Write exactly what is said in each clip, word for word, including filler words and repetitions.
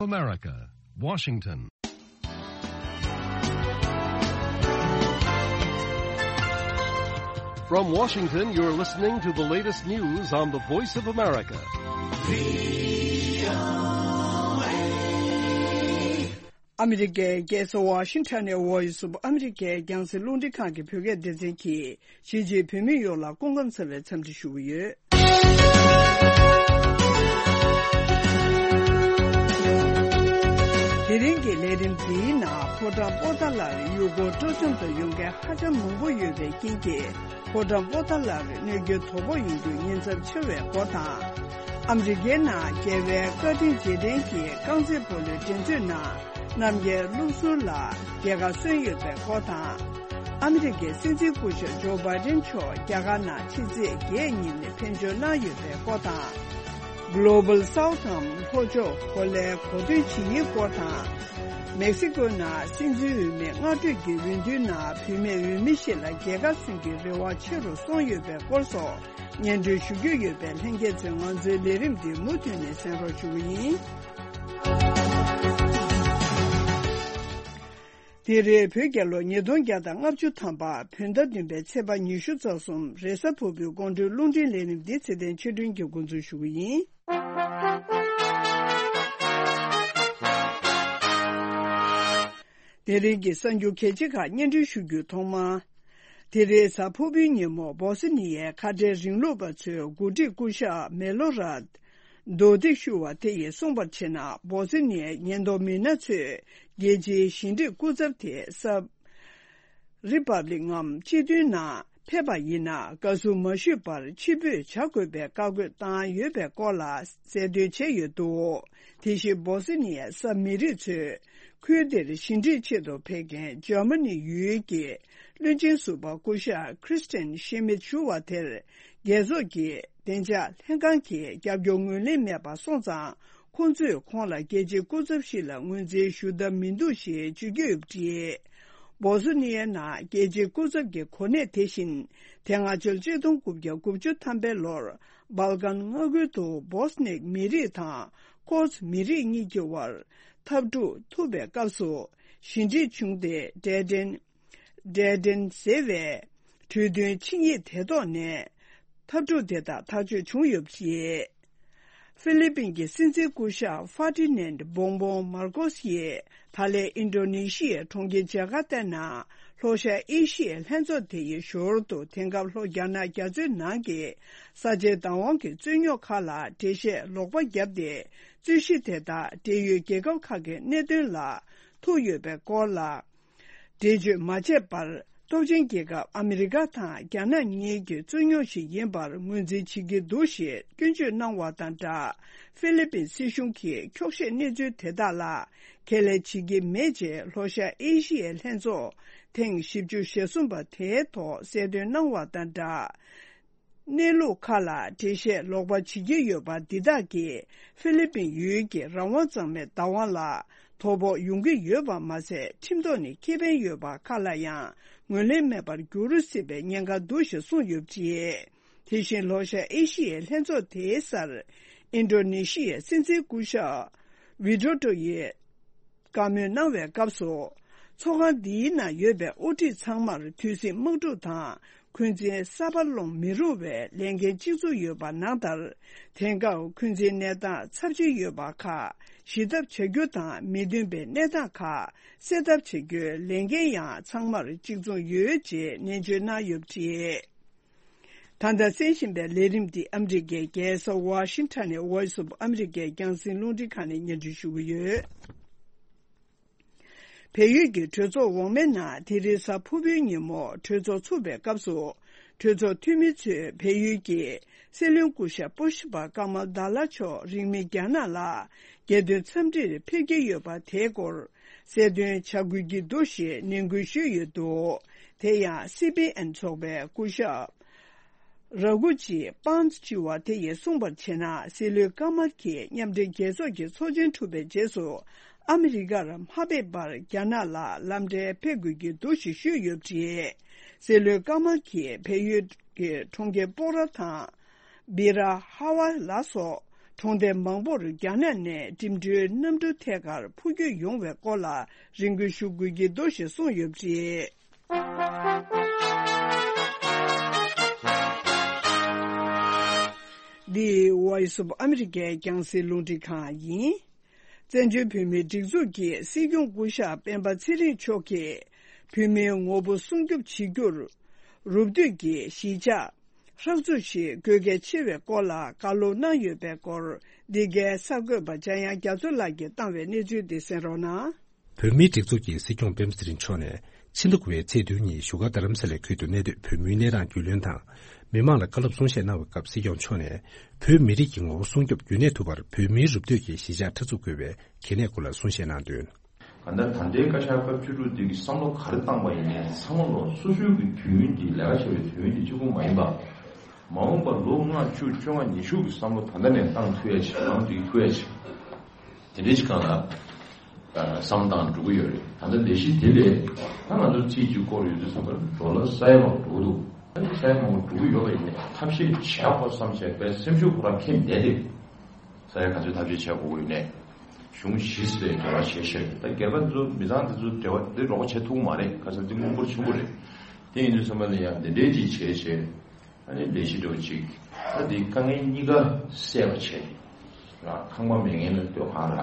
America, Washington. From Washington, you're listening to the latest news on the Voice of America. ཨ་མི་རི་ཀའི་རྒྱལ་ས་ཝ་ཤིང་ཊོན་ནས་Voice of America་རྒྱང་སྲིང་རླུང་འཕྲིན་ཁང་གི་བོད་སྐད་སྡེ་ཚན་གྱིས་གཞིས་བྱེས་བོད་མི་ཡོངས་ལ་སྐུ་ཁམས་བཟང་བའི་འཚམས་འདྲི་ཞུ་གི་ཡོད། དེ་རིང་གི་ལས་རིམ་འདིའི་ནང་ཕོ་བྲང་པོ་ཏཱ་ལར་ཡུལ་སྐོར་སྤྲོ་འཆམ་དུ་ཡོང་མཁན་ཧ་ཅང་མང་པོ་ཡོད་པའི་རྐྱེན་གྱིས། ཕོ་བྲང་པོ་ཏཱ་ལར་གནོད་སྐྱོན་དོ་ཕོག་ཡོང་རྒྱུ་ཉེན་ཚབས་ཆེ་བའི་སྐོར་དང་། ཨ་མི་རི་ཀའི་ནང་རྒྱལ་བའི་བཀའ་དྲིན་རྗེས་དྲན་གྱི་རྐང་རྩེད་སྤོ་ལོའི་འགྲན་རྩོད་ནང་རྣམ་རྒྱལ་བློ་གསར་ལགས་རྒྱལ་ཁ་སོན་ཡོད་པའི་སྐོར་དང་། ཨ་མི་རི་ཀའི་སྲིད་འཛིན་སྐུ་ཞབས་ཇོ་བྷའི་ཌེན་མཆོག་རྒྱ་གར་ནང་ཕྱི་ཚེས་བརྒྱད་ཉིན་ཕེབས་འབྱོར་གནང་ཡོད་པའི་སྐོར་དང་། Global South་འམ་ལྷོ་ཕྱོགས་གོ་ལའི་གོ་སྟོན་བྱེད་ཡུལ་སྐོར་དང་། མེག་སི་ཀོའི་ནང་སྲིད་འཛིན་འོས་མིའི་སྔ་གྲོས་ཀྱི་འོས་བསྡུའི་ནང་བུད་མེད་འོས་མི་ཞིག་ལ་རྒྱལ་ཁ་སོན་གྱི་རེ་བ་ཆེ་རུ་སོང་ཡོད་པའི་སྐོར་སོགས་སྙན་སྒྲོན་ཞུ་རྒྱུ་ཡོད་པས། ལྷན་རྒྱས་ཚོས་ང་ཚོའི་ལས་རིམ་འདི་མུ་མཐུད་ནས་གསན་རོགས་ཞུ་གི་ཡིན། དེ་རིང་བོད་རྒྱལ་ལོ་ཉིས་སྟོང་བརྒྱ་དང་ལྔ་བཅུ་ཐམ་པ་བོད་ཟླ་བདུན་པའི་ཚེས་པ་ཉི་ཤུ་རྩ་གསུམ་རེས་གཟའ་ཕུར་བུའི་དགོང་དྲོའི་རླུང་འཕྲིན་ལས་རིམ་འདི་ཚེ་བརྟན་ཆོས་སྒྲོན་གྱིས་འགོ་འཛུགས་ཞུ་གི་ཡིན། དེ་རིང་གི་གསར་འགྱུར་གལ་ཆེ་ཁག་སྙན་སྒྲོན་ཞུ་རྒྱུའི་ཐོག་མར། དེ་རིང་གཟའ་ཕུར་བུའི་ཉིན་མོ་སྦོ་སི་ནི་ཡའི་ཁ་བྲལ་རིང་ལུགས་པ་ཚོའི་འགོ་ཁྲིད་སྐུ་ཞབས་མེ་ལོ་རཱད་དོ་ཏིག་ཤུ་བ་དེ་ཡིས་གསུངས་པར་བྱས་ན། སྦོ་སི་ནི་ཡའི་ཉེན་རྟོག་མི་སྣ་ཚོས་རྒྱལ་སྤྱིའི་ཞི་འགྲིག་སྐུ་ཚབ་དེ་སབ་རི་པབ་ལིག་ངམ་སྤྱི་མཐུན་ནང་ཕེབས་པ་ཡིན་ན། བཀའ་ཟུར་མ་ཞུས་པར་ཕྱིར་འབུད་བྱ་དགོས་པའི་བཀའ་བཀོད་བཏང་ཡོད་པའི་སྐོར་ལ་གསལ་སྟོན་བྱས་ཡོད་འདུག་དེ་བཞིན་སྦོ་སི་ནི་ཡའི་སབ་མི་རིགས་ཚོས་ཁུལ་དེར་ཞི་འགྲིག་ཆེད་དུ་ཕེབས་མཁན་འཇར་མ་ནི་ཡུལ་གྱི་བློན་ཆེན་ཟུར་པ་སྐུ་ཞབས་ཁྲིས་ཏན་ཤི་མིད་ཞུ་བ་དེར་རྒྱལ་ཚོགས་ཀྱི་བདེ་འཇགས་ལྷན་ཁང་གིས་རྒྱབ་སྐྱོར་ངོས་ལེན་མེད་པ་སོང་ཙང་། ཁོང་ཚོས་ཁོང་ལ་རྒྱལ་སྤྱིའི་སྐུ་ཚབ་ཞིག་ལ་ངོས་འཛིན་ཞུ་ཐབས་མི་འདུག་ཞེས་བརྗོད་ཀྱི་ཡོད་པ་རེད། སྦོ་སི་ནི་ཡའི་ནང་རྒྱལ་སྤྱིའི་སྐུ་ཚབ་ཀྱི་གོ་གནས་དེ་བཞིན་དེ་སྔ་ཕྱི་ལོ་ཆིག་སྟོང་དགུ་བརྒྱ་དགུ་བཅུ་ཐམ་པའི་ལོར་སྦལ་ཀན་མངའ་ཁུལ་དུ་སྦོ་སི་ནིག་མི་རིགས་དང་ཁོར་སི་མི་རིགས་གཉིས་ཀྱི་དབར་འཐབ་འཁྲུག་ཐུག་པའི་སྐབས་སུ་ཞི་འགྲིག་བྱུང་སྟེ། ཌེ་ཏན་ཌེ་ཏན་ཟེར་བའི་གྲོས་མཐུན་ཆིངས་ཡིག་དེ་ཐོག་ནས་འཐབ་འཁྲུག་དེ་དག་ཐག་གཅོད་བྱུང་ཡོད་པ་རེད། ཧྥི་ལི་པིན་གྱི་སྲིད་འཛིན་སྐུ་ཞབས་ཧྥ་ཏི་ནན་བོང་བོང་མར་ཀོ་སི་ཡིས་ད་ལན་ཨིན་ཌོ་ནེ་ཤི་ཡའི་གྲོང་ཁྱེར་ཇ་ཀར་ཏའི་ནང་ལྷོ་ཤར་ཨེ་ཤི་ཡའི་ལྷན་ཚོགས་དེ་ཡི་ཞོར་དུ། དེང་སྐབས་ལྷོ་རྒྱ་ནག་རྒྱ་མཚོའི་ནང་གི་ས་ཆའི་བདག་དབང་གི་རྩོད་རྙོག་ཁག་ལ་འགྲེལ་བཤད་ལོག་པ་བརྒྱབ་སྟེ། རྩོད་གཞི་དེ་དག་འབྲེལ་ཡོད་རྒྱལ་ཁབ་ཁག་གི་གནད་དོན་ལ་ཐུག་ཡོད་པའི་སྐོར་ལ། འགྲེལ་བརྗོད་མ་བྱས་པར། སྟོབས་ཆེན་རྒྱལ་ཁབ་ཨ་མི་རི་ཀ་དང་རྒྱ་ནག་གཉིས་ཀྱི་རྩོད་རྙོག་ཞིག་ཡིན་པར་ངོས་འཛིན་བྱེད་ཀྱི་འདུག་ཞེས་སྐྱོན་བརྗོད་གནང་བ་དང་སྦྲགས། ཧྥི་ལི་པིན་སྲིད་གཞུང་གིས་འཁྱོག་བཤད་གནས་ཚུལ་དེ་དག་ལ་ཁས་ལེན་བྱེད་ཀྱི་མེད་ཅེས། ལྷོ་ཤར་ཨེ་ཤི་ཡའི་ལྷན་ཚོགས་ཐེངས་བཞི་བཅུ་ཞེ་གསུམ་པ་དེའི་ཐོག་གསལ་སྟོན་གནང་བ་དང་སྦྲགས། གནས་ལུགས་ཁག་ལ་འགྲེལ་བཤད་ལོག་པ་བྱེད་ཀྱི་ཡོད་པ་འདི་དག་གིས་ཧྥི་ལི་པིན་ཡུལ་གྱི་རང་དབང་གཙང་མའི་བདག་དབང་ལ་དོ་ཕོག་ཡོང་གི་ཡོད་པ་མ་ཟད། ཁྲིམས་ཐོག་ནས་ཁེ་ཕན་ཡོད་པ་ཁག་ལ་ཡང་ངོས་ལེན་མེད་པར་འགྱུར་སྲིད་པའི་ཉེན་ཁ་འདུག་ཞེས་གསུངས་ཡོད་པ་རེད། དེ་བཞིན་ལྷོ་ཤར་ཨེ་ཤི་ཡའི་ལྷན་ཚོགས་དེའི་སར་ཨིན་ཌོ་ནེ་ཤི་ཡའི་སྲིད་འཛིན་སྐུ་ཞབས་ཝི་ཌོ་ཌོ་ཡིས་བཀའ་མོལ་གནང་བའི་སྐབས་སུ། ཚོགས་ཁང་འདིའི་ནང་ཡོད་པའི་དབུ་ཁྲིད་ཚང་མར་དུས་ཟིང་དམག་འཁྲུག་དང་འཁོན་འཛིན་གསར་པ་སློང་མི་རུང་བའི་ལས་འགན་གཅིག་མཚུངས་ཡོད་པ་ནང་ལྟར། དེང་སྐབས་འཁོན་འཛིན་གནས་སྟངས་ཚབས་ཆེན་ཡོད་པ་ཁག་ཞི་ཐབས་བྱ་རྒྱུ་དང་། མི་མཐུན་པའི་གནས་སྟངས་ཁག་སེལ་ཐབས་བྱ་རྒྱུའི་ལས་འགན་ཡང་ཚང་མར་གཅིག་མཚུངས་ཡོད་ཅེས་ནན་བརྗོད་གནང་ཡོད་པ་རེད། ད་ལྟ་གསན་བཞིན་པའི་ལས་རིམ་འདི་ཨ་མི་རི་ཀའི་རྒྱལ་ས་ཝ་ཤིང་ཊོན་ནས་Voice of America་རྒྱང་སྲིང་རླུང་འཕྲིན་ཁང་ནས་སྙན་སྒྲོན་ཞུ་གི་ཡོད། བལ་ཡུལ་གྱི་གྲོས་ཚོགས་འོག་མའི་ནང་དེ་རིང་གཟའ་ཕུར་བུའི་ཉིན་མོ་གྲོས་ཚོགས་ཚུགས་པའི་སྐབས་སུ། གྲོས་ཚོགས་འཐུས་མི་ཚོས་བལ་ཡུལ་གྱི་སྲིད་བློན་སྐུ་ཞབས་པུ་ཤ་པ་ཀ་མལ་དཱ་ལ་མཆོག་རིང་མིན་རྒྱ་ནག་ལ་རྒྱལ་དོན་འཚམས་འདྲིར་ཕེབས་ཀྱི་ཡོད་པ་དེའི་སྐོར་གསལ་སྟོན་བྱ་དགོས་ཀྱི་འདུག་ཞེས་ནན་སྐུལ་ཞུས་ཡོད་འདུག་དེ་ཡང་སི་པི་ཨེན་ཚོགས་པའི་སྐུ་ཞབས་ར་གུ་ཇི་པཱན་ཙི་ཞུ་བ་དེ་ཡིས་གསུངས་པར་བྱས་ན། སྲིད་བློན་ཀ་མལ་གྱིས་མཉམ་འབྲེལ་རྒྱལ་ཚོགས་ཀྱི་ཚོགས་ཆེན་གྲུབ་པའི་རྗེས་སུ་ཨ་མི་རི་ཀར་མ་ཕེབས་པར་རྒྱ་ནག་ལ་ལམ་འཕྲལ་ཕེབས་དགོས་ཀྱི་འདུག་ཞེས་ཞུས་ཡོད་པ་རེད། སྲིད་བློན་ཀ་མལ་གྱིས་བལ་ཡུལ་གྱི་གྲོང་ཁྱེར་སྤོག་ར་དང་། སྦི་ར་ཧ་ཝ་ལ་སོགས་ གྲོང་རྡལ་མང་པོར་རྒྱ་ནག་ནས་འགྲིམ་འགྲུལ་གནམ་གྲུ་ཐད་ཀར་འཕུར་སྐྱོད་ཡོང་བའི་སྐོར་ལ་རེ་སྐུལ་ཞུ་དགོས་ཀྱི་འདུག་ཞེས་གསུངས་ཡོད་པ་རེད། འདི་Voice of America རྒྱང་སྲིང་རླུང་འཕྲིན་ཁང་ཡིན། བཙན་བྱོལ་བོད་མིའི་སྒྲིག་འཛུགས་ཀྱི་སྲིད་སྐྱོང་སྐུ་ཞབས་སྤེན་པ་ཚེ་རིང་མཆོག་གིས་བོད་མིའི་ངོ་བོ་སྲུང་སྐྱོབ་བྱེད་རྒྱུར། རུབ་བསྡུས་ཀྱི་གཞིས་ཆགས་ཧྲག་འཛུགས་ཤིག་དགོས་གལ་ཆེ་བའི་སྐོར་ལ་བཀའ་སློབ་གནང་ཡོད་པའི་སྐོར། འདི་གའི་གསར་འགོད་པ་འཇམ་དབྱངས་རྒྱ་མཚོ་ལགས་ཀྱིས་བཏང་བའི་གནས་ཚུལ་འདི་གསན་རོགས་གནང་། བོད་མིའི་སྒྲིག་འཛུགས་ཀྱི་སྲིད་སྐྱོང་སྤེན་པ་ཚེ་རིང་མཆོག་ནས་ཕྱི་ཟླ་དགུ་པའི་ཚེས་བདུན་ཉིན་བཞུགས་སྒར་རྡ་རམ་ས་ལའི་ཁུལ་དུ་གནས་སྡོད་བོད་མིའི་གནས་སྟངས་རྒྱུས་ལོན་དང་། མི་མང་ལ་བཀའ་སློབ་གསུང་བཤད་གནང་བའི་སྐབས་སྲིད་སྐྱོང་མཆོག་ནས་བོད་མི་རིགས་ཀྱི་ངོ་བོ་སྲུང་སྐྱོབ་རྒྱུན་གནས་ཐུབ་པར་བོད་མིའི་རུབ་བསྡུས་ཀྱི་གཞིས་ཆགས་ཧྲག་འཛུགས་དགོས་པའི་གལ་གནད་སྐོར་ལ་གསུང་བཤད་གནང་དོན། གང་ལྟར་ད་ལྟའི་བཀའ་ཤག་སྐབས་བཅུ་དྲུག་འདི་གི་བསམ་བློ་ག་རེ་བཏང་པ་ཡིན་ནའི་ཚང་མ་ལོ་སོ་སོའི་གི་དུས་ཡུན་འདི་ལས་ཀ་བྱ་བའི་དུས་ཡུན་འདི་གཅིག་པུ་མ་ཡིན་པ། མ་འོངས་པ་ལོ་ལྔ་བཅུ་བཅོ་ལྔ་ཉི་ཤུ་གི་བསམ་བློ་ད་ལྟ་ནས་བཏང་ཐུབ་ཡ་ཞིག་ལམ་འགྲིག་ཐུབ་ཡ་ཞིག་དེ་འདྲའི་ཞིག་གང་ལ་བསམ་བཏང་འགྲོ་གི་ཡོད་རེད། ད་ལྟ་ལས་གཞི་དེ་ལས་ད་ང་ཚོ་རྩིས་གཅིག་སྐོར་ཡོད་དུས་ཙམ་པར་ཌོ་ལར་ས་ཡ་མང་འགྲོ་གི་འདུག་ཨ་ནི་ས་ཡ་མང་པོ་འགྲོ་གི་ཡོད་པ་ཡིན་ནའི་ཐབས་ཤེས་བྱས་དགོས་བསམ་བྱས་པའི་སེམས་ཤུགས་ཁོ་རང་ཁེངས་བསྡད་དེ། ས་ཡ་ག་ཚོད་ཐབས་ཤེས་བྱེད་དགོས་ཀྱི་ཡོད་ནས། གཞུང་བཞི་སུ་ལས་འབྲེལ་བ་བྱེད་ཤེས་ཀྱི་ད་སྒེར་པ་ཚོ་མི་ཚང་དེ་ཚོ་འབྲེལ་བ་འདི་རོགས་པ་བྱེད་ཐུབ་ཀྱི་མ་རེད། ཁ་སང་འདི་དངུལ་འབོར་ཆེན་པོ་རེད། དེ་ཡིན་དུས་ཙམ་པ་ལ་ཡང་འདི་འདྲའི་ཅིག་བྱས་བྱས་ཨ་ནི་ལས་གཞི་འདྲ་བོ་ཅིག་ད་འདི་དཀའ་ངལ་གཉིས་ཀ་སེལ་བ་བྱས་ར་ཁང་པ་མེད་མཁན་ལ་སྡོད་ཁང་ར་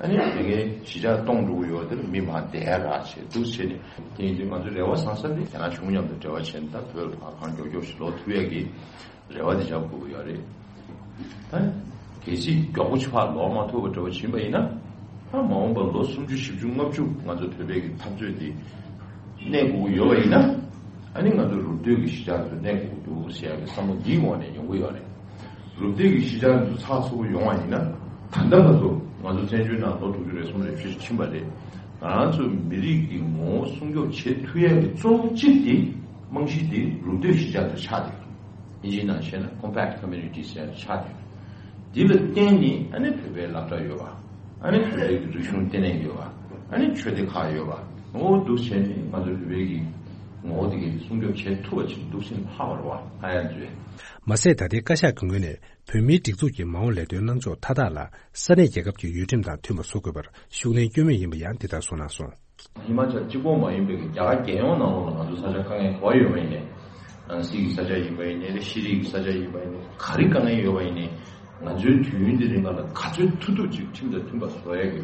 ཨ་ནི་མེད་མཁན་གཞིས་ཆགས་སྟོང་འགྲོ་གི་ཡོད་དེ་ལ་མི་མང་བསྡད་ར་བྱས་འདུག་བྱས་ནས་དེ་ཡིན་དུས་ང་ཚོ་རེ་བ་བཟང་ས་འདི་རྒྱ་ནག་གཞུང་མཉམ་དུ་འབྲེལ་བ་བྱས་ནས་ད་བོད་ལ་ཕར་གང་མགྱོགས་མགྱོགས་ཤིག་ལོག་ཐུབ་ཡ་གི་རེ་བ་དེ་བྱ་དགོས་ཀྱི་ཡོད་རེད། ད་གལ་སྲིད་མགྱོགས་པོ་ཕར་ལོག་མ་ཐུབ་པ་འདྲ་བོ་ཕྱིན་པ་ཡིན་ན། ད་མ་འོངས་པར་ལོ་སུམ་ཅུ་བཞི་བཅུ་ལྔ་བཅུ་ང་ཚོ་བོད་པའི་གི་འཐབ་རྩོད་དེ་གནས་དགོས་ཀྱི་ཡོད་པ་ཡིན་ན། ཨ་ནི་ང་ཚོ་རུབ་བསྡུས་ཀྱི་གཞིས་ཆགས་ཚོ་གནས་དགོས་ཀྱི་འདུག་ཟེར་ཡག་གི་བསམ་བློ་འདིའི་འོག་ནས་ཡོང་གི་ཡོད་རེད། རུབ་བསྡུས་ཀྱི་གཞིས་ཆགས་ཚོ་ཚགས་ཚུད་པོ་ཡོང་བ་ཡིན་ན། ད་ལྟ་བར་དུ་ང་ཚོ་བཙན་བྱོལ་ནང་ལོ་དྲུག་ཅུ་རེ་གསུམ་རེ་བཞི་ཕྱིན་པ་རེད། ང་རང་ཚོ་མི་རིགས་ཀྱི་ངོ་བོ་སྲུང་སྐྱོབ་བྱེད་ཐུབ་ཡག་གི་གཙོ་བོ་གཅིག་དེ་རྨང་གཞི་དེ་རུབ་བསྡུས་གཞིས་ཆགས་དེ་ཆགས་བསྡད་ཡོད། དབྱིན་ཇིའི་ནང་བཤད་ན་compact community ཟེར་ཆགས་བསྡད་ཡོད། འདི་ལ་བརྟེན་ནས་ཨ་ནི་བོད་པའི་སློབ་གྲྭ་ཡོད་པ། ཨ་ནི་བོད་པའི་རིག་གཞུང་ལྟེ་གནས་ཡོད་པ། ཨ་ནི་ཆོས་སྡེ་ཁག་ཡོད་པ། འོ་འདུག་བྱས་ནས་ང་ཚོའི་བོད་པའི་གི་ངོ་བོ་དེ་གའི་སྲུང་སྐྱོབ་བྱེད་ཐུབ་པ་ཅིག་འདུག་སེ་ལྷག་པར་བ་ཨ་ཡ་མཛོད། མ་ཟད་ད་ལྟའི་བཀའ་ཤག་གི་ངོས་ནས་བོད་མིའི་སྒྲིག་འཛུགས་ཀྱི་མ་འོངས་ལས་དོན་གནང་ཕྱོགས་མཐའ་དག་ལ་ས་གནས་རྒྱལ་ཁབ་ཀྱི་ཡུལ་ཁྲིམས་དང་མཐུན་པ་བཟོ་དགོས་པར་ཤུགས་སྣོན་སྐྱོན་མུས་ཡིན་པ་ཡང་འདི་ལྟར་གསུངས་གནང་སོང་། ཧི་མ་ཅལ་གཅིག་པོ་མ་ཡིན་པའི་རྒྱ་གར་རྒྱལ་ཡོངས་ནང་ལོགས་ལ་ང་ཚོ་ས་ཆ་དཀའ་ངལ་ག་པར་ཡོད་པ་ཡིན་ནའི། ནང་སྲིད་ཀྱི་ས་ཆ་ཡིན་པ་ཡིན་ནའི་ཤེས་རིག་གི་ས་ཆ་ཡིན་པ་ཡིན་ནའི་ག་རེ་དཀའ་ངལ་ཡོད་པ་ཡིན་ནའི། ང་ཚོའི་དུས་ཡུན་འདི་རིང་ལ་ག་ཚོད་ཐུབ་ཐུབ་ཅིག་ཁྲིམས་དང་མཐུན་པ་བཟོ་ཡ་གི་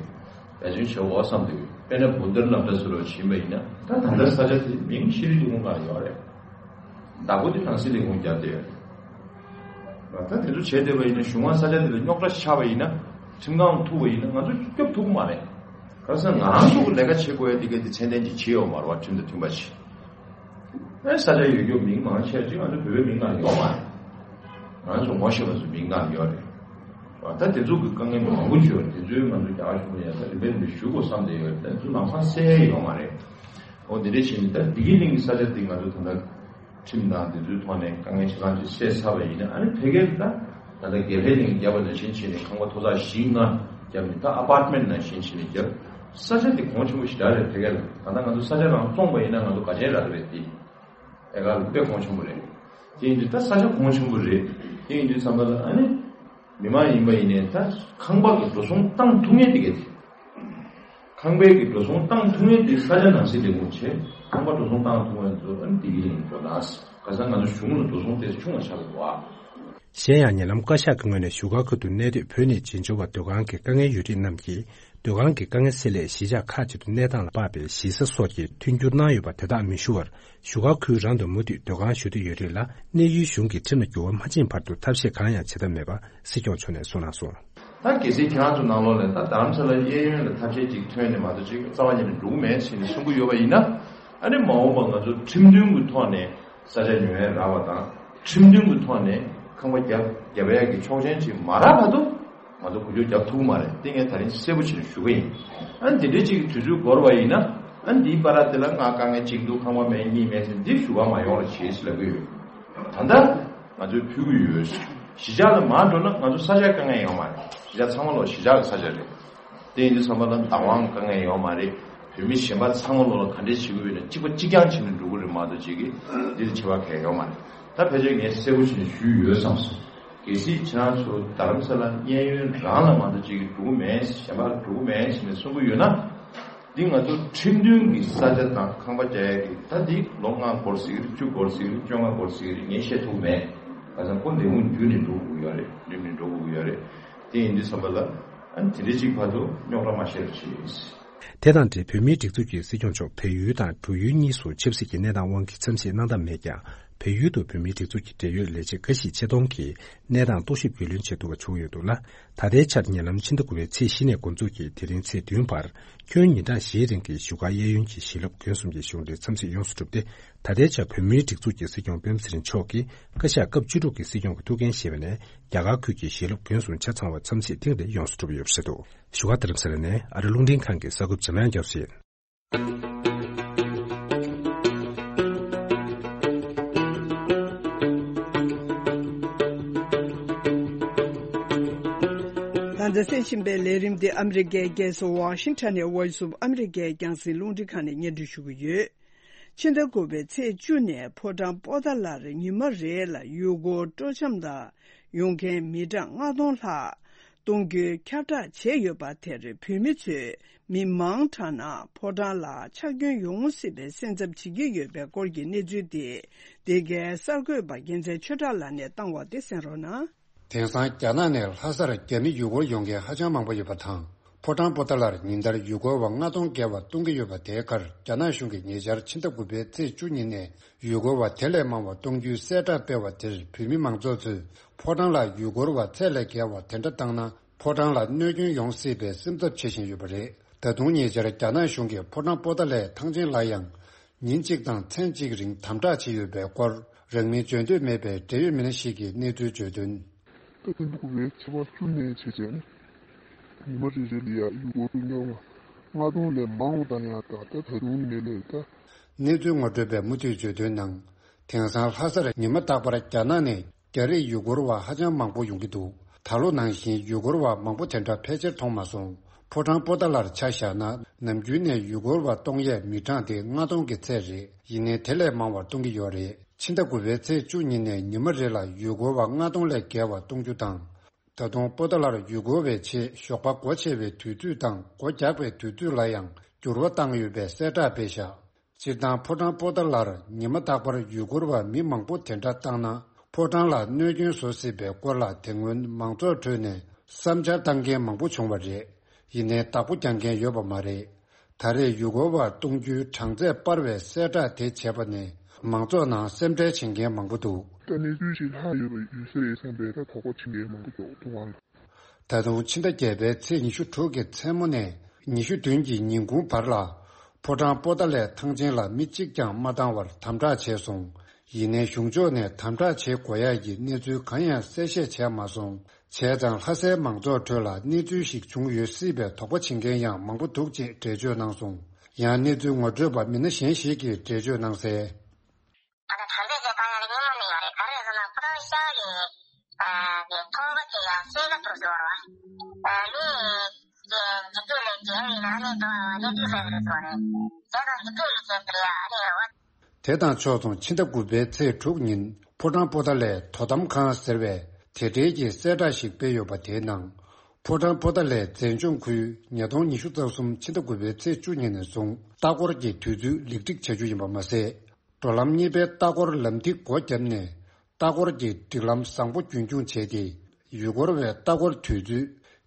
འབད་བརྩོན་བྱེད་འོ་བསམ་འདུག་དཔེར་ན་བུན་ཏར་སློབ་གྲྭ་ཟེར་བ་ཕྱིན་པ་ཡིན་ན་ད་ད་ལྟ་ས་ཆ་དེ་མིང་ཤེས་རིག་ལས་ཁུངས་ནང་ཡོད་རེད། བདག་པོ་དེ་ནང་སྲིད་ལས་ཁུངས་རྒྱབ་བསྡད་ཡོད་རེད། ད་དེ་ཚོ་བྱས་བསྡད་པ་ཡིན་ན་གཞུང་ང་ས་ཆ་དེ་ལ་རྙོག་དྲ་ཆགས་པ་ཡིན་ན་ཁྲིམས་ཁང་ཐུག་པ་ཡིན་ན་ང་ཚོ་སྐྱོབ་ཐུབ་ཀྱི་མ་རེད། ག་རེ་ཟེར་ན་ང་རང་ཚོ་གི་ལས་ཀ་བྱེད་དགོས་ཡ་དེ་ག་དེ་ཚད་ལྡན་ཅིག་བྱེད་ཡོད་མ་རེད་བ། ཁྲིམས་དང་མཐུན་པ་ཞིག་ཨེ་ས་ཆ་ཡོད་རྒྱུ་མིང་མང་ཆེ་ཅིག་ང་ཚོ་བོད་པའི་མིང་ནང་ཡོད་མ་རེད། ང་ཚོ་ངོ་ཤེས་པ་ཚོ་མིང་ནང་ཡོད་རེད། ད་དེ་ཚོ་གི་དཀའ་ངལ་མང་པོ་ཅིག་ཡོད་རེད། དེ་ཚོའི་ང་ཚོ་རྒྱ་གར་གཞུང་ལ་ཡང་ད་རིམ་པས་རིམ་པས་ཞུ་དགོས་བསམ་བསྡད་ཡོད་རེད། ད་དེ་ཚོ་ལམ་སང་སེལ་ཡ་ཡོད་མ་རེད། འོ་དེ་འདྲས་བྱས་ནས་ད་བདེ་སྐྱིད་གླིང་གི་ས་ཆ་དེ་ང་ཚོ་ད་ལྟ་ཁྲིམས་དང་དེ་ཚོའི་ཐོག་ནས་དཀའ་ངལ་ཆ་ཚང་ཅིག་སེལ་ཚར་བ་ཡིན་ན་ཨ་ནི་ཕ་གིར་ད་ད་ལྟ་དགེ་ལྷས་གླིང་བརྒྱབ་པ་ནང་བཞིན་བྱས་ནས་ཁང་པ་མཐོ་ཚད་བཞི་ལྔ་བརྒྱབ་ནས་ད་ཨ་པར་ཊི་མེན་ཊི་ནང་བཞིན་བྱས་ནས་བརྒྱབ། ས་ཆ་དེ་གོང་ཆེན་པོ་ཞེ་དྲག་རེད་ཕ་གིར། ད་ལྟ་ང་ཚོ་ས་ཆ་རང་བཙོངས་པ་ཡིན་ན་ང་ཚོ་དགའ་ཆེན་རག་གི་རེད་དེ། ཨེ་ག་ལ་དཔེ་གོང་ཆེན་པོ་རེད། དེ་ཡིན་དུས་ད་ས་ཆ་གོང་ཆེན་པོ་རེད། དེ་ཡིན་དུས་ཙམ་པ་ལ་ཨ་ནི་མི་མང་ཡིན་པ་ཡིན་ནའི་ད་ཁང་པ་གི་འགྲོ་སོང་བཏང་ཐུབ་མཁན་དེ་ག་དེ། ཁང་པའི་གི་འགྲོ་སོང་བཏང་ཐུབ་མཁན་དེ་ས་ཆ་ནང་སྲིད་ལས་ཁུངས་བྱས། ཁང་པ་འགྲོ་སོང་བཏང་ཐུབ་མཁན་ཚོ་ཨ་ནི་དེ་གི་ཡིན་འགྲོ་ན། ག་ས་ང་ཚོ་གཞུང་ལ་འགྲོ་སོང་དེ་ཆུང་བ་ཆགས་འདུག་བ། གཞན་ཡང་ཉེ་ལམ་བཀའ་ཤག་གི་ངོས་ནས་བཞུགས་སྒར་ཁུལ་དུ་གནས་སྡོད་བོད་ནས་བྱེས་འབྱོར་བ་སྡོད་ཁང་གི་དཀའ་ངལ་ཡོད་རིགས་རྣམས་ཀྱིས་སྡོད་ཁང་གི་དཀའ་ངལ་སེལ་སླད་གཞིས་ཆགས་ཁག་ཅིག་ཏུ་གནས་སྟངས་ལ་དཔག་པའི་གཞིས་ས་སོགས་ཀྱི་མཐུན་འགྱུར་གནང་ཡོད་པ་དེ་དག་མི་ཞུ་བར་བཞུགས་སྒར་ཁུལ་རང་དུ་མུ་མཐུད་སྡོད་ཁང་ཞུ་འདོད་ཡོད་རིགས་ལ་གནས་ཡུལ་གཞུང་གིས་ཁྲིམས་ལ་འགྱུར་བ་མ་ཕྱིན་བར་དུ་ཐབས་ཤེས་གང་ཡང་བྱེད་ཐབས་མེད་པ་སྲིད་སྐྱོང་མཆོག་ནས་གསུངས་གནང་སོང་། ད་གལ་སྲིད་ཁྱེད་རང་ཚོ་ནང་ལོགས་ནས་ད་རྡ་རམ་ས་ལ་གཡས་གཡོན་ལ་ཐབས་ཤེས་ཅིག་ཐོན་ནས་མ་གཏོགས་ཅིག་རྩ་བ་ཉིད་ནས་འགྲོ་གི་མེད་ཟེར་ནས་གསུང་གི་ཡོད་པ་ཡིན་ན། ཨ་ནི་མ་འོངས་པ་ང་ཚོ་ཁྲིམས་མཐུན་གྱི་ཐོག་ནས་ས་ཆ་ཉོ་ཡ་རག་པ་དང་ཁྲིམས་མཐུན་གྱི་ཐོག་ནས་ཁང་པ་རྒྱབ་རྒྱབ་ཡ་གི་ཆོག་མཆན་ཅིག་མ་རག་བར་དུ་ང་ཚོ་འགུལ་སྐྱོད་རྒྱབ་ཐུབ་ཀྱི་མ་རེད། དེ་ངས་ད་རིང་གསལ་པོ་བྱས་ནས་ཞུ་གི་ཡིན། ཨ་ནི་འདི་འདྲའི་ཅིག་གི་དུས་ཚོད་འགོར་བ་ཡིན་ན་ཨ་ནི་འདིའི་བར་དེ་ལ་ང་དཀའ་ངལ་གཅིག་འདུག་ཁང་པ་མེད་གཉིས་མེད་ཟེར་འདི་ཞུ་ག་མ་ཡོང་རོགས་བྱེད་ཟེར་ལབ་ཀྱི་ཡོད། ད་ལྟ་ང་ཚོས་ཕུལ་གྱི་ཡོད། གཞིས་ཆགས་ལ་མར་འགྲོ་ན་ང་ཚོ་ས་ཆ་དཀའ་ངལ་ཡོད་མ་རེད། གཞིས་ཆགས་ཚང་མ་ལོ་གཞིས་ཆགས་ཀྱི་ས་ཆ་རེད། དེ་ཡིན་དུས་ཙམ་པ་ལ་བདག་དབང་དཀའ་ངལ་ཡོད་མ་རེད། བོད་མི་གཞན་པ་ཚང་མ་ལོ་ལ་ག་འདྲས་བྱེད་དགོས་ཡོད་ན་གཅིག་པ་གཅིག་རྐྱང་བྱས་ནས་འགྲོ་གི་རེད་མ་གཏོགས་ཅིག་གིས་འདི་ལ་ཁྱད་པར་གང་ཡང་ཡོད་མ་རེད། ད་ཕལ་ཆེར་ངས་གསལ་པོ་བྱས་ནས་ཞུས་ཡོད་བསམ་སོང་། གལ་སྲིད་ཁྱེད་རང་ཚོ་རྡ་རམ་ས་ལ་གཡས་གཡོན་རང་ལ་མ་གཏོགས་གཅིག་གིས་འགྲོ་གི་མེད། གཞན་པ་འགྲོ་གི་མེད་ཟེར་ནས་གསུང་གི་ཡོད་ན། འདི་ང་ཚོ་ཁྲིམས་མཐུན་གྱི་ས་ཆ་དང་ཁང་པ་རྒྱག་ཡ་གི་ད་འདི་ལོ་ལྔ་འགོར་སྲིད་ཀྱི་རེད། བཅུ་འགོར་སྲིད་ཀྱི་རེད། བཅོ་ལྔ་འགོར་སྲིད་ཀྱི་རེད། ངས་བཤད་ཐུབ་མེད། ཁ་སང་ཁོ་འདེམས་ཁོངས་བརྒྱུད་ནས་འགྲོ་དགོས་ཀྱི་ཡོད་རེད། འགྲིམ་ནས་འགྲོ་དགོས་ཀྱི་ཡོད་རེད། དེ་ཡིན་དུས་ཙམ་པ་ལ་ཨ་ནི་དེ་འདྲ་ཅིག་བར་དུ་རྙོག་དྲ་མ་བཤད་རོགས་གྱིས། དེ་དང་འབྲེལ་བོད་མིའི་སྒྲིག་འཛུགས་ཀྱི་སྲིད་སྐྱོང་མཆོག་བལ་ཡུལ་དང་འབྲུག་ཡུལ་གཉིས་སུ་ཆབ་སྲིད་ཀྱི་གནས་སྟངས་དབང་གིས་འཚམས་གཟིགས་གནང་ཐབས་མེད་ཀྱང་། བལ་ཡུལ་དུ་བོད་མིའི་སྒྲིག་འཛུགས་ཀྱི་འབྲེལ་ཡོད་ལས་བྱེད་འགའ་ཞིག་ཆེད་གཏོང་གིས་གནས་སྟངས་རྟོག་ཞིབ་རྒྱུས་ལོན་བྱེད་ཐུབ་པ་བྱུང་ཡོད་འདུག་ལ། ད་ལྟའི་ཆར་ཉེ་ལམ་ཕྱི་ཟླ་དགུ་པའི་ཚེས་བཞི་ནས་འགོ་འཛུགས་ཀྱིས་དེ་རིང་ཚེས་བདུན་བར་ཁྱོན་ཉིན་གྲངས་བཞིའི་རིང་གི་བཞུགས་སྒར་གཡས་གཡོན་གྱི་ཞིང་སློབ་དགོན་གསུམ་གྱི་གཞུང་འབྲེལ་འཚམས་གཟིགས་ཡོངས་སུ་གྲུབ་སྟེ། ད་ལྟའི་ཆར་བོད་མིའི་སྒྲིག་འཛུགས་ཀྱི་སྲིད་སྐྱོང་སྤེན་པ་ཚེ་རིང་མཆོག་གིས་བཀའ་ཤག་སྐབས་བཅུ་དྲུག་གི་སྲིད་སྐྱོང་གི་ཐུགས་འགན་བཞེས་པ་ནས། རྒྱ་གར་ཁུལ་གྱི་ཞིང་སློབ་དགོན་གསུམ་ཆ་ཚང་བར་འཚམས་གཟིགས་ཐེངས་འདི་ཡོངས་སུ་གྲུབ་ཡོད་པ་རེད་འདུག་བཞུགས་སྒར་རྡ་རམ་ས་ལ་ནས་ཨ་རི་རླུང་འཕྲིན་ཁང་གི་གསར་འགོད་པ་འཇམ་དབྱངས་སྐྱབས་སུ་ཡིན། ད་ལྟ་གསན་བཞིན་པའི་ལས་རིམ་འདི་ཨ་མི་རི་ཀའི་རྒྱལ་ས་ཝ་ཤིང་ཊོན་ནས་Voice of America རྒྱང་སྲིང་རླུང་འཕྲིན་ཁང་ནས་སྙན་སྒྲོན་ཞུ་གི་ཡོད། ཕྱི་ཟླ་དགུ་པའི་ཚེས་བཅུ་ནས་ཕོ་བྲང་པོ་ཏཱ་ལར་ཉི་མ་རེ་ལ་ཡུལ་སྐོར་སྤྲོ་འཆམ་ལ་ཡོང་མཁན་མི་གྲངས་ལྔ་སྟོང་ལྷག་གཏོང་རྒྱུའི་ཁྱབ་བསྒྲགས་བྱས་ཡོད་པ་དེར་བོད་མི་ཚོས་མི་མང་དྲགས་ན་ཕོ་བྲང་ལ་ཆག་སྐྱོན་ཡོང་སྲིད་པའི་སེམས་འཚབ་བྱེད་ཀྱི་ཡོད་པའི་སྐོར་གྱི་གནས་ཚུལ་དེ་འདི་གའི་གསར་འགོད་པ་རྒྱལ་མཚན་ཆོས་གྲགས་ལགས་ནས་བཏང་བ་དེ་གསན་རོགས་གནང་། དེང་སང་རྒྱ་ནག་ནས་ལྷ་སར་རྒྱ་མི་ཡུལ་སྐོར་ཡོང་མཁན་ཧ་ཅང་མང་པོ་ཡོད་པ་དང་། ཕོ་བྲང་པོ་ཏཱ་ལར་ཉིན་ལྟར་ཡུལ་སྐོར་བ་ལྔ་སྟོང་བརྒལ་བ་གཏོང་གི་ཡོད་པ་དེའི་ཁར་རྒྱ་ནག་གཞུང་གིས་ཉེ་ཆར་ཕྱི་ཟླ་དགུ་པའི་ཚེས་བཅུ་ཉིན་ནས་ཡུལ་སྐོར་བ་དེ་ལས་མང་བ་གཏོང་རྒྱུའི་གསལ་བསྒྲགས་སྤེལ་བ་དེར་བོད་མི་མང་ཚོགས་ཚོས་ཕོ་བྲང་ལ་ཡུལ་སྐོར་བ་ཚད་ལས་བརྒལ་བ་དེ་འདྲ་བཏང་ན་ཕོ་བྲང་ལ་གནོད་སྐྱོན་ཡོང་སྲིད་པའི་སེམས་འཚབ་བྱེད་བཞིན་ཡོད་པ་རེད། ད་དུང་ཉེ་ཆར་རྒྱ་ནག་གཞུང་གིས་ཕོ་བྲང་པོ་ཏཱ་ལའི་ཐང་ཆེན་ལ་ཡང་། ཉིན་གཅིག་དང་མཚན་གཅིག་རིང་དམ་དྲག་བྱས་ཡོད་པའི་སྐོར་རང་མིང་བརྗོད་འདོད་མེད་པའི་འབྲེལ་ཡོད་མི་སྣ་ཞིག་གིས་གནས་ཚུལ་བརྗོད་དོན། ད་ཐེངས་འདུག་པའི་ཚེས་པ་བཅུ་ནས་བྱས་བྱས་ནས་ཉི་མ་རེ་རེ་ལ་ཡ་ཡུལ་སྐོར་སྤྲོ་འཆམ་ལྔ་སྟོང་ལས་མང་བ་དང་ཡང་ད་ད་ད་དུང་ནས་ལས་ད། གནས་ཚུལ་ངོ་སྤྲོད་པས་མུ་མཐུད་བརྗོད་དོན་ནང་། དེང་སང་ལྷ་སར་ཉི་མ་རྟག་པར་རྒྱ་ནག་ནས། རྒྱ་རིགས་ཡུལ་སྐོར་བ་ཧ་ཅང་མང་པོ་ཡོང་གི་འདུག་ད་ལོ་ནང་བཞིན་ཡུལ་སྐོར་བ་མང་པོ་དེ་འདྲ་ཕལ་ཆེར་མཐོང་མ་སོང་། ཕོ་བྲང་པོ་ཏཱ་ལར་ཆ་བཞག་ན་ནམ་རྒྱུན་ནས་ཡུལ་སྐོར་བ་གཏོང་ཡས་མི་གྲངས་དེ་ལྔ་སྟོང་གི་ཚད་རེད། ཡིན་ནའི་དེ་ལས་མང་བ་གཏོང་གི་ཡོད་རེད། ཕྱི་ཟླ་དགུ་པའི་ཚེས་བཅུ་ཉིན་ནས་ཉི་མ་རེ་ལ་ཡུལ་སྐོར་བ་ལྔ་སྟོང་ལས་བརྒལ་བ་གཏོང་རྒྱུ་དང་། ད་དུང་པོ་ཏཱ་ལར་ཡུལ་སྐོར་བའི་ཆེད་ཞོགས་པ་སྒོ་ཕྱེ་བའི་དུས་ཚོད་དང་སྒོ་རྒྱག་པའི་དུས་ཚོད་ལ་ཡང་འགྱུར་བ་བཏང་ཡོད་པའི་གསལ་བསྒྲགས་སྤེལ་བཞག་སྤྱིར་བཏང་ཕོ་བྲང་པོ་ཏཱ་ལར་ཉི་མ་རྟག་པར་ཡུལ་སྐོར་བ་མི་མང་པོ་དེ་འདྲ་བཏང་ན་ཕོ་བྲང་ལ་གནོད་སྐྱོན་བཟོ་སྲིད་པའི་སྐོར་ལ་དེ་སྔོན་མང་ཚོགས་ཁྲོད་ནས་བསམ་འཆར་བཏང་མཁན་མང་པོ་བྱུང་བ་རེད། ཡིན་ནའི་བདག་པོ་རྒྱག་མཁན་ཡོད་པ་མ་རེད། ད་རེས་ཡུལ་སྐོར་བ་གཏོང་རྒྱུའི་གྲངས་ཚད་སྤར་བའི་གསལ་བསྒྲགས་དེ་བྱས་པ་ནས་མང་ཚོགས་ནང་སེམས་ཁྲལ་བྱེད་མཁན་མང་པོ་འདུག་ད་གནས་ཚུལ་ཞིག་ལྷག་ཡོད་པ་ཡོད་ས་རེད་བསམ་པའི་ད་དོགས་པ་བྱེད་མཁན་མང་པོ་འདུག་ཐུབ་དབང་། ད་དུང་ཕྱི་ཟླ་བརྒྱད་པའི་ཚེས་ཉི་ཤུ་དྲུག་གི་མཚན་མོ་ནས་ཉི་ཤུ་བདུན་གྱི་ཉིན་གུང་བར་ལ། ཕོ་བྲང་པོ་ཏཱ་ལའི་ཐང་ཆེན་ལ་མི་གཅིག་ཀྱང་མ་བཏང་བར་དམ་དྲག་བྱས་སོང་། ཡིན་ནའི་གཞུང་ཕྱོགས་ནས་དམ་དྲག་བྱེད་དགོས་ཡག་གི་གནས་ཚུལ་གང་ཡང་གསལ་བཤད་བྱས་མ་སོང་། བྱས་ཙང་ལྷ་སའི་མང་ཚོགས་ཁྲོད་ལ་གནས་ཚུལ་ཞིག་བྱུང་ཡོད་སྲིད་པའི་དོགས་པ་བྱེད་མཁན་ཡང་མང་པོ་འདུག་ཅེས་འགྲེལ་བརྗོད་གནང་སོང་། ཡང་གནས་ཚུལ་ངོ་སྤྲོད་པ་མི་སྣ་གཞན་ཞིག་གིས་འགྲེལ་བརྗོད་གནང་གསལ། ད་ལྟ་དྲག་འཛེགས་བྱས་བཏང་ཡག་གི་སྙིང་པོ་མེད་པ་རེད། ག་རེ་རེད་ཟེར་ན་ཕོ་བྲང་ཤར་གྱི་ཨ་གི་ཚོང་པ་དེ་ཡང་སྐྱེད་ཀ་ཐུབ་ཟེར་བ་རེད་བ། ཨ་མི་གི་འཇིགས་སྐྲག་ལས་བརྒལ་བའི་ནང་ནས་འགྲོ་བ་གནས་ཚུལ་ཟེར་གི་རེད་ཟེར་བ་རེད། བྱས་ཙང་འཇིགས་སྐྲག་ལས་བརྒལ་བའི་ཨ་ནི་རེད་བ། དེ་དང་ཕྱོགས་མཚུངས་ཕྱི་ཟླ་དགུ་པའི་ཚེས་དྲུག་ཉིན་ཕོ་བྲང་པོ་ཏཱ་ལའི་དོ་དམ་ཁང་ཟེར་བས་དེ་འབྲེལ་གྱི་གསལ་བསྒྲགས་ཤིག་སྤེལ་ཡོད་པ་དེའི་ནང་། ཕོ་བྲང་པོ་ཏཱ་ལའི་མཛེས་ལྗོངས་ཁུལ་ཉིས་སྟོང་ཉི་ཤུ་རྩ་གསུམ་ཕྱི་ཟླ་དགུ་པའི་ཚེས་བཅུ་ཉིན་ནས་བཟུང་ལྟ་སྐོར་གྱི་དུས་ཚོད་ལེགས་སྒྲིག་བྱ་རྒྱུ་ཡིན་པ་མ་ཟད། འགྲོ་ལམ་གཉིས་པའི་ལྟ་སྐོར་ལམ་ཐིག་སྒོ་བརྒྱབ་ནས་ལྟ་སྐོར་གྱི་སྒྲིག་ལམ་བཟང་པོ་རྒྱུན་འཁྱོངས་བྱས་ཏེ། ཡུལ་སྐོར་བའི་ལྟ་སྐོར་དུས་ཚོད་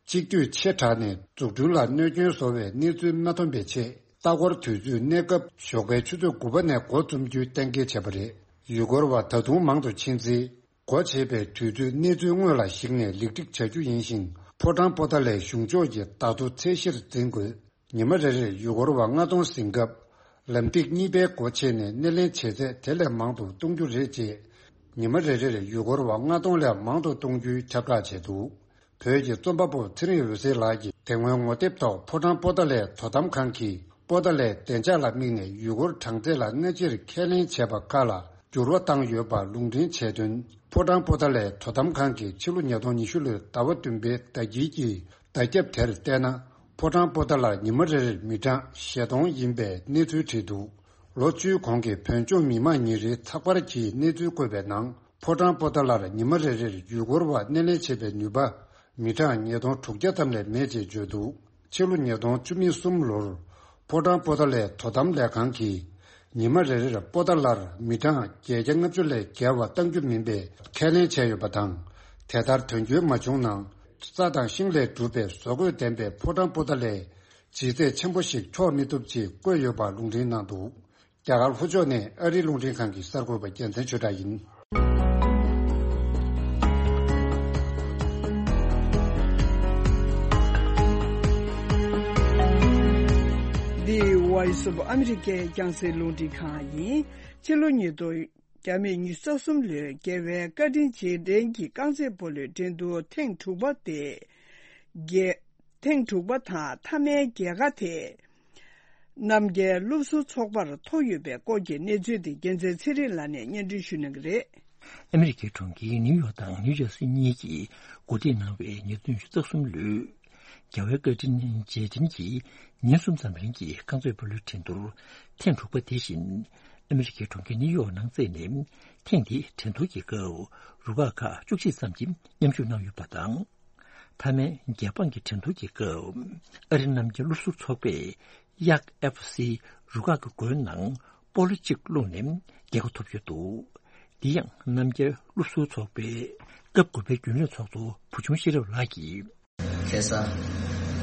གཅིག་སྡུད་ཆེ་དྲགས་ནས་འཛུགས་སྐྲུན་ལ་གནོད་སྐྱོན་བཟོ་བའི་གནས་ཚུལ་མ་ཐོན་པའི་ཆེད། ལྟ་སྐོར་དུས་ཚོད་གནས་སྐབས་ཞོགས་པའི་ཆུ་ཚོད་དགུ་པ་ནས་འགོ་རྩོམ་རྒྱུའི་གཏན་འཁེལ་བྱས་པ་རེད། ཡུལ་སྐོར་བ་ད་དུང་མང་དུ་ཕྱིན་ཚེ། སྒོ་ཕྱེ་བའི་དུས་ཚོད་གནས་ཚུལ་དངོས་ལ་གཞིགས་ནས་ལེགས་སྒྲིག་བྱ་རྒྱུ་ཡིན་ཞིང་། ཕོ་བྲང་པོ་ཏཱ་ལའི་གཞུང་ཕྱོགས་ཀྱི་བརྡ་ཐོ་ཚད་གཞིར་འཛིན་དགོས། ཉི་མ་རེ་རེར་ཡུལ་སྐོར་བ་ལྔ་སྟོང་ཟིན་སྐབས། ལམ་ཐིག་གཉིས་པའི་སྒོ་ཕྱེ་ནས་སྣེ་ལེན་བྱེད་ཚད་དེ་ལས་མང་དུ་གཏོང་རྒྱུ་རེད་ཅེས། ཉི་མ་རེ་རེར་ཡུལ་སྐོར་བ་ལྔ་སྟོང་ལས་མང་དུ་གཏོང་རྒྱུའི་ཁྱབ་བསྒྲགས་བྱས་འདུག་བོད་ཀྱི་རྩོམ་པ་པོ་ཚེ་རིང་འོད་ཟེར་ལགས་ཀྱིས་དེ་སྔོན་ངོ་དེབ་ཐོག་ཕོ་བྲང་པོ་ཏཱ་ལའི་དོ་དམ་ཁང་གིས་པོ་ཏཱ་ལའི་བདེ་འཇགས་ལ་དམིགས་ནས་ཡུལ་སྐོར་གྲངས་ཚད་ལ་སྔ་ཕྱིར་ཁས་ལེན་བྱས་པ་ཁག་ལ་འགྱུར་བ་བཏང་ཡོད་པ་ལུང་འདྲེན་བྱས་དོན། ཕོ་བྲང་པོ་ཏཱ་ལའི་དོ་དམ་ཁང་གིས་ཕྱི་ལོ་ཉིས་སྟོང་ཉི་ཤུ་ལོའི་ཟླ་བ་བདུན་པའི་ཟླ་དཀྱིལ་གྱི་བརྡ་ཁྱབ་དེར་བལྟས་ན། ཕོ་བྲང་པོ་ཏཱ་ལར་ཉི་མ་རེར་མི་གྲངས་བཞི་སྟོང་ཡིན་པའི་གནས་ཚུལ་བྲིས་འདུག་ལོ་བཅུའི་གོང་གི་བོད་ལྗོངས་མི་མང་ཉིན་རེའི་ཚགས་པར་གྱི་གནས་ཚུལ་བཀོད་པའི་ནང་ ཕོ་བྲང་པོ་ཏཱ་ལར་ཉི་མ་རེ་རེར་ཡུལ་སྐོར་བ་སྣེ་ལེན་བྱེད་པའི་ནུས་པ་མི་གྲངས་ཉིས་སྟོང་དྲུག་བརྒྱ་ཙམ་ལས་མེད་ཅེས་བརྗོད་འདུག་ཕྱི་ལོ་ཉིས་སྟོང་བཅུ་གསུམ་ལོར་ཕོ་བྲང་པོ་ཏཱ་ལའི་དོ་དམ་ལས་ཁང་གིས་ཉི་མ་རེ་རེར་པོ་ཏཱ་ལར་མི་གྲངས་བརྒྱད་བརྒྱ་ལྔ་བཅུ་ལས་བརྒལ་བ་གཏང་རྒྱུ་མིན་པའི་ཁས་ལེན་བྱས་ཡོད་པ་དང་། དེ་ལྟར་དོན་འཁྱོལ་མ་བྱུང་ན། རྩྭ་དང་ཤིང་ལས་གྲུབ་པའི་བཟོ་བཀོད་ལྡན་པའི་ཕོ་བྲང་པོ་ཏཱ་ལའི་ལྗིད་ཚད་ཆེན་པོ་ཞིག་འཁྱོག་མི་ཐུབ་ཅེས་བཀོད་ཡོད་པ་རླུང་འཕྲིན་གནང་འདུག་རྒྱ་གར་ལྷོ་ཕྱོགས་ནས་ཨ་རིའི་རླུང་འཕྲིན་ཁང་གི་གསར་འགོད་པ་རྒྱལ་མཚན་ཆོས་གྲགས་ཡིན། འདི་Voice of America རྒྱང་སྲིང་རླུང་འཕྲིན་ཁང་ཡིན། ཕྱི་ལོ་ཉིས་སྟོང་བརྒྱ་མེད་ཉི་ཤུ་རྩ་གསུམ་ལོའི་རྒྱལ་བའི་བཀའ་དྲིན་རྗེས་དྲན་གྱི་རྐང་རྩེད་སྤོ་ལོའི་འགྲན་བསྡུར་ཐེངས་དྲུག་པ་སྟེ། རྒྱལ། ཐེངས་དྲུག་པ་དང་མཐའ་མའི་རྒྱལ་ཁ་དེ། རྣམ་རྒྱལ་སློབ་ཟུར་ཚོགས་པར་ཐོབ་ཡོད་པའི་སྐོར་གྱི་གནས་ཚུལ་དེ་རྒྱལ་མཚན་ཚེ་རིང་ལགས་ནས་སྙན་སྒྲོན་ཞུ་གནང་གི་རེད། ཨ་མི་རི་ཀའི་གྲོང་ཁྱེར་ནིའུ་ཡོག་དང་ནིའུ་ཇར་སི་གཉིས་ཀྱིས་གོ་སྒྲིག་གནང་བའི་ཉིས་སྟོང་ཉི་ཤུ་རྩ་གསུམ་ལོའི་རྒྱལ་བའི་བཀའ་དྲིན་རྗེས་དྲན་གྱི་ཉིན་གསུམ་ཙམ་རིང་གི་རྐང་རྩེད་སྤོ་ལོའི་འགྲན་བསྡུར་ཐེངས་དྲུག་པ་དེ་བཞིན་ཨ་མི་རི་ཀའི་གྲོང་ཁྱེར་ནིའུ་ཡོག་ནང་རྩེས་ནས། ཐེངས་འདིའི་འགྲན་བསྡུར་གྱི་སྐབས་རུ་ཁག་ཁག་བཅུ་གཅིག་ཙམ་གྱིས་མཉམ་ཞུགས་གནང་ཡོད་པ་དང་། མཐའ་མའི་རྒྱལ་འབངས་ཀྱི་འགྲན་བསྡུར་གྱི་སྐབས་ཨ་རིའི་རྣམ་རྒྱལ་སློབ་ཟུར་ཚོགས་པས་གཡག་ཨེཕ་སི་རུ་ཁག་གི་མགོའི་ནང་སྤོ་ལོ་གཅིག་བླུགས་ནས་རྒྱལ་ཁ་ཐོབ་ཡོད་འདུག་འདི་ཡང་རྣམ་རྒྱལ་སློབ་ཟུར་ཚོགས་པའི་སྐབས་དགུ་པའི་རྒྱུན་ལས་ཚོགས་གཙོ་བུ་ཆུང་ཤེས་རབ་ལགས་ཀྱིས། ཁ་སང་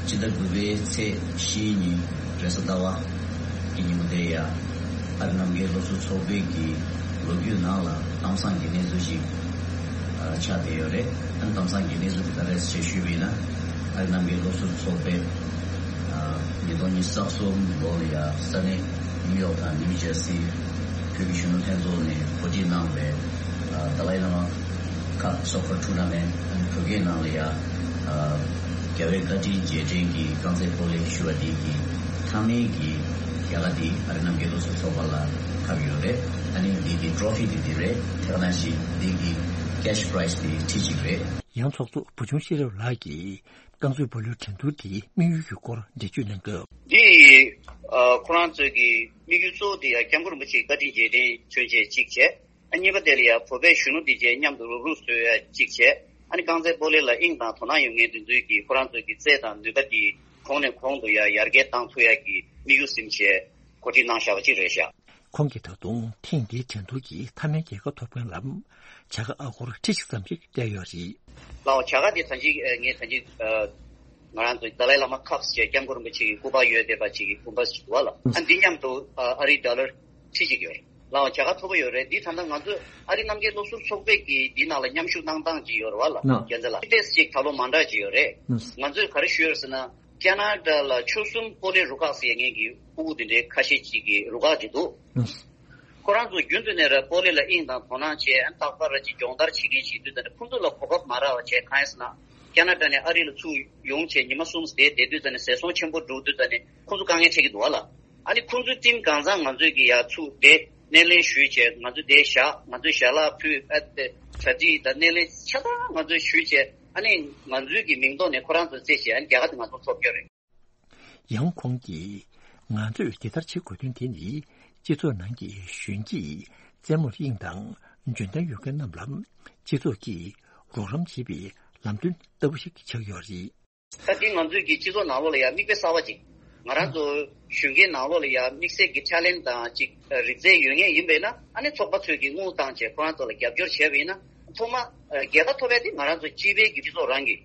སྤྱི་ཟླ་དགུ་པའི་ཚེས་བཞིའི་ཉིན་རེས་གཟའ་ཟླ་བ་གི་ཉིན་མོ་དེ་ཡ། ཨ་རི་རྣམ་རྒྱལ་སློབ་ཟུར་ཚོགས་པའི་གི་ལོ་རྒྱུས་ནང་ལ་གཏམ་བཟང་གི་གནས་ཚུལ་ཞིག་ཨ་ཆགས་བསྡད་ཡོད་རེད། ཨ་ནི་གཏམ་བཟང་གི་གནས་ཚུལ་དེ་ག་རེ་རེད་ཞེས་ཞུས་པ་ཡིན་ན། ཨ་རི་རྣམ་རྒྱལ་སློབ་ཟུར་ཚོགས་པས་ཨ་ཉིས་སྟོང་ཉི་ཤུ་རྩ་གསུམ་ལོ་ལ་ཡ་ས་གནས་ནིའུ་ཡོག་དང་ནིའུ་ཇར་སི་བོད་ཀྱི་གཞོན་ནུ་ལྷན་ཚོགས་ནས་གོ་སྒྲིག་གནང་བའི་ཨ་ཏཱ་ལའི་བླ་མ་ཁབ་སོག་པོ་ཊུ་ནཱ་མེན་ཊི་བོད་སྐད་ནང་ལ་ཡ། ཨ་རྒྱལ་བའི་བཀའ་དྲིན་རྗེས་དྲན་གྱི་རྐང་རྩེད་སྤོ་ལོའི་ཞུ་བ་འདི་གི་མཐའ་མའི་གི་རྒྱལ་ཁ་འདི་ཨ་རི་རྣམ་རྒྱལ་སློབ་ཟུར་ཚོགས་པ་ལ་ཁབ་ཡོད་རེད། ཨ་ནི་འདི་གི་ཊོ་རོ་ཕི་འདི་འདི་རེད། དེ་ག་ནང་བཞིན་འདི་གི་ཀེ་ཤི་པ་རའི་ཛི་འདི་ཁྲི་གཅིག་རེད། ཡང་ཚོགས་གཙོ་བུ་ཆུང་ཤེས་རབ་ལགས་ཀྱིས་རྐང་རྩེད་སྤོ་ལོའི་འགྲན་བསྡུར་དེའི་དམིགས་ཡུལ་གྱི་སྐོར་འགྲེལ་བརྗོད་གནང་སྐབས། འདི་ཨ་ཁོ་རང་ཚོའི་གི་དམིགས་ཡུལ་གཙོ་བོ་དེ་ཡང་སྐྱབས་མགོན་རིན་པོ་ཆེའི་བཀའ་དྲིན་རྗེས་དྲན་མཚོན་བྱེད་གཅིག་བྱས། ཨ་གཉིས་པ་དེ་ལ་ཡང་བོད་པའི་གཞོན་ནུ་དེ་བཅས་མཉམ་དུ་རུབ་རུབ་བཟོ་ཡ་གཅིག་བྱས། ཨ་ནི་རྐང་རྩེད་སྤོ་ལོ་ལ་དབྱིངས་དང་དོ་སྣང་ཡོད་མཁན་དེ་ཚོའི་གི་ཁོ་རང་ཚོའི་གི་རྩལ་དང་ནུས་པ་དེ་གོང་ནས་གོང་དུ་ཡར་ཡར་རྒྱས་བཏང་ཐུབ་ཡ་གི་དམིགས་ཡུལ་ཟིན་བྱས་གོ་སྒྲིག་གནང་བཞག་པ་གཅིག་རེད་ཤག་ཁོང་གིས་ད་དུང་ཐེངས་འདིའི་འགྲན་བསྡུར་གྱི་མཐའ་མའི་རྒྱལ་ཁ་ཐོབ་མཁན་ལ་བྱ་དགའ་ཨ་སྒོར་ཁྲི་གཅིག་ཙམ་ཞིག་སྤྲད་ཡོད་རེད། ལའོ་བྱ་དགའ་དེ་ད་ཅིག་ངས་ད་ཅིག་ང་རང་ཚོའི་ཏཱ་ལའི་བླ་མ་ཁབ་ཟེར་སྐྱབས་མགོན་རིན་པོ་ཆེ་གི་སྐུ་པར་ཡོད་བསྡད་པ་ཅིག་གི་སྐུ་པར་ཞིག་འདུག་བ་ལ། ཨ་འདི་མཉམ་དུ་ཨ་རི་ཌོ་ལར་ཁྲི་གཅིག་ཡོད་རེད། ལའོ་བྱ་དགའ་མཐོ་པོ་ཡོད་རེད། འདི་ད་ལྟ་ང་ཚོ་ཨ་རི་རྣམ་རྒྱལ་སློབ་ཟུར་ཚོགས་པས་ཀྱི་འདི་ནང་ལ་མཉམ་ཞུགས་གནང་སྟངས་ཅིག་ཡོད་རེད་བ་ལ། ན། རྒྱལ་མཚན་ལགས་ཏེས་ཅིག་ད་ལོ་མ་འདྲ་ཅིག་ཡོད་རེད། ན། ང་ཚོས་ག་རེ་ཞུས་ཡོད་ཟེར་ན། ཁ་ན་ཌ་ལ་ཆོལ་གསུམ་སྤོ་ལོའི་རུ་ཁག་ཟེར་མཁན་གྱི་ཕྲུ་གུ་དེ་འདྲའི་ཁ་ཤས་ཅིག་གི་རུ་ཁག་ཅིག་འདུག་ཁོ་རང་ཚོ་རྒྱུན་དུ་ནས་ར་སྤོ་ལོ་ལ་དབྱིངས་དང་དོ་སྣང་བྱས། ཨ་རྟག་པར་ར་ཅིག་སྦྱོང་བརྡར་བྱེད་མཁན་ཞིག་དུས་ཙམ་ནས་ཁོང་ཚོ་ལ་གོ་སྐབས་མ་རག་པ་བྱས་གང་ཡིན་ཟེར་ན། ཁ་ན་ཌ་ནས་ཨ་རི་ལ་ཚུར་ཡོང་བྱས་ཉི་མ་གསུམ་བསྡད་བསྡད་དུས་ཙམ་ནས་ཟས་སོང་ཆེན་པོ་འགྲོ་དུས་ཙམ་ནས་ཁོང་ཚོ་དཀའ་ངལ་འཕྲད་ཀྱི་འདུག་བ་ལ། ཨ་ནི་ཁོང་ཚོའི་རྟིང་གང་ཚང་ང་ཚོས་ཀྱི་ཡ་ཚུར་བསྡད་སྣེ་ལེན་ཞུས་བྱས་ང་ཚོས་བསྡད་བཞག་ང་ཚོས་ཞལ་ལག་ཕུལ། ཨ་ཏེ་གྲ་སྒྲིག་དང་སྣེ་ལེན་ཆ་ཚང་ང་ཚོས་ཞུས་བྱས། ཨ་ནི་ང་ཚོའི་གི་མིང་ཐོག་ནས་ཁོ་རང་ཚོ་རྩེད་བྱས། ཨ་ནི་རྒྱལ་ཁ་དེ་ང་ཚོ་ཐོབ་རྒྱུ་རེད། ཡང་ཁོང་གིས་ང་ཚོས་འདི་ལྟར་བྱེད་དགོས་དོན་དེ་ནི་སྤྱི་ཚོགས་ནང་གི་གཞོན་སྐྱེས་རྩེད་མོར་དབྱིངས་དང་འཇོན་ཐང་ཡོད་མཁན་རྣམས་ལ་སྤྱི་ཚོགས་ཀྱིས་རོགས་རམ་བྱེད་པའི་ལམ་སྟོན་ལྟ་བུ་ཞིག་ཆགས་ཡོད་རེད། ད་འདི་ང་ཚོའི་གི་སྤྱི་ཚོགས་ནང་ལོགས་ལ་ཡང་མིག་དཔེ་གསར་པ་ཅིག་ང་རང་ཚོ་གཞོན་སྐྱེས་ནང་ལོགས་ལ་ཡང་དམིགས་བསལ་གྱི་ཊེ་ལེན་ཊི་དང་ཅིག་རིག་རྩལ་ཡོད་མཁན་ཡིན་པས་ན། ཨ་ནི་ཚོགས་པ་ཚོས་ཀྱི་དངུལ་བཏང་བྱས་ཁོ་རང་ཚོ་ལ་རྒྱབ་སྐྱོར་བྱས་པ་ཡིན་ན་ཐོག་མ་རྒྱལ་ཁ་ཐོབ་པ་དེ་ང་རང་ཚོ་སྤྱི་པའི་གི་སྤྱི་ཚོགས་རང་གི་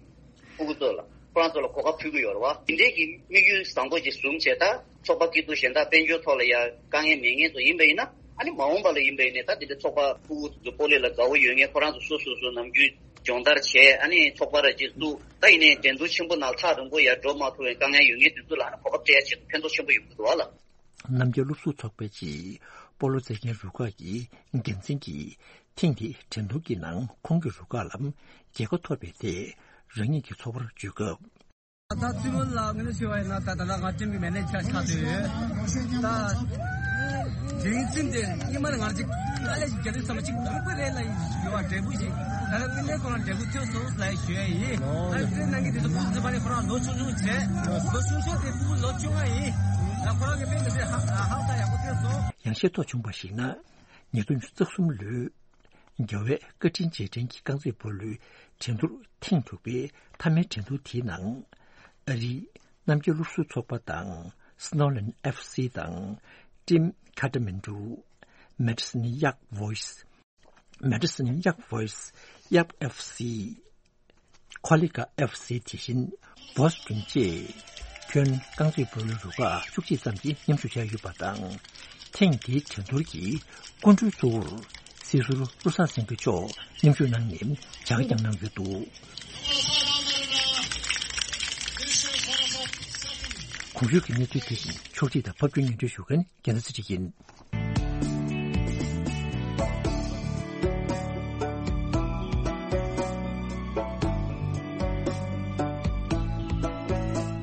ཕྲུ་གུ་ཚོ་ལ་ཁོ་རང་ཚོ་ལ་གོ་སྐབས་ཕུལ་གྱི་ཡོད་རེད་བ། དེ་འདྲའི་གི་དམིགས་ཡུལ་བཟང་པོ་ཅིག་བཟུང་བྱས། ད་ཚོགས་པ་སྐྱིད་སྡུག་གཞན་དག་དཔལ་འབྱོར་ཐོག་ལ་ཡང་དཀའ་ངལ་མེད་མཁན་ཚོ་ཡིན་པ་ཡིན་ན། ཨ་ནི་མ་འོངས་པ་ལ་ཡིན་པ་ཡིན་ནའི་ད་དེ་འདྲའི་ཚོགས་པ་ཕྲུ་གུ་ཚོ་སྤོ་ལོ་ལ་དགའ་བོ་ཡོད་མཁན་ཁོ་རང་ཚོ་སོ་སོ་སོ་ནམ་རྒྱུན་སྦྱོང་བརྡར་བྱས། ཨ་ནི་ཚོགས་པ་ར་ཅིག་བཙུགས། ད་ཡིན་ནའི་འགྲན་བསྡུར་ཆེན་པོ་ནང་ཐག་རིང་པོ་ཡར་འགྲོ་མ་ཐུབ་པའི་དཀའ་ངལ་ཡོད་མཁན་དེ་ཚོ་ལ་ཨ་ནི་གོ་སྐབས་སྤྲད་ཡ་ཆེད་དུ་ཕན་ཐོགས་ཆེན་པོ་ཡོང་གི་འདུག་བ་ལ། རྣམ་རྒྱལ་སློབ་ཟུར་ཚོགས་པའི་ཆེད་སྤོ་ལོ་རྩེད་མཁན་རུ་ཁག་གི་འགན་འཛིན་གྱིས་ཐེངས་འདིའི་འགྲན་བསྡུར་གྱི་ནང་ཁོང་གི་རུ་ཁག་ལ་རྒྱལ་ཁ་ཐོབ་པའི་ཐད་རང་ཉིད་ཀྱི་ཚོར་བ་བརྗོད་སྐབས། ད་རྩེད་མོ་ལ་ངོས་ལེན་ཞུ་བ་ཡིན་ན། ད་ད་ལྟ་ང་ཊིམ་གྱི་མེ་ནེ་ཇར་ཆགས་བསྡད་ཡོད། ད་རྒྱུན་འཛིན་དེ་སྔོན་མ་ནས་ང་ཅིག་དཀའ་ལས་ཤིག་རྒྱག་དུས་ཙམ་ཅིག་ཡོང་གི་རེད་ལབ་ཡོད་པ་འབྲས་བུ་ཞིག་ད་ལྟ་དངོས་གནས་ཁོ་རང་འབྲས་བུ་ཐོན་སོང་ལབ་ཞུ་ཡ་ཡིན། ཨ་རྩེད་གནང་མཁན་དེ་ཚོ་ཁོང་ཚོ་ཕ་ནས་ཁོ་རང་ལོ་ཆུང་ཆུང་བྱས། ལོ་ཆུང་ཆུང་དེ་ཕྲུ་གུ་ལོ་བཅོ་ལྔ་ཡིན། ད་ཁོ་རང་གི་དཔེ་མི་སྲིད་ཧ་ཧ་ཧ་ད་ཡག་པོ་ཐོན་སོང་། ཡང་ཤེས་རྟོགས་བྱུང་བར་གཞིགས་ན། ཉིས་སྟོང་ཉི་ཤུ་རྩ་གསུམ་ལོའི་ རྒྱལ་བའི་བཀའ་དྲིན་རྗེས་དྲན་གྱི་རྐང་རྩེད་སྤོ་ལོའི་འགྲན་བསྡུར་ཐེངས་དྲུག་པའི་མཐའ་མའི་འགྲན་བསྡུར་དེའི་ནང་། ཨ་རིའི་རྣམ་རྒྱལ་སློབ་ཟུར་ཚོགས་པ་དང་། Snowland F C དང་། Team Kathmandu། Medicine Yak Voice། Medicine Yak Voice། Yak F C། Kolika F C། དེ་བཞིན་Boston བཅས་ཁྱོན་རྐང་རྩེད་སྤོ་ལོའི་རུ་ཁག་བཅུ་གཅིག་ཙམ་གྱིས་མཉམ་ཞུགས་བྱས་ཡོད་པ་དང་། ཐེངས་འདིའི་འགྲན་བསྡུར་གྱི་སྐུ་མགྲོན་གཙོ་བོར་སྲིད་ཟུར་བློ་བཟང་སེང་གེ་མཆོག་མཉམ་ཞུགས་གནང་ནས་བྱ་དགའ་བསྐྱངས་གནང་ཡོད་འདུག། གོང་ཞུས་ཀྱི་གནས་ཚུལ་དེ་བཞིན་ཕྱོགས་སྒྲིག་དང་ཕབ་སྒྱུར་སྙན་སྒྲོན་ཞུ་མཁན་རྒྱལ་མཚན་ཚེ་རིང་ཡིན།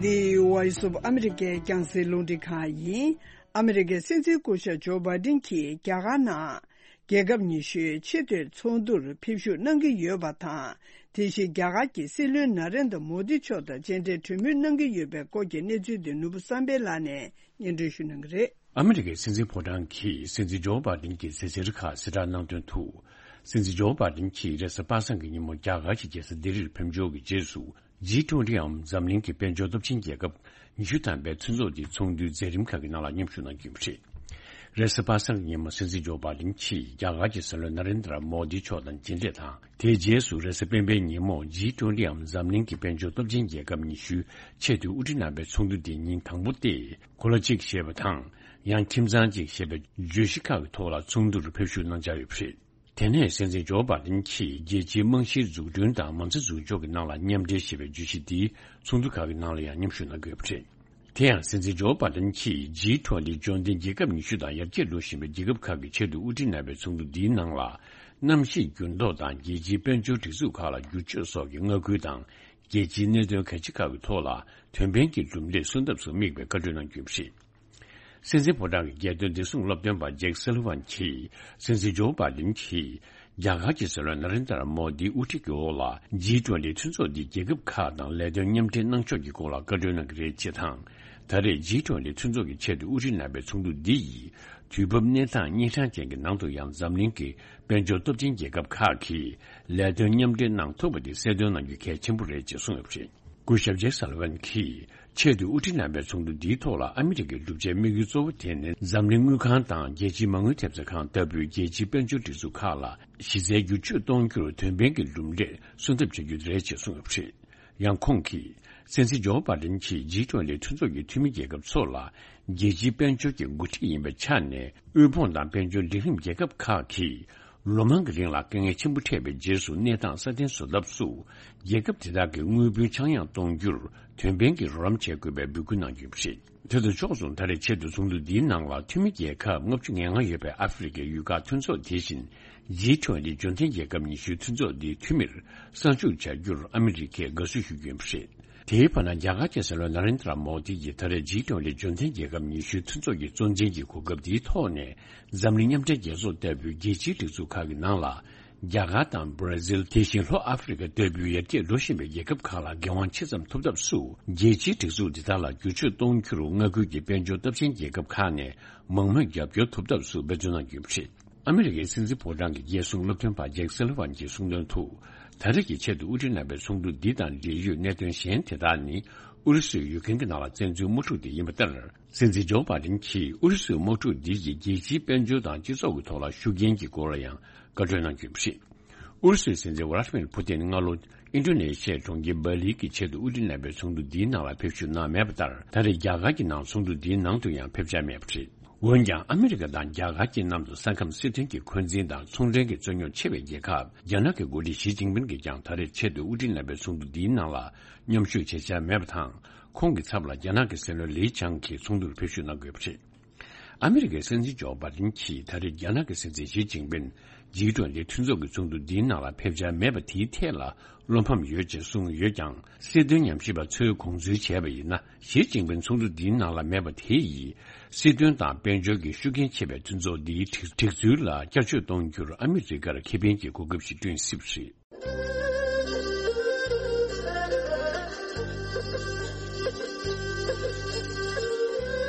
འདི་Voice of America རྒྱང་སྲིང་རླུང་འཕྲིན་ཁང་ཡིན། ཨ་མི་རི་ཀའི་སྲིད་འཛིན་སྐུ་ཞབས་ཇོ་བྷའི་ཌེན་གྱིས་རྒྱ་གར་ནང་རྒྱལ་ཁབ་ཉི་ཤུའི་ཆེས་མཐོའི་ཚོགས་འདུར་ཕེབས་ཞུགས་གནང་གི་ཡོད་པ་དང་། དེ་བཞིན་རྒྱ་གར་གྱི་སྲིད་བློན་ན་རེན་དྲ་མོ་དི་མཆོག་དང་མཇལ་འཕྲད་གྲོས་མོལ་གནང་གི་ཡོད་པའི་སྐོར་གྱི་གནས་ཚུལ་དེ་ནོར་བུ་བསམ་འཕེལ་ལགས་ནས་སྙན་སྒྲོན་ཞུ་གནང་གི་རེད། ཨ་མི་རི་ཀའི་སྲིད་འཛིན་ཕོ་བྲང་གིས་སྲིད་འཛིན་ཇོ་བྷའི་ཌེན་གྱི་མཛད་འཆར་ཁག་གསལ་བསྒྲགས་གནང་དོན་དུ། སྲིད་འཛིན་ཇོ་བྷའི་ཌེན་གྱིས་རེས་གཟའ་པ་སངས་ཀྱི་ཉིན་མོ་རྒྱ་གར་གྱི་རྒྱལ་ས་ལྡི་ལིར་ཕེབས་འབྱོར་གྱི་རྗེས་སུ། G twenty འམ་འཛམ་གླིང་གི་དཔལ་འབྱོར་སྟོབས་ཆེན་རྒྱལ་ཁབ་ཉི་ཤུ་ཐམ་པའི་མཐུན་ཚོགས་དེའི་ཚོགས་འདུའི་མཛད་རིམ་ཁག་གི་ནང་ལ་མཉམ་ཞུགས་གནང་རྒྱུ་ཡིན་པ་རེད། རེས་གཟའ་པ་སངས་ཀྱི་ཉིན་མོ་སྲིད་འཛིན་ཇོ་བྷའི་ཌེན་གྱིས་རྒྱ་གར་གྱི་སྲིད་བློན་ན་རེན་དྲ་མོ་དི་མཆོག་དང་མཇལ་འཕྲད་དང་། དེའི་རྗེས་སུ་རེས་གཟའ་སྤེན་པའི་ཉིན་མོ་G twenty འམ་འཛམ་གླིང་གི་དཔལ་འབྱོར་སྟོབས་ཆེན་རྒྱལ་ཁབ་ཉི་ཤུའི་ཆེས་མཐོའི་དབུ་ཁྲིད་རྣམ་པའི་ཚོགས་འདུ་དེ་ཉིན་དང་པོ་སྟེ། གོ་ལ་གཅིག་ཞེས་པ་དང་། ཡང་ཁྱིམ་ཚང་གཅིག་ཞེས་པའི་བརྗོད་གཞི་ཁག་གི་ཐོག་ལ་ཚོགས་འདུར་ཕེབས་ཞུགས་གནང་འཆར་ཡོད་པ་རེད། དེ་ནས་སྲིད་འཛིན་ཇོ་བྷའི་ཌེན་གྱིས་རྒྱལ་སྤྱིའི་རྨང་གཞིའི་འཛུགས་སྐྲུན་དང་མ་རྩ་འཛུགས་སྐྱོང་གི་ནང་ལ་མཉམ་འབྲེལ་ཞེས་པའི་བརྗོད་གཞི་འདིའི་ཚོགས་འདུ་ཁག་གི་ནང་ལ་ཡང་མཉམ་ཞུགས་གནང་གི་ཡོད་པ་རེད། དེ་ཡང་སྲིད་འཛིན་ཇོ་བྷའི་ཌེན་གྱིས་G twenty འབྱོར་ལྡན་རྒྱལ་ཁབ་ཉི་ཤུ་དང་ཡར་རྒྱས་འགྲོ་བཞིན་པའི་རྒྱལ་ཁབ་ཁག་གི་ཆེས་མཐོའི་དབུ་ཁྲིད་རྣམ་པའི་ཚོགས་འདུ་འདིའི་ནང་ལ། གནམ་གཤིས་འགྱུར་ལྡོག་དང་རྒྱལ་སྤྱིའི་དཔལ་འབྱོར་སྒྲིག་འཛུགས་ཁག་ལ་བསྒྱུར་བཅོས་སོགས་ཀྱི་མངའ་ཁུལ་དང་། རྒྱལ་སྤྱིའི་གནད་དོན་གལ་ཆེ་ཁག་གི་ཐོག་ལ་དོན་ཕན་གྱི་གྲུབ་འབྲས་སོན་ཐབས་སུ་དམིགས་པའི་བཀའ་གྲོས་གནང་རྒྱུ་ཡིན་པ་རེད། སྲིད་འཛིན་ཕོ་བྲང་གི་རྒྱལ་དོན་བདེ་སྲུང་སློབ་སྟོན་པ་ཇེག་སུ་ལི་ཝན་གྱིས་སྲིད་འཛིན་ཇོ་བྷའི་ཌེན་གྱིས་རྒྱ་གར་གྱི་སྲིད་བློན་ན་རེན་དྲ་མོ་དིའི་དབུ་ཁྲིད་ཀྱི་འོག་ལ་G twenty མཐུན་ཚོགས་འདིས་རྒྱལ་ཁབ་ཁག་དང་ལས་དོན་མཉམ་འབྲེལ་གནང་ཕྱོགས་ཀྱི་སྐོར་ལ་བཀའ་གྲོས་གནང་གི་རེད་ཅེས་དང་། ད་རེས་G twenty མཐུན་ཚོགས་ཀྱི་ཆེས་མཐོའི་དབུ་ཁྲིད་རྣམ་པའི་ཚོགས་འདུ་འདི་ཡིས་དུས་བབ་གནས་སྟངས་གཉན་འཕྲང་ཅན་གྱི་ནང་དུ་ཡང་འཛམ་གླིང་གི་དཔལ་འབྱོར་སྟོབས་ཆེན་རྒྱལ་ཁབ་ཁག་གིས་ལས་དོན་མཉམ་འབྲེལ་གནང་ཐུབ་པ་དེ་གསལ་སྟོན་གནང་རྒྱུ་གལ་ཆེན་པོ་རེད་ཅེས་གསུངས་ཡོད་པ་རེད། སྐུ་ཞབས་ཇེག་སཱ་ལི་ཝན་གྱིས་ཆེས་མཐོའི་དབུ་ཁྲིད་རྣམ་པའི་ཚོགས་འདུ་འདིའི་ཐོག་ལ་ཨ་མི་རི་ཀའི་གྲུབ་ཆའི་དམིགས་ཡུལ་གཙོ་བོ་དེ་ནི་འཛམ་གླིང་དངུལ་ཁང་དང་རྒྱལ་སྤྱིའི་མ་དངུལ་ཐེབས་རྩ་ཁང་ལྟ་བུའི་རྒྱལ་སྤྱིའི་དཔལ་འབྱོར་སྒྲིག་འཛུགས་ཁག་ལ་གཞི་རྩའི་བསྒྱུར་བཅོས་གཏོང་རྒྱུར་དོན་ཕན་གྱི་གྲུབ་འབྲས་སོན་ཐབས་བྱ་རྒྱུ་རེད་ཅེས་གསུངས་ཡོད་པ་རེད། ཡང་ཁོང་གིས་སྲིད་འཛིན་ཇོ་བྷའི་ཌེན་གྱིས་G twenty མཐུན་ཚོགས་ཀྱི་འཐུས་མི་རྒྱལ་ཁབ་ཚོ་ལ་རྒྱལ་སྤྱིའི་དཔལ་འབྱོར་གྱི་འགོ་ཁྲིད་ཡིན་པའི་ཆ་ནས་དབུལ་ཕོངས་དང་དཔལ་འབྱོར་འབྲིང་རིམ་རྒྱལ་ཁབ་ཁག་གིས། ལོ་མང་གི་རིང་ལ་དཀའ་ངལ་ཆེན་པོ་འཕྲད་པའི་རྗེས་སུ་གནས་སྟངས་སྲ་བརྟན་བཟོ་ཐབས་སུ། རྒྱལ་ཁབ་དེ་དག་གི་དངུལ་བུན་ཆག་ཡང་གཏོང་རྒྱུར་དོན་ཕན་གྱི་རོགས་རམ་བྱེད་དགོས་པའི་འབོད་སྐུལ་གནང་རྒྱུ་ཡིན་པ་རེད། དེ་དང་ཕྱོགས་མཚུངས་ད་རེས་ཆེད་དུ་ཚོགས་འདུ་འདིའི་ནང་ལ་འཐུས་མི་རྒྱལ་ཁབ་ལྔ་བཅུ་ང་ལྔ་ཡོད་པའི་ཨ་ཧྥེ་རི་ཁའི་ཡུལ་ཁག་མཐུན་ཚོགས་དེ་བཞིན་G twenty འབྱོར་ལྡན་རྒྱལ་ཁབ་ཉི་ཤུའི་མཐུན་ཚོགས་འདིའི་འཐུས་མིར་གསར་འཇུག་བྱ་རྒྱུར་ཨ་མི་རི་ཀས་དགའ་བསུ་ཞུ་རྒྱུ་ཡིན་པ་རེད། དེའི་བར་ན་རྒྱ་གར་གྱི་སྲིད་བློན་ན་རེན་དྲ་མོ་དི་ཡིས་ད་རེས་G twenty འབྱོར་ལྡན་རྒྱལ་ཁབ་ཉི་ཤུའི་མཐུན་ཚོགས་ཀྱི་གཙོ་འཛིན་གྱི་གོ་སྐབས་འདིའི་ཐོག་ནས། འཛམ་གླིང་མཉམ་འབྲེལ་རྒྱལ་ཚོགས་ལྟ་བུའི་རྒྱལ་སྤྱིའི་སྒྲིག་འཛུགས་ཁག་གི་ནང་ལ། རྒྱ་གར་དང་བྷ་ར་ཟིལ། དེ་བཞིན་ལྷོ་ཨ་ཧྥེ་རི་ཁ་ལྟ་བུའི་ཡར་རྒྱས་འགྲོ་བཞིན་པའི་རྒྱལ་ཁབ་ཁག་ལ་འགན་དབང་ཆེ་ཙམ་ཐོབ་ཐབས་སུ། རྒྱལ་སྤྱིའི་སྒྲིག་འཛུགས་འདི་དག་ལ་བསྒྱུར་བཅོས་གཏོང་རྒྱུར་མངའ་ཁུལ་གྱི་དཔལ་འབྱོར་སྟོབས་ཆེན་རྒྱལ་ཁབ་ཁག་ནས་མང་མོས་རྒྱབ་སྐྱོར་ཐོབ་ཐབས་སུ་འབད་བརྩོན་གནང་རྒྱུ་ཡིན་པ་རེད། ཨ་མི་རི་ཀའི་སྲིད་འཛིན་ཕོ་བྲང་གི་རྒྱལ་སྲུང་སློབ་སྟོན་པ་ཇེག་སེ་ལི་ཝན་གྱིས་གསུངས་དོན་དུ། ད་རེས་ཀྱི་ཆེད་དུ་དབུ་ཁྲིད་རྣམ་པའི་ཚོགས་འདུ་འདི་དང་འབྲེལ་ཡོད་གནད་དོན་གཞན་དེ་དག་ནི་ཨུ་རུ་སུའི་ཡུལ་ཁན་གྱི་ནང་ལ་བཙན་འཛུལ་དམག་འཁྲུག་དེ་ཡིན་པ་ལྟར། སྲིད་འཛིན་ཇོ་བྷ་ཌེན་གྱིས་ཨུ་རུ་སུའི་དམག་འཁྲུག་འདི་ཡིས་རྒྱལ་སྤྱིའི་དཔལ་འབྱོར་དང་སྤྱི་ཚོགས་ཀྱི་ཐོག་ལ་ཤུགས་རྐྱེན་གྱི་སྐོར་ལ་ཡང་བཀའ་འཁྲོལ་གནང་རྒྱུ་ཡིན་པ་རེད། ཨུ་རུ་སུའི་སྲིད་འཛིན་ཝ་ལ་ཏི་མིར་ཕུ་ཏིན་སྔ་ལོ་ཨིན་ཌོ་ནེ་ཤི་ཡའི་གྲོང་ཁྱེར་སྦ་ལི་གི་ཆེད་དུ་དབུ་ཁྲིད་རྣམ་པའི་ཚོགས་འདུ་འདིའི་ནང་ལ་ཕེབས་ཞུགས་གནང་མེད་པ་ལྟར། ད་རེས་རྒྱ་གར་གྱི་ནང་ཚོགས་འདུ་འདིའི་ནང་དུ་ཡང་ཕེབས་འཆར་མེད་པ་རེད། འོན་ཀྱང་ཨ་མི་རི་ཀ་དང་རྒྱ་གར་གྱི་མཉམ་དུ་ས་ཁམས་སྲིད་དོན་གྱི་འཁོན་འཛིན་དང་ཚོང་འབྲེལ་གྱི་རྩོད་རྙོག་ཆེ་བའི་རྒྱལ་ཁབ་རྒྱ་ནག་གི་འགོ་ཁྲིད་ཞི་ཅིན་ཕིན་གྱིས་ཀྱང་ད་རེས་ཆེད་དུ་དབུ་ཁྲིད་རྣམ་པའི་ཚོགས་འདུ་འདིའི་ནང་ལ་མཉམ་ཞུགས་བྱེད་འཆར་མེད་པ་དང་། ཁོང་གི་ཚབ་ལ་རྒྱ་ནག་གི་སྲིད་བློན་ལི་ཆང་གིས་ཚོགས་འདུར་ཕེབས་ཞུགས་གནང་དགོས་པ་རེད། ཨ་མི་རི་ཀའི་སྲིད་འཛིན་ཇོ་བྷ་ཌེན་གྱིས་ད་རེས་རྒྱ་ནག་གི་སྲིད་འཛིན་ཞི་ཅིན་ཕིན་ཇི་ཀྲུང་ལི་མཐུན་ཚོགས་ཀྱི་ཚོགས་འདུ་འདིའི་ནང་ལ་ཕེབས་འཆར་མེད་པ་དེའི་ཐད་ལ་བློ་ཕམ་ཡོད་ཅེས་གསུངས་ཡོད་ཀྱང་། སྲིད་དོན་ཉམས་ཞིབ་པ་ཚོས་དགོངས་ཚུལ་བྱས་པ་ཡིན་ན། ཞི་ཅིན་ཕིན་ཚོགས་འདུ་འདིའི་ནང་ལ་མེད་པ་དེ་ཡིས་སྲིད་དོན་དང་དཔལ་འབྱོར་གྱི་ཤུགས་རྐྱེན་ཆེ་བའི་མཐུན་ཚོགས་འདིའི་སྒྲིག་སྒྲིག་ཚུལ་ལ་བསྐྱར་བཅོས་གཏོང་རྒྱུར་ཨ་མི་རི་ཀར་ཁེ་ཕན་གྱི་གོ་སྐབས་ཤིག་བསྐྲུན་སྲིད་པ་རེད།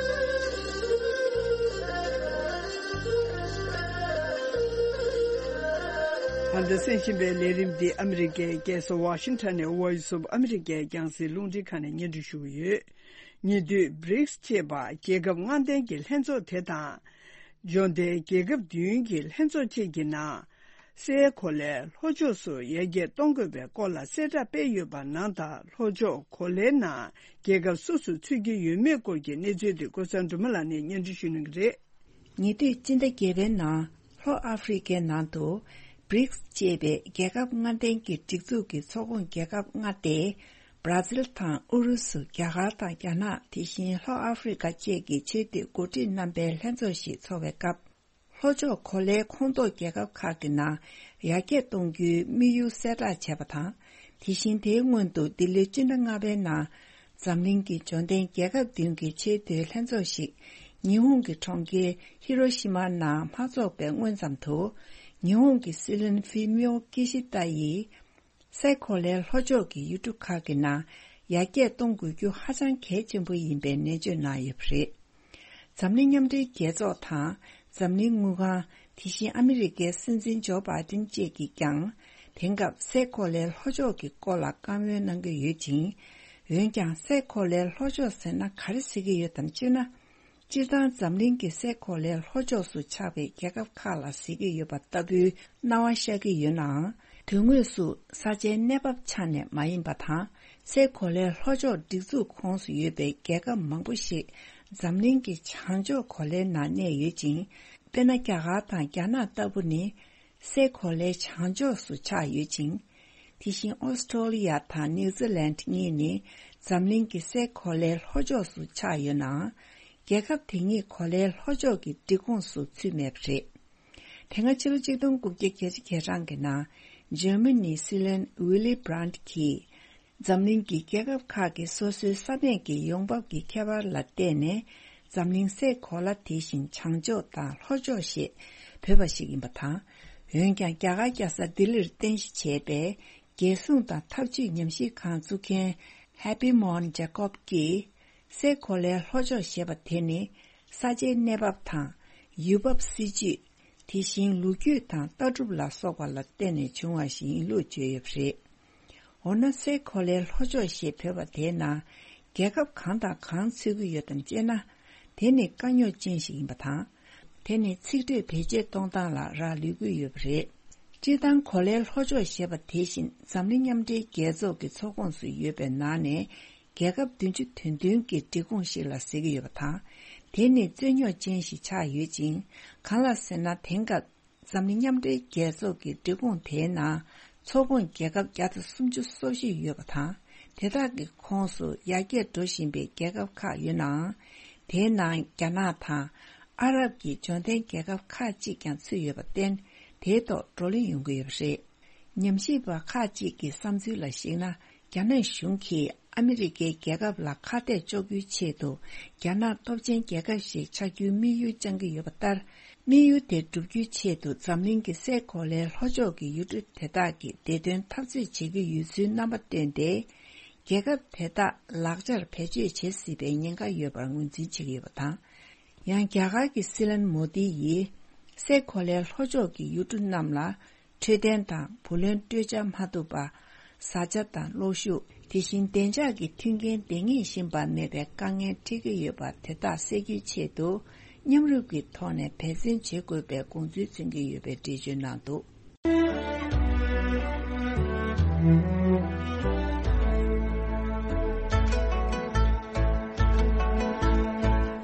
ད་ལྟ་གསན་བཞིན་པའི་ལས་རིམ་འདི་ཨ་མི་རི་ཀའི་རྒྱལ་ས་ཝ་ཤིང་ཊོན་ནས་Voice of America་རྒྱང་སྲིང་རླུང་འཕྲིན་ཁང་ནས་སྙན་སྒྲོན་ཞུ་གི་ཡོད། ཉེ་དུས་བྷི་རིགས་ཅེས་པ་རྒྱལ་ཁབ་ལྔ་ལྡན་གྱི་ལྷན་ཚོགས་དེ་དང་། འབྱོར་ལྡན་རྒྱལ་ཁབ་བདུན་གྱི་ལྷན་ཚོགས་བཅས་ཀྱི་ནང་། སའི་གོ་ལའི་ལྷོ་ཕྱོགས་སུ་ཡར་རྒྱས་གཏོང་དགོས་པའི་སྐོར་ལ་གསལ་བསྒྲགས་སྤེལ་ཡོད་པ་ནང་ལྟར། ལྷོ་ཕྱོགས་གོ་ལའི་ནང་རྒྱལ་ཁབ་སུ་སུ་ཚུད་ཀྱི་ཡོད་མེད་སྐོར་གྱི་གནས་ཚུལ་དེ་ཀུན་བཟང་སྒྲོལ་མ་ལགས་ནས་སྙན་སྒྲོན་ཞུ་གནང་གི་རེད། ཉེ་དུས་སྤྱི་ཟླ་བརྒྱད་པའི་ནང་ལྷོ་ཨ་ཧྥེ་རི་ཁའི་ནང་དུ་བྷི་རིགས་ཅེས་པའི་རྒྱལ་ཁབ་ལྔ་ལྡན་གྱི་སྒྲིག་འཛུགས་ཀྱི་ཚོགས་ཁོངས་རྒྱལ་ཁབ་ལྔ་སྟེ། བྷ་ར་ཛིལ་དང་ཨུ་རུ་སུ། རྒྱ་གར་དང་རྒྱ་ནག་དེ་བཞིན་ལྷོ་ཨ་ཧྥེ་རི་ཁ་བཅས་ཀྱི་ཆེས་མཐོའི་འགོ་ཁྲིད་རྣམ་པའི་ལྷན་ཚོགས་ཤིག་འཚོགས་པའི་སྐབས། ལྷོ་ཕྱོགས་གོ་ལའི་ཁོངས་གཏོགས་རྒྱལ་ཁབ་ཁག་གི་ནང་ཡར་རྒྱས་གཏོང་རྒྱུའི་དམིགས་ཡུལ་གསལ་བསྒྲགས་བྱས་པ་དང་། དེ་བཞིན་དེའི་སྔོན་དུ་ལྡི་ལིར་སྤྱི་ཟླ་ལྔ་པའི་ནང་འཛམ་གླིང་གི་འབྱོར་ལྡན་རྒྱལ་ཁབ་བདུན་གྱི་ཆེས་མཐོའི་ལྷན་ཚོགས་ཤིག་ཉི་ཧོང་གི་གྲོང་ཁྱེར་ཧི་རོ་ཤི་མར་ནང་མ་འཚོགས་པའི་སྔོན་ཙམ་དུ། ཉི་ཧོང་གི་སྲིད་བློན་ཧྥི་མིའོ་ཀི་ཤི་ཏ་ཡིས། སའི་གོ་ལའི་ལྷོ་ཕྱོགས་ཀྱི་ཡུལ་གྲུ་ཁག་གི་ནང་ཡར་རྒྱས་གཏོང་དགོས་རྒྱུ་ཧ་ཅང་གལ་ཆེན་པོ་ཡིན་པའི་ནན་བརྗོད་གནང་ཡོད་པ་རེད། འཛམ་གླིང་མཉམ་འབྲེལ་རྒྱལ་ཚོགས་དང་འཛམ་གླིང་དངུལ་ཁང་། དེ་བཞིན་ཨ་མི་རི་ཀའི་སྲིད་འཛིན་ཇོ་བྷའི་ཏིན་བཅས་ཀྱིས་ཀྱང་། དེང་སྐབས་སའི་གོ་ལའི་ལྷོ་ཕྱོགས་ཀྱི་སྐོར་ལ་བཀའ་མོལ་གནང་གི་ཡོད་ཅིང་། འོན་ཀྱང་སའི་གོ་ལའི་ལྷོ་ཕྱོགས་ཟེར་ན་ག་རེ་ཟེར་གྱི་ཡོད་དམ་ཅེ་ན། སྤྱིར་བཏང་འཛམ་གླིང་གི་སའི་གོ་ལའི་ལྷོ་ཕྱོགས་སུ་ཆགས་པའི་རྒྱལ་ཁབ་ཁག་ལ་ཟེར་གྱི་ཡོད་པ་ལྟ་བུའི་སྣང་བ་ཤར་གྱི་ཡོད་ནའང་། དོན་དངོས་སུ་ས་ཆའི་གནས་བབ་ཆ་ནས་མ་ཡིན་པ་དང་། སའི་གོ་ལའི་ལྷོ་ཕྱོགས་སྒྲིག་འཛུགས་ཁོངས་སུ་ཡོད་པའི་རྒྱལ་ཁབ་མང་པོ་ཞིག་འཛམ་གླིང་གི་བྱང་ཕྱོགས་གོ་ལའི་ནང་གནས་ཡོད་ཅིང་། དཔེར་ན། རྒྱ་གར་དང་རྒྱ་ནག་ལྟ་བུ་ནི། སའི་གོ་ལའི་བྱང་ཕྱོགས་སུ་ཆགས་ཡོད་ཅིང་། དེ་བཞིན་ཨོ་སི་ཀྲོ་ལི་ཡ་དང་ནིའུ་ཛི་ལན་གཉིས་ནི་འཛམ་གླིང་གི་སའི་གོ་ལའི་ལྷོ་ཕྱོགས་སུ་ཆགས་ཡོད་ནའང་། རྒྱལ་ཁབ་དེ་གཉིས་གོ་ལའི་ལྷོ་ཕྱོགས་ཀྱི་སྒྲིག་ཁོངས་སུ་ཚུད་མེད་པ་རེད། དེ་སྔ་ཕྱི་ལོ་ཆིག་སྟོང་དགུ་བརྒྱ་བརྒྱད་ཅུ་གྱ་གྲངས་ཀྱི་ནང་། འཇར་མ་ནིའི་སྲིད་བློན་ཝི་ལི་བྷ་རན་ཊི་གིས། འཛམ་གླིང་གི་རྒྱལ་ཁབ་ཁག་གིས་སོ་སོའི་ས་གནས་ཀྱི་ཡོང་འབབ་ཀྱི་ཁྱད་པར་ལ་བལྟས་ནས། འཛམ་གླིང་སའི་གོ་ལ་དེ་བཞིན་བྱང་ཕྱོགས་དང་ལྷོ་ཕྱོགས་ཞེས་འབོད་པ་ཞིག་ཡིན་པ་དང་། འོན་ཀྱང་། རྒྱ་གར་རྒྱལ་ས་ལྡི་ལིར་རྟེན་གཞི་བྱས་པའི་རྒྱལ་སྲུང་དང་འཐབ་ཇུས་ཉམས་ཞིབ་ཁང་བཙུགས་མཁན་Happy Mohan Jacob་གྱིས། སའི་གོ་ལའི་ལྷོ་ཕྱོགས་ཞེས་པ་དེ་ནི། ས་ཆའི་གནས་བབ་དང་། ཡུལ་བབ་སྲིད་ཇུས། དེ་བཞིན་ལོ་རྒྱུས་དང་ལྟ་གྲུབ་ལ་སོགས་པ་ལ་བརྟེན་ནས་བྱུང་བ་ཞིག་ཡིན་ལུགས་བརྗོད་ཡོད་པ་རེད། འོ་ན། སའི་གོ་ལའི་ལྷོ་ཕྱོགས་ཞེས་འབོད་པ་དེའི་ནང་རྒྱལ་ཁབ་གང་དང་གང་ཚུད་ཀྱི་ཡོད་དམ་ཅེ་ན། དེ་ནི་དཀའ་རྙོག་ཅན་ཞིག་ཡིན་པ་དང་། དེ་ནི་ཚིག་འགྲོས་བེད་སྤྱོད་གཏོང་སྟངས་ལ་རག་ལུས་ཀྱི་ཡོད་པ་རེད། སྤྱིར་བཏང་གོ་ལའི་ལྷོ་ཕྱོགས་ཞེས་པ་དེ་བཞིན་འཛམ་གླིང་མཉམ་འབྲེལ་རྒྱལ་ཚོགས་ཀྱི་ཚོགས་ཁོངས་སུ་ཡོད་པའི་ནང་ནས་རྒྱལ་ཁབ་བདུན་ཅུ་དོན་བདུན་གྱི་སྒྲིག་ཁོངས་ཤིག་ལ་ཟེར་གྱི་ཡོད་པ་དང་། དེ་ནི་རྩོད་རྙོག་ཅན་ཞིག་ཆགས་ཡོད་ཅིང་། གང་ལ་ཟེར་ན། དེང་སྐབས། འཛམ་གླིང་མཉམ་འབྲེལ་རྒྱལ་ཚོགས་ཀྱི་སྒྲིག་ཁོངས་དེའི་ནང་ཚོགས་ཁོངས་རྒྱལ་ཁབ་བརྒྱ་དང་སུམ་ཅུ་སོ་བཞི་ཡོད་པ་དང་། དེ་དག་གི་ཁོངས་སུ་ཡར་རྒྱས་འགྲོ་བཞིན་པའི་རྒྱལ་ཁབ་ཁག་ཡོད་ནའང་། དེའི་ནང་རྒྱ་ནག་དང་ཨ་རབ་ཀྱི་འབྱོར་ལྡན་རྒྱལ་ཁབ་ཁག་ཅིག་ཀྱང་ཚུད་ཡོད་པར་བརྟེན། དེའི་ཐོག་བགྲོ་གླེང་ཡོང་གི་ཡོད་པ་རེད། ཉམས་ཞིབ་པ་ཁག་ཅིག་གི་བསམ་ཚུལ་ལ་གཞིགས་ན། རྒྱ་ནག་གཞུང་གིས་ཨ་མི་རི་ཀའི་རྒྱལ་ཁབ་ལ་ཁ་གཏད་གཅོག་རྒྱུའི་ཆེད་དུ། རྒྱ་ནག་སྟོབས་ཆེན་རྒྱལ་ཁབ་ཞིག་ཆགས་རྒྱུའི་དམིགས་ཡུལ་བཅངས་ཀྱི་ཡོད་པ་ལྟར། དམིགས་ཡུལ་དེ་བསྒྲུབ་རྒྱུའི་ཆེད་དུ། འཛམ་གླིང་གི་སའི་གོ་ལའི་ལྷོ་ཕྱོགས་ཀྱི་ཡུལ་གྲུ་དེ་དག་གི་བདེ་དོན་འཐབ་རྩོད་བྱེད་ཀྱི་ཡོད་ཚུལ་རྣམ་པ་བཏོན་ཏེ། རྒྱལ་ཁབ་དེ་དག་ལག་ཆར་བེད་སྤྱོད་བྱེད་སྲིད་པའི་ཉེན་ཁ་ཡོད་པར་ངོས་འཛིན་བྱེད་ཀྱི་ཡོད་པ་དང་། ཡང་། རྒྱ་གར་གྱི་སྲིད་བློན་མོ་དི་ཡིས། སའི་གོ་ལའི་ལྷོ་ཕྱོགས་ཀྱི་ཡུལ་གྲུ་རྣམས་ལ། འཕྲོད་བསྟེན་དང་བུ་ལོན་སྤྲོད་འཆར་མ་ཐུབ་པ། བཟའ་བཅའ་དང་གློག་ཤུགས། དེ་བཞིན་བདེ་འཇགས་ཀྱི་མཐུན་རྐྱེན་འདང་ངེས་བཞིན་པ་མེད་པའི་དཀའ་ངལ་འཕྲད་ཀྱི་ཡོད་པ་དེ་དག་སེལ་རྒྱུའི་ཆེད་དུ། མཉམ་རུབ་ཀྱི་ཐོག་ནས་འབད་བརྩོན་བྱེད་དགོས་པའི་དགོངས་ཚུལ་མཚོན་གྱི་ཡོད་པའི་འགྲེལ་བརྗོད་གནང་འདུག།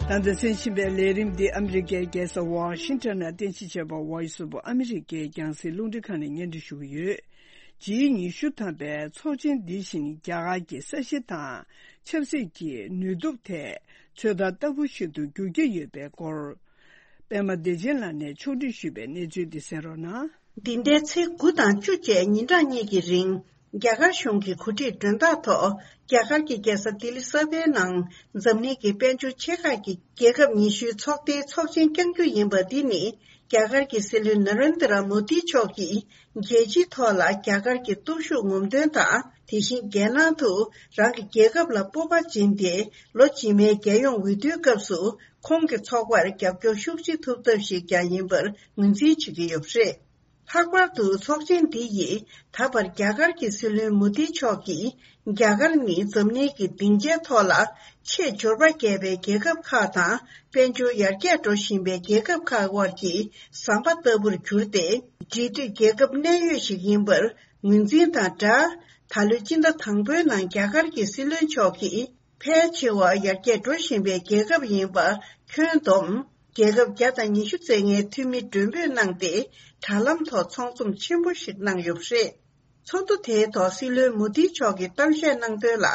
ད་ལྟ་གསན་བཞིན་པའི་ལས་རིམ་འདི་ཨ་མི་རི་ཀའི་རྒྱལ་ས་ཝ་ཤིང་ཊོན་ནས་རྟེན་གཞི་བྱས་པ་Voice of America་རྒྱང་སྲིང་རླུང་འཕྲིན་ཁང་ནས་སྙན་སྒྲོན་ཞུ་གི་ཡོད། ཇི་ཉི་ཤུ་ཐམ་པའི་ཚོགས་ཆེན་འདི་བཞིན་རྒྱ་གར་གྱི་ས་གཞི་དང་ཆབ་སྲིད་ཀྱི་ནུས་སྟོབས་ཐད་ཚོད་ལྟ་ལྟ་བུ་ཞིག་ཏུ་འགྱུར་གྱི་ཡོད་པའི་སྐོར། པད་མ་བདེ་ཆེན་ལགས་ནས་ཕྱོགས་སྒྲིག་ཞུས་པའི་གནས་ཚུལ་འདི་གསན་རོགས་གནང་། འདི་ཟླའི་ཚེས་དགུ་དང་བཅུ་བཅས་ཉིན་གྲངས་གཉིས་ཀྱི་རིང་། རྒྱ་གར་གཞུང་གི་གོ་སྒྲིག་མགྲོན་བདག་ཐོག་རྒྱ་གར་གྱི་རྒྱལ་ས་ལྡི་ལི་གསར་པའི་ནང་འཛམ་གླིང་གི་དཔལ་འབྱོར་ཆེ་ཁག་གི་རྒྱལ་ཁབ་ཉི་ཤུའི་ཚོགས་སྡེའི་ཚོགས་ཆེན་བསྐྱང་རྒྱུ་ཡིན་པ་འདི་ནི། རྒྱ་གར་གྱི་སྲིད་བློན་ན་རེན་དྲ་མོ་དི་མཆོག་གིས་རྒྱལ་སྤྱིའི་ཐོག་ལ་རྒྱ་གར་གྱི་སྟོབས་ཤུགས་ངོམ་སྟོན་དང་། དེ་བཞིན་རྒྱལ་ནང་དུ་རང་གི་རྒྱལ་ཁབ་ལ་སྤོབས་པ་སྦྱིན་ཏེ། ལོ་རྗེས་མའི་རྒྱལ་ཡོངས་འོས་བསྡུའི་སྐབས་སུ་ཁོང་གི་ཚོགས་པར་རྒྱབ་སྐྱོར་ཤུགས་ཆེ་ཐོབ་ཐབས་ཤིག་ཀྱང་ཡིན་པར་ངོས་འཛིན་བྱེད་ཀྱི་ཡོད་པ་རེད། ལྷག་པར་དུ་ཚོགས་ཆེན་འདི་ཡིས་ད་བར་རྒྱ་གར་གྱི་སྲིད་བློན་མོ་དི་མཆོག་གིས། རྒྱ་གར་ནི་འཛམ་གླིང་གི་སྡིངས་ཆའི་ཐོག་ལ་ཆེས་འབྱོར་པ་བརྒྱབ་པའི་རྒྱལ་ཁབ་ཁག་དང་། དཔལ་འབྱོར་ཡར་རྒྱས་འགྲོ་བཞིན་པའི་རྒྱལ་ཁབ་ཁག་དབར་གྱི་ཟམ་པ་ལྟ་བུར་གྱུར་ཏེ། འབྲེལ་མཐུད་རྒྱལ་ཁབ་གནད་ཡོད་ཞིག་ཡིན་པར་ངོས་འཛིན་དང་སྦྲགས། ད་ལོའི་སྤྱི་ཟླ་དང་པོའི་ནང་རྒྱ་གར་གྱི་སྲིད་བློན་མཆོག་གིས། ཕལ་ཆེ་བ་ཡར་རྒྱས་འགྲོ་བཞིན་པའི་རྒྱལ་ཁབ་ཡིན་པ་ཁྱོན་བསྡོམས། རྒྱལ་ཁབ་བརྒྱ་དང་ཉི་ཤུ་ཙམ་ལྔའི་འཐུས་མི་མགྲོན་འབོད་གནང་སྟེ། དྲ་ལམ་ཐོག་ཚོགས་འཛོམས་ཆེན་པོ་ཞིག་གནང་ཡོད་པ་རེད། ཚོགས་འདུ་དེའི་ཐོག་སྲིད་བློན་མོ་དི་མཆོག་གིས་གཏམ་བཤད་གནང་དོན་ལ།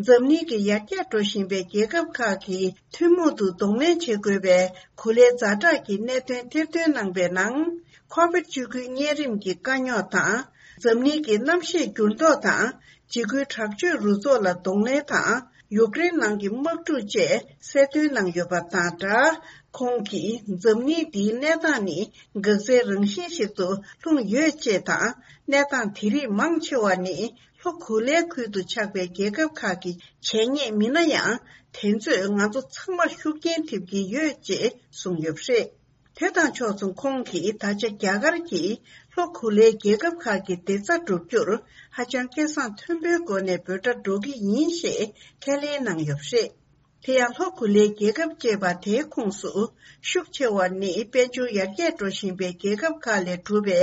འཛམ་གླིང་གི་ཡར་རྒྱས་འགྲོ་བཞིན་པའི་རྒྱལ་ཁབ་ཁག་གིས་ཐུན་མོང་དུ་གདོང་ལེན་བྱེད་དགོས་པའི་གོ་ལའི་ཛ་དྲག་གི་གནད་དོན་ཐེར་འདོན་གནང་པའི་ནང་། ཁོ་བིད་བཅུ་དགུའི་གཉན་རིམས་ཀྱི་དཀའ་རྙོག་དང་། འཛམ་གླིང་གི་གནམ་གཤིས་འགྱུར་ལྡོག་དང་། འཇིགས་སྐུལ་དྲག་སྤྱོད་རུ་ཚོགས་ལ་གདོང་ལེན་དང་། ཡུཀ་རེན་ནང་གི་དམག་འཁྲུག་བཅས་གསལ་སྟོན་གནང་ཡོད་པ་དང་སྦྲགས། ཁོང་གིས་འཛམ་གླིང་འདིའི་གནས་སྟངས་ནི་འགག་རྩའི་རང་བཞིན་ཞིག་ཏུ་ལྷུང་ཡོད་ཅེས་དང་། གནས་སྟངས་དེ་རིགས་མང་ཆེ་བ་ནི་ལྷོ་གོ་ལའི་ཁུལ་དུ་ཆགས་པའི་རྒྱལ་ཁབ་ཁག་གི་བྱས་ཉེས་མིན་ན་ཡང་། དེ་ཚོས་ང་ཚོ་ཚང་མར་ཤུགས་རྐྱེན་ཐེབས་ཀྱི་ཡོད་ཅེས་གསུངས་ཡོད་པ་རེད། དེ་དང་ཕྱོགས་མཚུངས་ཁོང་གིས་ད་ཆ་རྒྱ་གར་གྱིས་ལྷོ་གོ་ལའི་རྒྱལ་ཁབ་ཁག་གི་བདེ་རྩ་བསྒྲུབ་རྒྱུར་ཧ་ཅང་སྐད་གསང་མཐོན་པོའི་སྒོ་ནས་འབོད་སྒྲ་སྒྲོག་གི་ཡིན་ཞེས་ཁས་ལེན་གནང་ཡོད་པ་རེད། དེ་ཡང་ལྷོ་གོ་ལའི་རྒྱལ་ཁབ་ཅེས་པ་དེའི་ཁོངས་སུ་ཤུགས་ཆེ་བ་ནི་དཔལ་འབྱོར་ཡར་རྒྱས་འགྲོ་བཞིན་པའི་རྒྱལ་ཁབ་ཁག་ལས་གྲུབ་པའི་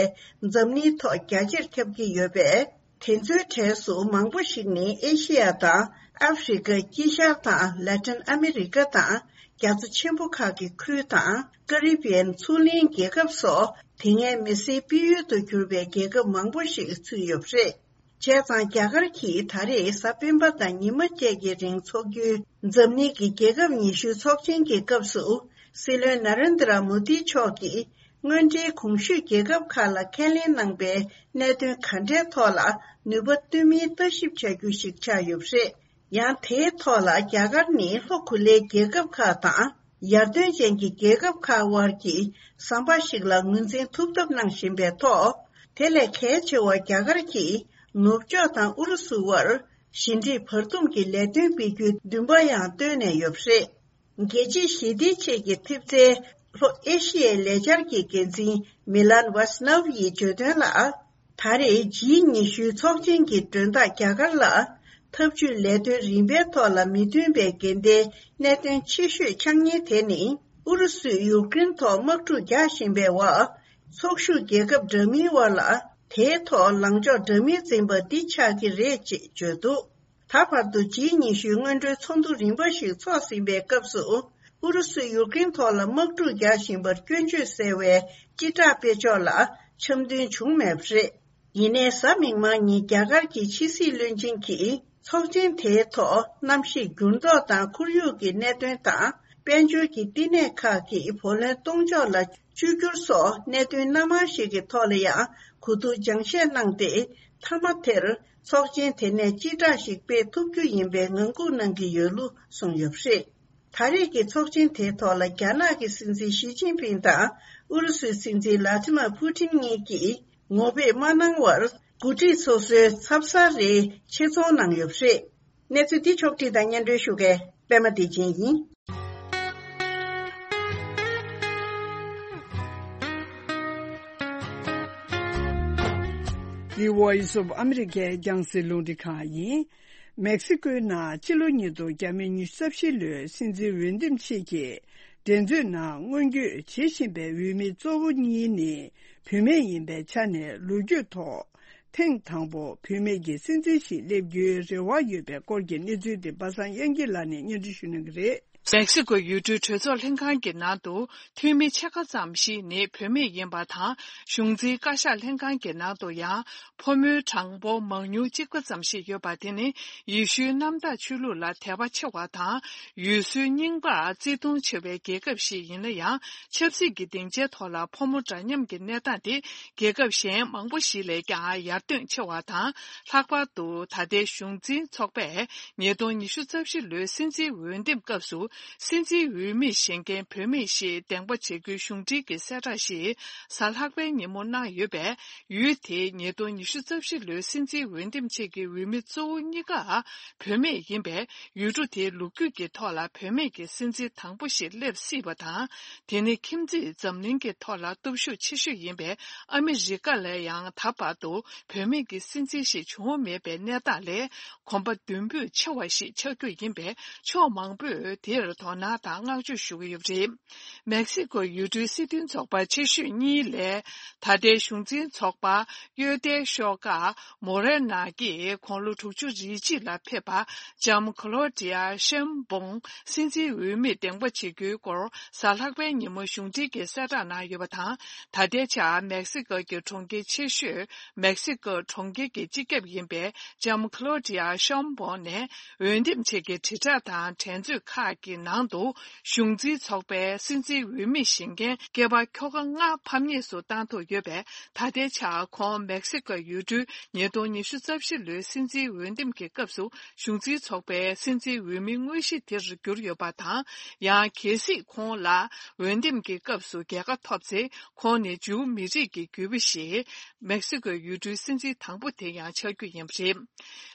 འཛམ་གླིང་ཐོག་རྒྱ་ཆེར་ཁྱབ་ཀྱི་ཡོད་པས། དེ་ཚོའི་གྲས་སུ་མང་པོ་ཞིག་ནི་ཨེ་ཤི་ཡ་དང་ཨ་ཧྥེ་རི་ཁ། དཀྱིལ་ཤར་དང་ལ་ཏིན་ཨ་མེ་རི་ཁ་དང་རྒྱ་མཚོ་ཆེན་པོ་ཁག་གི་ཁུལ་དང་། ཀ་རི་བི་ཡན་མཚོ་གླིང་རྒྱལ་ཁབ་སོགས། དེ་སྔའི་མི་སེར་སྤེལ་ཡུལ་དུ་གྱུར་པའི་རྒྱལ་ཁབ་མང་པོ་ཞིག་ཚུད་ཡོད་པ་རེད། བྱས་ཙང་རྒྱ་གར་གྱིས་ད་རེས་གཟའ་སྤེན་པ་དང་ཉི་མ་བཅས་ཀྱི་རིང་འཚོགས་རྒྱུའི་འཛམ་གླིང་གི་རྒྱལ་ཁབ་ཉི་ཤུའི་ཚོགས་ཆེན་གྱི་སྐབས་སུ། སྲིད་བློན་ན་རེན་དྲ་མོ་དི་མཆོག་གིས། སྔོན་འགྲོའི་གོང་ཞུས་རྒྱལ་ཁབ་ཁག་ལ་ཁས་ལེན་གནང་པའི་གནད་དོན་ག་འདྲའི་ཐོག་ལ་ནུས་པ་བཏོན་མིན་ལྟ་ཞིབ་བྱ་རྒྱུ་ཞིག་ཆགས་ཡོད་པ་རེད། ཡང་དེའི་ཐོག་ལ་རྒྱ་གར་ནི་ལྷོ་གོ་ལའི་རྒྱལ་ཁབ་ཁག་དང་། ཡར་ཐོན་ཅན་གྱི་རྒྱལ་ཁབ་ཁག་དབར་གྱི་ཟམ་པ་ཞིག་ལ་ངོས་འཛིན་ཐུབ་ཐབས་གནང་བཞིན་པའི་ཐོག་དེ་ལས་གལ་ཆེ་བ་རྒྱ་གར་གྱིས་ནུབ་ཕྱོགས་དང་ཨུ་རུ་སུ་དབར་ཞི་འགྲིག་བར་འདུམ་གྱི་ལས་དོན་སྤེལ་རྒྱུའི་འདུན་པ་ཡང་བཏོན་ནས་ཡོད་པ་རེད། རྒྱལ་སྤྱིའི་ཞི་བདེའི་ཆེད་ཀྱི་ཐེབས་རྩའི་ལྷོ་ཨེ་ཤི་ཡའི་ལས་འཆར་གྱི་འགན་འཛིན་མི་ལན་ཝཱ་སི་ནོབ་ཡིས་བརྗོད་དོན་ལ། ད་རེས་ཇི་ཉི་ཤུའི་ཚོགས་ཆེན་གྱི་མགྲོན་བདག་རྒྱ་གར་ལ་འཐབ་ཇུས་ལས་དོན་རིམ་པའི་ཐོག་ལ་མི་མཐུན་པའི་འགལ་ཟླའི་གནད་དོན་ཆེ་ཤོས་འཆར་ཉེན་དེ་ནི་ཨུ་རུ་སུས་ཡུཀ་རེན་ཐོག་དམག་འཁྲུག་རྒྱག་བཞིན་པའི་འོག་ཚོགས་ཞུགས་རྒྱལ་ཁབ་འདྲ་མིན་དབར་ལ་དེའི་ཐོག་ལངས་ཕྱོགས་འདྲ་མིན་འཛིན་པ་འདི་ཆགས་ཀྱི་རེད་ཅེས་བརྗོད་འདུག་ད་བར་དུ་ཇི་ཉི་ཤུའི་སྔོན་འགྲོའི་ཚོགས་འདུ་རིམ་པ་ཞིག་ཚོགས་ཟིན་པའི་སྐབས་སུ། ཨུ་རུ་སུས་ཡུཀ་རེན་ཐོག་ལ་དམག་འཁྲུག་རྒྱག་བཞིན་པར་སྐྱོན་བརྗོད་གསལ་བའི་སྤྱི་བསྒྲགས་སྤེལ་ཕྱོགས་ལ་འཆམ་མཐུན་བྱུང་མེད་པ་རེད། ཡིན་ནའི་གཟའ་མིག་དམར་ཉིན་རྒྱ་གར་གྱི་ཕྱི་སྲིད་བློན་ཆེན་གྱིས་ཚོགས་ཆེན་དེའི་ཐོག་གནམ་གཤིས་འགྱུར་ལྡོག་དང་ཁོར་ཡུག་གི་གནད་དོན་དང་། དཔལ་འབྱོར་གྱི་བསྟི་གནས་ཁག་གི་བུ་ལོན་གཏོང་ཕྱོགས་ལ་བཅོས་བསྒྱུར་སོགས་གནད་དོན་སྣ་མང་ཞིག་གི་ཐོག་ལ་ཡང་གོ་བསྡུར་སྦྱང་བཤད་གནང་སྟེ། མཐའ་མ་དེར། ཚོགས་ཆེན་དེ་ནས་སྤྱི་བསྒྲགས་ཤིག་སྤེལ་ཐུབ་རྒྱུ་ཡིན་པའི་ངང་སྒུག་གནང་གི་ཡོད་ལུགས་གསུངས་ཡོད་པ་རེད། ད་རེས་ཀྱི་ཚོགས་ཆེན་དེའི་ཐོག་ལ་རྒྱ་ནག་གི་སྲིད་འཛིན་ཞི་ཅིན་ཕིང་དང་ཨུ་རུ་སུའི་སྲིད་འཛིན་ལ་ཏི་མ་ཕུ་ཏིན་གཉིས་ཀྱིས་ངོ་ཕེབས་མ་གནང་བར་འགོ་ཁྲིད་སོ་སོའི་ཚབ་གསར་རེ་ཆེད་ཚོང་གནང་ཡོད་པ་རེད། གནས་ཚུལ་འདི་ཕྱོགས་བསྒྲིགས་དང་སྙན་སྒྲོན་ཞུ་མཁན་པད་མ་བདེ་ཆེན་ཡིན། The Voice of America རྒྱང་སྲིང་རླུང་འཕྲིན་ཁང་ཡིན། མེག་སི་ཀོའི་ནང་ཕྱི་ལོ་ཉིས་སྟོང་ཉི་ཤུ་རྩ་བཞི་ལོའི་སྲིད་འཛིན་འོས་འདེམས་ཆེད་ཀྱི་འགྲན་རྩོད་ནང་མངོན་བསྐྱོད་བྱེད་བཞིན་པའི་འོས་མི་གཙོ་བོ་གཉིས་ནི་བུད་མེད་ཡིན་པའི་ཆ་ནས། ལོ་རྒྱུས་ཐོག་ཐེངས་དང་པོ་བུད་མེད་ཀྱི་སྲིད་འཛིན་ཞིག་སླེབས་རྒྱུའི་རེ་བ་ཡོད་པའི་སྐོར་གྱི་གནས་ཚུལ་དེ་པ་སངས་དབྱངས་སྐྱིད་ལགས་ནས་སྙན་སྒྲོན་ཞུ་གནང་གི་རེད། མེག་སི་ཀོ་ཡུལ་གྲུའི་གྲོས་ཚོགས་ལྷན་ཁང་གི་ནང་དུ་འཐུས་མི་ཕྱེད་ཀ་ཙམ་ཞིག་ནི་བུད་མེད་ཡིན་པ་དང་། གཞུང་འཛིན་བཀའ་ཤག་ལྷན་ཁང་གི་ནང་དུ་ཡང་ཕོ་མོའི་གྲངས་འབོར་མང་ཉུང་གཅིག་པ་ཙམ་ཞིག་ཡོད་པ་དེ་ནི་ཡེ་ཤུའི་གནམ་བདག་ཆོས་ལུགས་ལ་དད་པ་ཆེ་བ་དང་། ཡུལ་སྲོལ་རྙིང་པར་བརྩི་མཐོང་ཆེ་བའི་རྒྱལ་ཁབ་ཞིག་ཡིན་ན་ཡང་། ཆབ་སྲིད་ཀྱི་སྡིངས་ཆའི་ཐོག་ལ་ཕོ་མོ་འདྲ་མཉམ་གྱི་གནས་སྟངས་དེ་རྒྱལ་ཁབ་གཞན་མང་པོ་ཞིག་ལས་ཀྱང་ཡར་ཐོན་ཆེ་བ་དང་། ལྷག་པར་དུ་ད་ལྟའི་གཞུང་འཛིན་ཚོགས་པས་ཉིས་སྟོང་ཉི་ཤུ་རྩ་བཞི་ལོའི་སྲིད་འཛིན་འོས་འདེམས་སྐབས་སུ་ སྲིད་འཛིན་འོས་མི་བཞེངས་མཁན་བུད་མེད་ཞིག་འདེམས་པ་བྱེད་རྒྱུའི་གཞུང་འབྲེལ་གྱི་གསལ་བསྒྲགས་ཤིག་གཟའ་ལྷག་པའི་ཉིན་མོ་གནང་ཡོད་པས། ཡུལ་དེའི་ཉིས་སྟོང་ཉི་ཤུ་རྩ་བཞི་ལོའི་སྲིད་འཛིན་འོས་འདེམས་ཆེད་ཀྱི་འོས་མི་གཙོ་བོ་གཉིས་ཀ་བུད་མེད་ཡིན་པས། ཡུལ་གྲུ་དེའི་ལོ་རྒྱུས་ཀྱི་ཐོག་ལ་བུད་མེད་ཀྱི་སྲིད་འཛིན་དང་པོ་ཞིག་སླེབས་སྲིད་པ་དང་། དེ་ནི་ཁྱིམ་མཚེས་འཛམ་གླིང་གི་ཐོག་ལ་སྟོབས་ཤུགས་ཆེ་ཤོས་ཡིན་པའི་ཨ་མི་རི་ཀ་ལ་ཡང་ད་བར་དུ་བུད་མེད་ཀྱི་སྲིད་འཛིན་ཞིག་བྱུང་མེད་པའི་གནས་སྟངས་ལས། གོམ་པ་མདུན་སྤོས་ཆེ་བ་ཞིག་ཆགས་རྒྱུ་ཡིན་པས། ཕྱོགས་མང་པོས་དེར་དོ་སྣང་དང་བསྔགས་བརྗོད་ཞུ་གི་ཡོད་པ་རེད། མེག་སི་ཀོ་ཡུལ་གྲུའི་སྲིད་དོན་ཚོགས་པ་ཆེ་ཤོས་གཉིས་ལས། ད་ལྟའི་གཞུང་འཛིན་ཚོགས་པ་གཡོལ་ཐལ་ཤོག་ཁག་མོ་རེ་ན་གིས་དགུང་ལོ་དྲུག་ཅུ་རེ་གཅིག་ལ་ཕེབས་པ་ལྕམ་ཁོ་ལོ་ཏི་ཡ་ཤེམ་བོང་སྲིད་འཛིན་འོས་མི་འདེམས་པ་བྱེད་རྒྱུའི་སྐོར་གཟའ་ལྷག་པའི་ཉིན་མོ་གཞུང་འབྲེལ་གྱི་གསལ་བསྒྲགས་གནང་ཡོད་པ་དང་། ད་ལྟའི་ཆར་མེག་སི་ཀོ་གི་གྲོང་ཁྱེར་ཆེ་ཤོས་མེག་སི་ཀོ་གྲོང་ཁྱེར་གྱི་སྤྱི་ཁྱབ་ཡིན་པའི་ལྕམ་ཁོ་ལོ་ཏི་ཡ་ཤེམ་བོང་ནས། འོས་འདེམས་ཆེད་ཀྱི་དྲིལ་བསྒྲགས་དང་འགྲན་རྩོད་ཁག་གི་ནང་དུ་གཞུང་འཛིན་ཚོགས་པའི་སྲིད་འཛིན་འོས་མི་བཞེངས་མཁན་སྐྱེས་པ་ཁྱོ་ག་ལྔ་ཕམ་ཉེས་སུ་བཏང་ཐུབ་ཡོད་པས། ད་ལྟའི་ཆར་ཁོང་མེག་སི་ཀོ་ཡུལ་གྲུའི་ཉིས་སྟོང་ཉི་ཤུ་རྩ་བཞི་ལོའི་སྲིད་འཛིན་འོས་འདེམས་ཀྱི་སྐབས་སུ་གཞུང་འཛིན་ཚོགས་པའི་སྲིད་འཛིན་འོས་མི་དངོས་གཞི་དེར་གྱུར་ཡོད་པ་དང་། ཡང་གལ་སྲིད་ཁོང་ལ་འོས་འདེམས་ཀྱི་སྐབས་སུ་རྒྱལ་ཁ་ཐོབ་ཚེ། ཁོང་ནི་ཇུའུ་མི་རིགས་ཀྱི་རྒྱུད་པ་ཞིག་མེག་སི་ཀོའི་ཡུལ་གྲུའི་སྲིད་འཛིན་དང་པོ་དེ་ཡང་ཆགས་རྒྱུ་ཡིན་པ་རེད།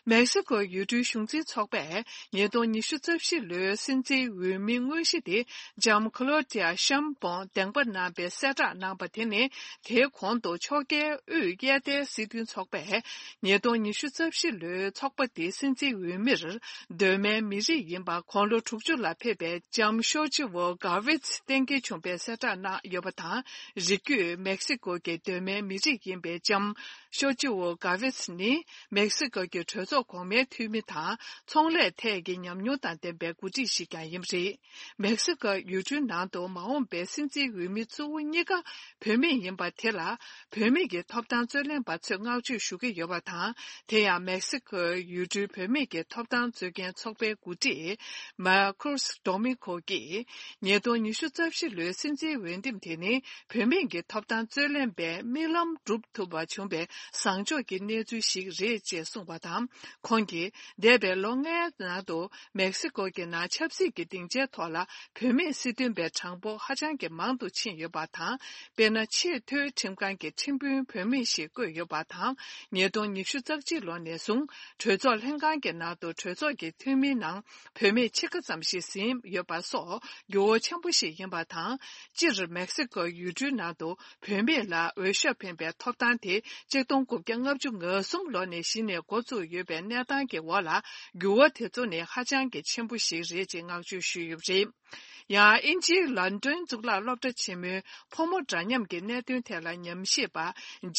མེག་སི་ཀོའི་ཡུལ་གྲུའི་གཞུང་འཛིན་ཚོགས་པས་ཉིས་སྟོང་ཉི་ཤུ་རྩ་བཞི་ལོའི་སྲིད་འཛིན་འོས་མི་དངོས་གཞི་དེ་ལྕམ་ཁོ་ལོ་ཏི་ཡ་ཤམ་བོང་འདེམས་པ་གནང་པའི་གསལ་བསྒྲགས་གནང་པ་དེ་ནི། དེའི་གོང་དུ་ཕྱོགས་འགལ་དབུས་གཡས་ཐལ་སྲིད་དོན་ཚོགས་པས་ཉིས་སྟོང་ཉི་ཤུ་རྩ་བཞི་ལོའི་ཚོགས་པ་དེའི་སྲིད་འཛིན་འོས་མིར་གདོད་མའི་མི་རིགས་ཡིན་པ་དགུང་ལོ་དྲུག་ཅུ་ལ་ཕེབས་པའི་ལྕམ་ཤོ་ཅི་ཝོ་ག་ཝིད་གཏན་འཁེལ་བྱུང་པའི་གསལ་བསྒྲགས་གནང་ཡོད་པ་དང་། རིགས་རྒྱུད་མེག་སི་ཀོ་གི་གདོད་མའི་མི་རིགས་ཡིན་པའི་ལྕམ་ཤོ་ཅི་ཝོ་ག་ཝིད་ནི་མེག་སི་ཀོ་གི་གྲོས་ཚོགས་གོང་མའི་འཐུས་མི་དང་ཚོང་ལས་ཐད་ཀྱི་ཉམས་མྱོང་དང་ལྡན་པའི་འགོ་ཁྲིད་ཞིག་ཀྱང་ཡིན་པ་རེད། མེག་སི་ཀོ་ཡུལ་གྲུའི་ནང་དུ་མ་འོངས་པའི་སྲིད་འཛིན་འོས་མི་གཙོ་བོ་གཉིས་ཀ་བུད་མེད་ཡིན་པ་དེ་ལ། བུད་མེད་ཀྱི་ཐོབ་ཐང་རྩོད་ལེན་པ་ཚོས་བསྔགས་བརྗོད་ཞུ་གི་ཡོད་པ་དང་། དེ་ཡང་མེག་སི་ཀོའི་ཡུལ་གྲུའི་བུད་མེད་ཀྱི་ཐོབ་ཐང་རྩོད་མཁན་ཚོགས་པའི་འགོ་ཁྲིད་མར་ཁུ་སི་ཌོ་མི་ཁོ་གིས། ཉིས་སྟོང་ཉི་ཤུ་རྩ་བཞི་ལོའི་སྲིད་འཛིན་འོས་འདེམས་དེ་ནི་བུད་མེད་ཀྱི་ཐོབ་ཐང་རྩོད་ལེན་པའི་རྨི་ལམ་འགྲུབ་ཐུབ་པ་བྱུང་བའི་བཟང་ཕྱོགས་ཀྱི་གནས་ཚུལ་ཞིག་རེད་ཅེས་གསུངས་པ་དང་། ཁོང་གིས་འདས་པའི་ལོ་ལྔའི་ནང་དུ། མེག་སི་ཀོ་གི་ནང་ཆབ་སྲིད་ཀྱི་སྡིངས་ཆའི་ཐོག་ལ་བུད་མེད་སྲིད་དོན་པའི་གྲངས་འབོར་ཧ་ཅང་གི་མང་དུ་ཕྱིན་ཡོད་པ་དང་། དཔེར་ན། ཆེས་མཐོའི་ཁྲིམས་ཁང་གི་ཁྲིམས་དཔོན་བུད་མེད་ཞིག་བསྐོས་ཡོད་པ་དང་། ཉིས་སྟོང་ཉི་ཤུ་རྩ་གཅིག་ལོ་ནས་བཟུང་གྲོས་ཚོགས་ལྷན་ཁང་གི་ནང་དུ་གྲོས་ཚོགས་ཀྱི་འཐུས་མིའི་ནང་བུད་མེད་ཕྱེད་ཀ་ཙམ་ཞིག་ཟིན་ཡོད་པ་སོགས་འགྱུར་བ་ཆེན་པོ་ཞིག་ཡིན་པ་དང་། སྤྱིར་མེག་སི་ཀོ་ཡུལ་གྲུའི་ནང་དུ་བུད་མེད་ལ་འོས་ཤོག་འཕེན་པའི་ཐོབ་ཐང་དེ་ཆིག་སྟོང་དགུ་བརྒྱ་ལྔ་བཅུ་ང་གསུམ་ལོ་ནས་གཞི་ནས་འགོ་བཙུགས་ཡོད་པའི་གནས་སྟངས་ཀྱི་འོག་ལ། འགྱུར་བ་དེ་ཚོ་ནི་ཧ་ཅང་གི་ཆེན་པོ་ཞིག་རེད་ཅེས་བསྔགས་བརྗོད་ཞུས་ཡོད་པ་རེད། ཡང་། དབྱིན་ཇིའི་ལོན་ཌོན་གཙུག་ལག་སློབ་གྲྭ་ཆེན་མོའི་ཕོ་མོ་འདྲ་མཉམ་གྱི་གནད་དོན་ཐད་ལ་ཉམས་ཞིབ་པ་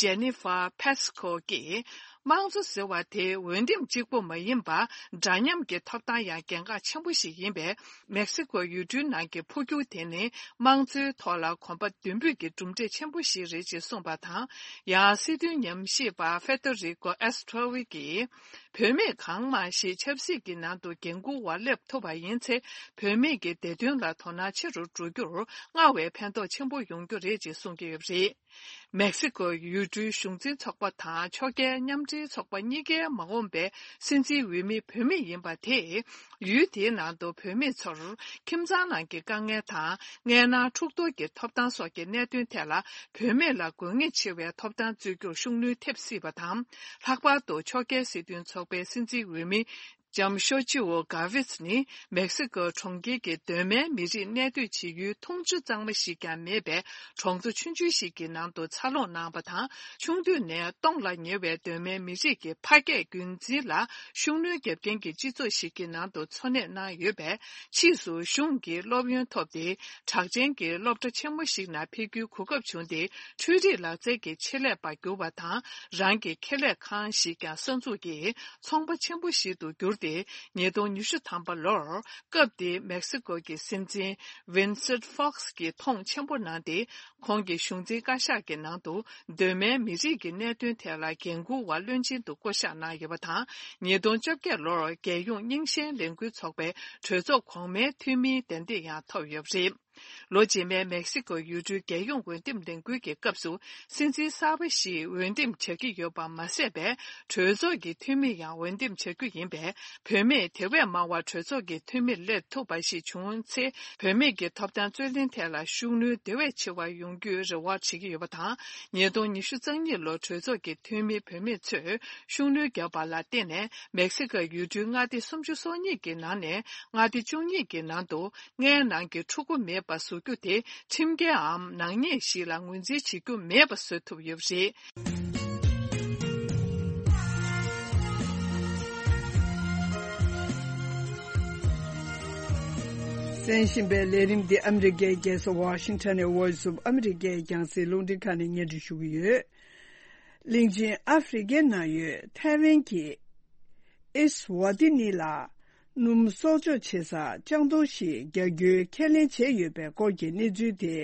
ཇེ་ནི་ཧྥ་ཕེ་སི་ཁོ་གིས། དམངས་གཙོ་ཟེར་བ་དེ་འོས་འདེམས་གཅིག་པུ་མ་ཡིན་པར། འདྲ་མཉམ་གྱི་ཐོབ་ཐང་ཡང་གལ་འགངས་ཆེན་པོ་ཞིག་ཡིན་པས། མེག་སི་ཀོ་ཡུལ་གྲུའི་ནང་གི་འཕོ་འགྱུར་དེ་ནི་དམངས་གཙོའི་ཐོག་ལ་གོམ་པ་མདུན་སྤོས་ཀྱི་གྲུབ་འབྲས་ཆེན་པོ་ཞིག་རེད་ཅེས་གསུངས་པ་དང་། ཡང་། སྲིད་དོན་ཉམས་ཞིབ་པ་ཧྥེ་ཏོ་རི་ཀོ་ཨེ་སི་ཏྲོ་ཝི་གིས། བུད་མེད་གང་མང་ཞིག་ཆབ་སྲིད་ཀྱི་ནང་དུ་འགན་འཁུར་བར་སླེབས་ཐུབ་པ་ཡིན་ཚེ། བུད་མེད་ཀྱི་བདེ་དོན་ལ་དོ་སྣང་ཆེ་རུ་འགྲོ་རྒྱུར་སྔར་བས་ཕན་ཐོགས་ཆེན་པོ་ཡོང་རྒྱུ་རེད་ཅེས་གསུང་གི་ཡོད་པ་རེད། མེག་སི་ཀོ་ཡུལ་གྲུའི་གཞུང་འཛིན་ཚོགས་པ་དང་ཕྱོགས་འགལ་མཉམ་འབྲེལ་ཚོགས་པ་གཉིས་ཀའི་མ་འོངས་པའི་སྲིད་འཛིན་འོས་མི་བུད་མེད་ཡིན་པ་དེས། ཡུལ་དེའི་ནང་དུ་བུད་མེད་ཚོར་ཁྱིམ་ཚང་ནང་གི་དཀའ་ངལ་དང་། མངལ་ནང་འཁྲུག་གཏོར་གྱི་ཐོབ་ཐང་སོགས་ཀྱི་གནད་དོན་ཐད་ལ། བུད་མེད་ལ་དགོས་ངེས་ཆེ་བའི་ཐོབ་ཐང་རྩོད་རྒྱུར་ཤུགས་སྣོན་ཐེབས་སྲིད་པ་དང་། ལྷག་པར་དུ་ཕྱོགས་འགལ་སྲིད་དོན་ཚོགས་པའི་སྲིད་འཛིན་འོས་མི། ལྕམ་ཤོ་ཅི་ཝོ་ག་ཝིད་ནི་མེག་སི་ཀོ་གྲོང་ཁྱེར་གྱི་གདོད་མའི་མི་རིགས་གནས་སྡོད་བྱེད་ཡུལ་འཐུང་ཆུ་གཙང་མ་ཞིག་ཀྱང་མེད་པའི་གྲོང་ཚོ་ཆུང་ཆུང་ཞིག་གི་ནང་དུ་འཚར་ལོངས་གནང་བ་དང་། ཆུང་དུས་ནས་སྟོངས་ལ་ཉེ་བའི་གདོད་མའི་མི་རིགས་ཀྱི་ཕ་སྐད་རྒྱུན་འཛིན་ལ་ཤུགས་སྣོན་བརྒྱབ་མཁན་གྱི་སྤྱི་ཚོགས་ཤིག་གི་ནང་དུ་འཚོ་གནས་གནང་ཡོད་པས། ཕྱིས་སུ་གཞུང་གི་སློབ་ཡོན་ཐོབ་སྟེ། གྲགས་ཅན་གྱི་སློབ་གྲྭ་ཆེན་མོ་ཞིག་ནང་ཕེབས་རྒྱུའི་གོ་སྐབས་བྱུང་སྟེ། འཕྲུལ་རིག་ལག་རྩལ་གྱི་ཆེད་ལས་པར་གྱུར་བ་དང་། རང་གི་ཁེ་ལས་ཁང་ཞིག་ཀྱང་གསར་འཛུགས་ཀྱིས་ཚོང་པ་ཆེན་པོ་ཞིག་ཏུ་གྱུར་ཏེ། ཉིས་སྟོང་ཉི་ཤུ་ཐམ་པ་ལོར། སྐབས་དེའི་མེག་སི་ཀོ་གི་སྲིད་འཛིན་ཝིན་སེན་ཕོག་སི་གིས་མཐོང་ཆེན་པོ་གནང་སྟེ། ཁོང་གི་གཞུང་འཛིན་བཀའ་ཤག་གི་ནང་དུ་གདོད་མའི་མི་རིགས་ཀྱི་གནད་དོན་ཐད་ལ་འགན་འཁུར་བ་བློན་ཆེན་དུ་བསྐོ་གཞག་གནང་ཡོད་པ་དང་། ཉིས་སྟོང་བཅོ་བརྒྱད་ལོར་རྒྱལ་ཡོངས་རྙིང་ཞེན་ལས་འགུལ་ཚོགས་པའི་གྲོས་ཚོགས་གོང་མའི་འཐུས་མིའི་གདན་འདྲེན་ཡང་ཐོབ་ཡོད་པ་རེད། ལོ་རྗེས་མའི་མེག་སི་ཀོ་ཡུལ་གྲུའི་རྒྱལ་ཡོངས་འོས་འདེམས་ལས་འགུལ་གྱི་སྐབས་སུ། སྲིད་འཛིན་གསར་པ་ཞིག་འོས་འདེམས་བྱ་གི་ཡོད་པ་མ་ཟད་པའི་གྲོས་ཚོགས་ཀྱི་འཐུས་མི་ཡང་འོས་འདེམས་བྱ་རྒྱུ་ཡིན་པས། བུད་མེད་དེ་བས་མང་བ་གྲོས་ཚོགས་ཀྱི་འཐུས་མིར་སླེབས་ཐུབ་པ་ཞིག་བྱུང་ཚེ། བུད་མེད་ཀྱི་ཐོབ་ཐང་རྩོད་ལེན་ཐད་ལ་ཤུགས་སྣོན་དེ་བས་ཆེ་བ་ཡོང་རྒྱུའི་རེ་བ་བྱེད་ཀྱི་ཡོད་པ་དང་། ཉིས་སྟོང་ཉི་ཤུ་རྩ་གཉིས་ལོར་གྲོས་ཚོགས་ཀྱི་འཐུས་མི་བུད་མེད་ཚོས་ཤུགས་སྣོན་བརྒྱབ་པ་ལ་བརྟེན་ནས། མེག་སི་ཀོ་ཡུལ་གྲུའི་མངའ་སྡེ་སུམ་ཅུ་སོ་གཉིས་ཀྱི་ནང་ནས་མངའ་སྡེ་བཅུ་གཉིས་ཀྱི་ནང་དུ། མངའི་ནང་གི་ཕྲུ་གུ་མེད་པ་བཟོ་རྒྱུ་དེ་ཁྲིམས་འགལ་འམ་ནག་ཉེས་ཤིག་ལ་ངོས་འཛིན་བྱེད་རྒྱུ་མེད་པ་བཟོ་ཐུབ་ཡོད་པ་རེད། གསན་བཞིན་པའི་ལས་རིམ་འདི་ཨ་མི་རི་ཀའི་རྒྱལ་ས་ཝ་ཤིང་ཊོན་ནས་Voice of America་ཡི་རྒྱང་སྲིང་རླུང་འཕྲིན་ཁང་ནས་སྙན་སྒྲོན་ཞུ་གི་ཡོད། གླིང་ཆེན་ཨ་ཧྥེ་རི་ཀའི་ནང་ཡོད་ཐའེ་ཝན་གྱི་ཨེ་སི་ཝ་ཏི་ནི་ལ་སྣུམ་གསོག་འཇོག་བྱེད་ས་ལྕང་སྡོང་ཞིག་རྒྱག་རྒྱུའི་ཁས་ལེན་བྱས་ཡོད་པའི་སྐོར་གྱི་གནས་ཚུལ་དེ།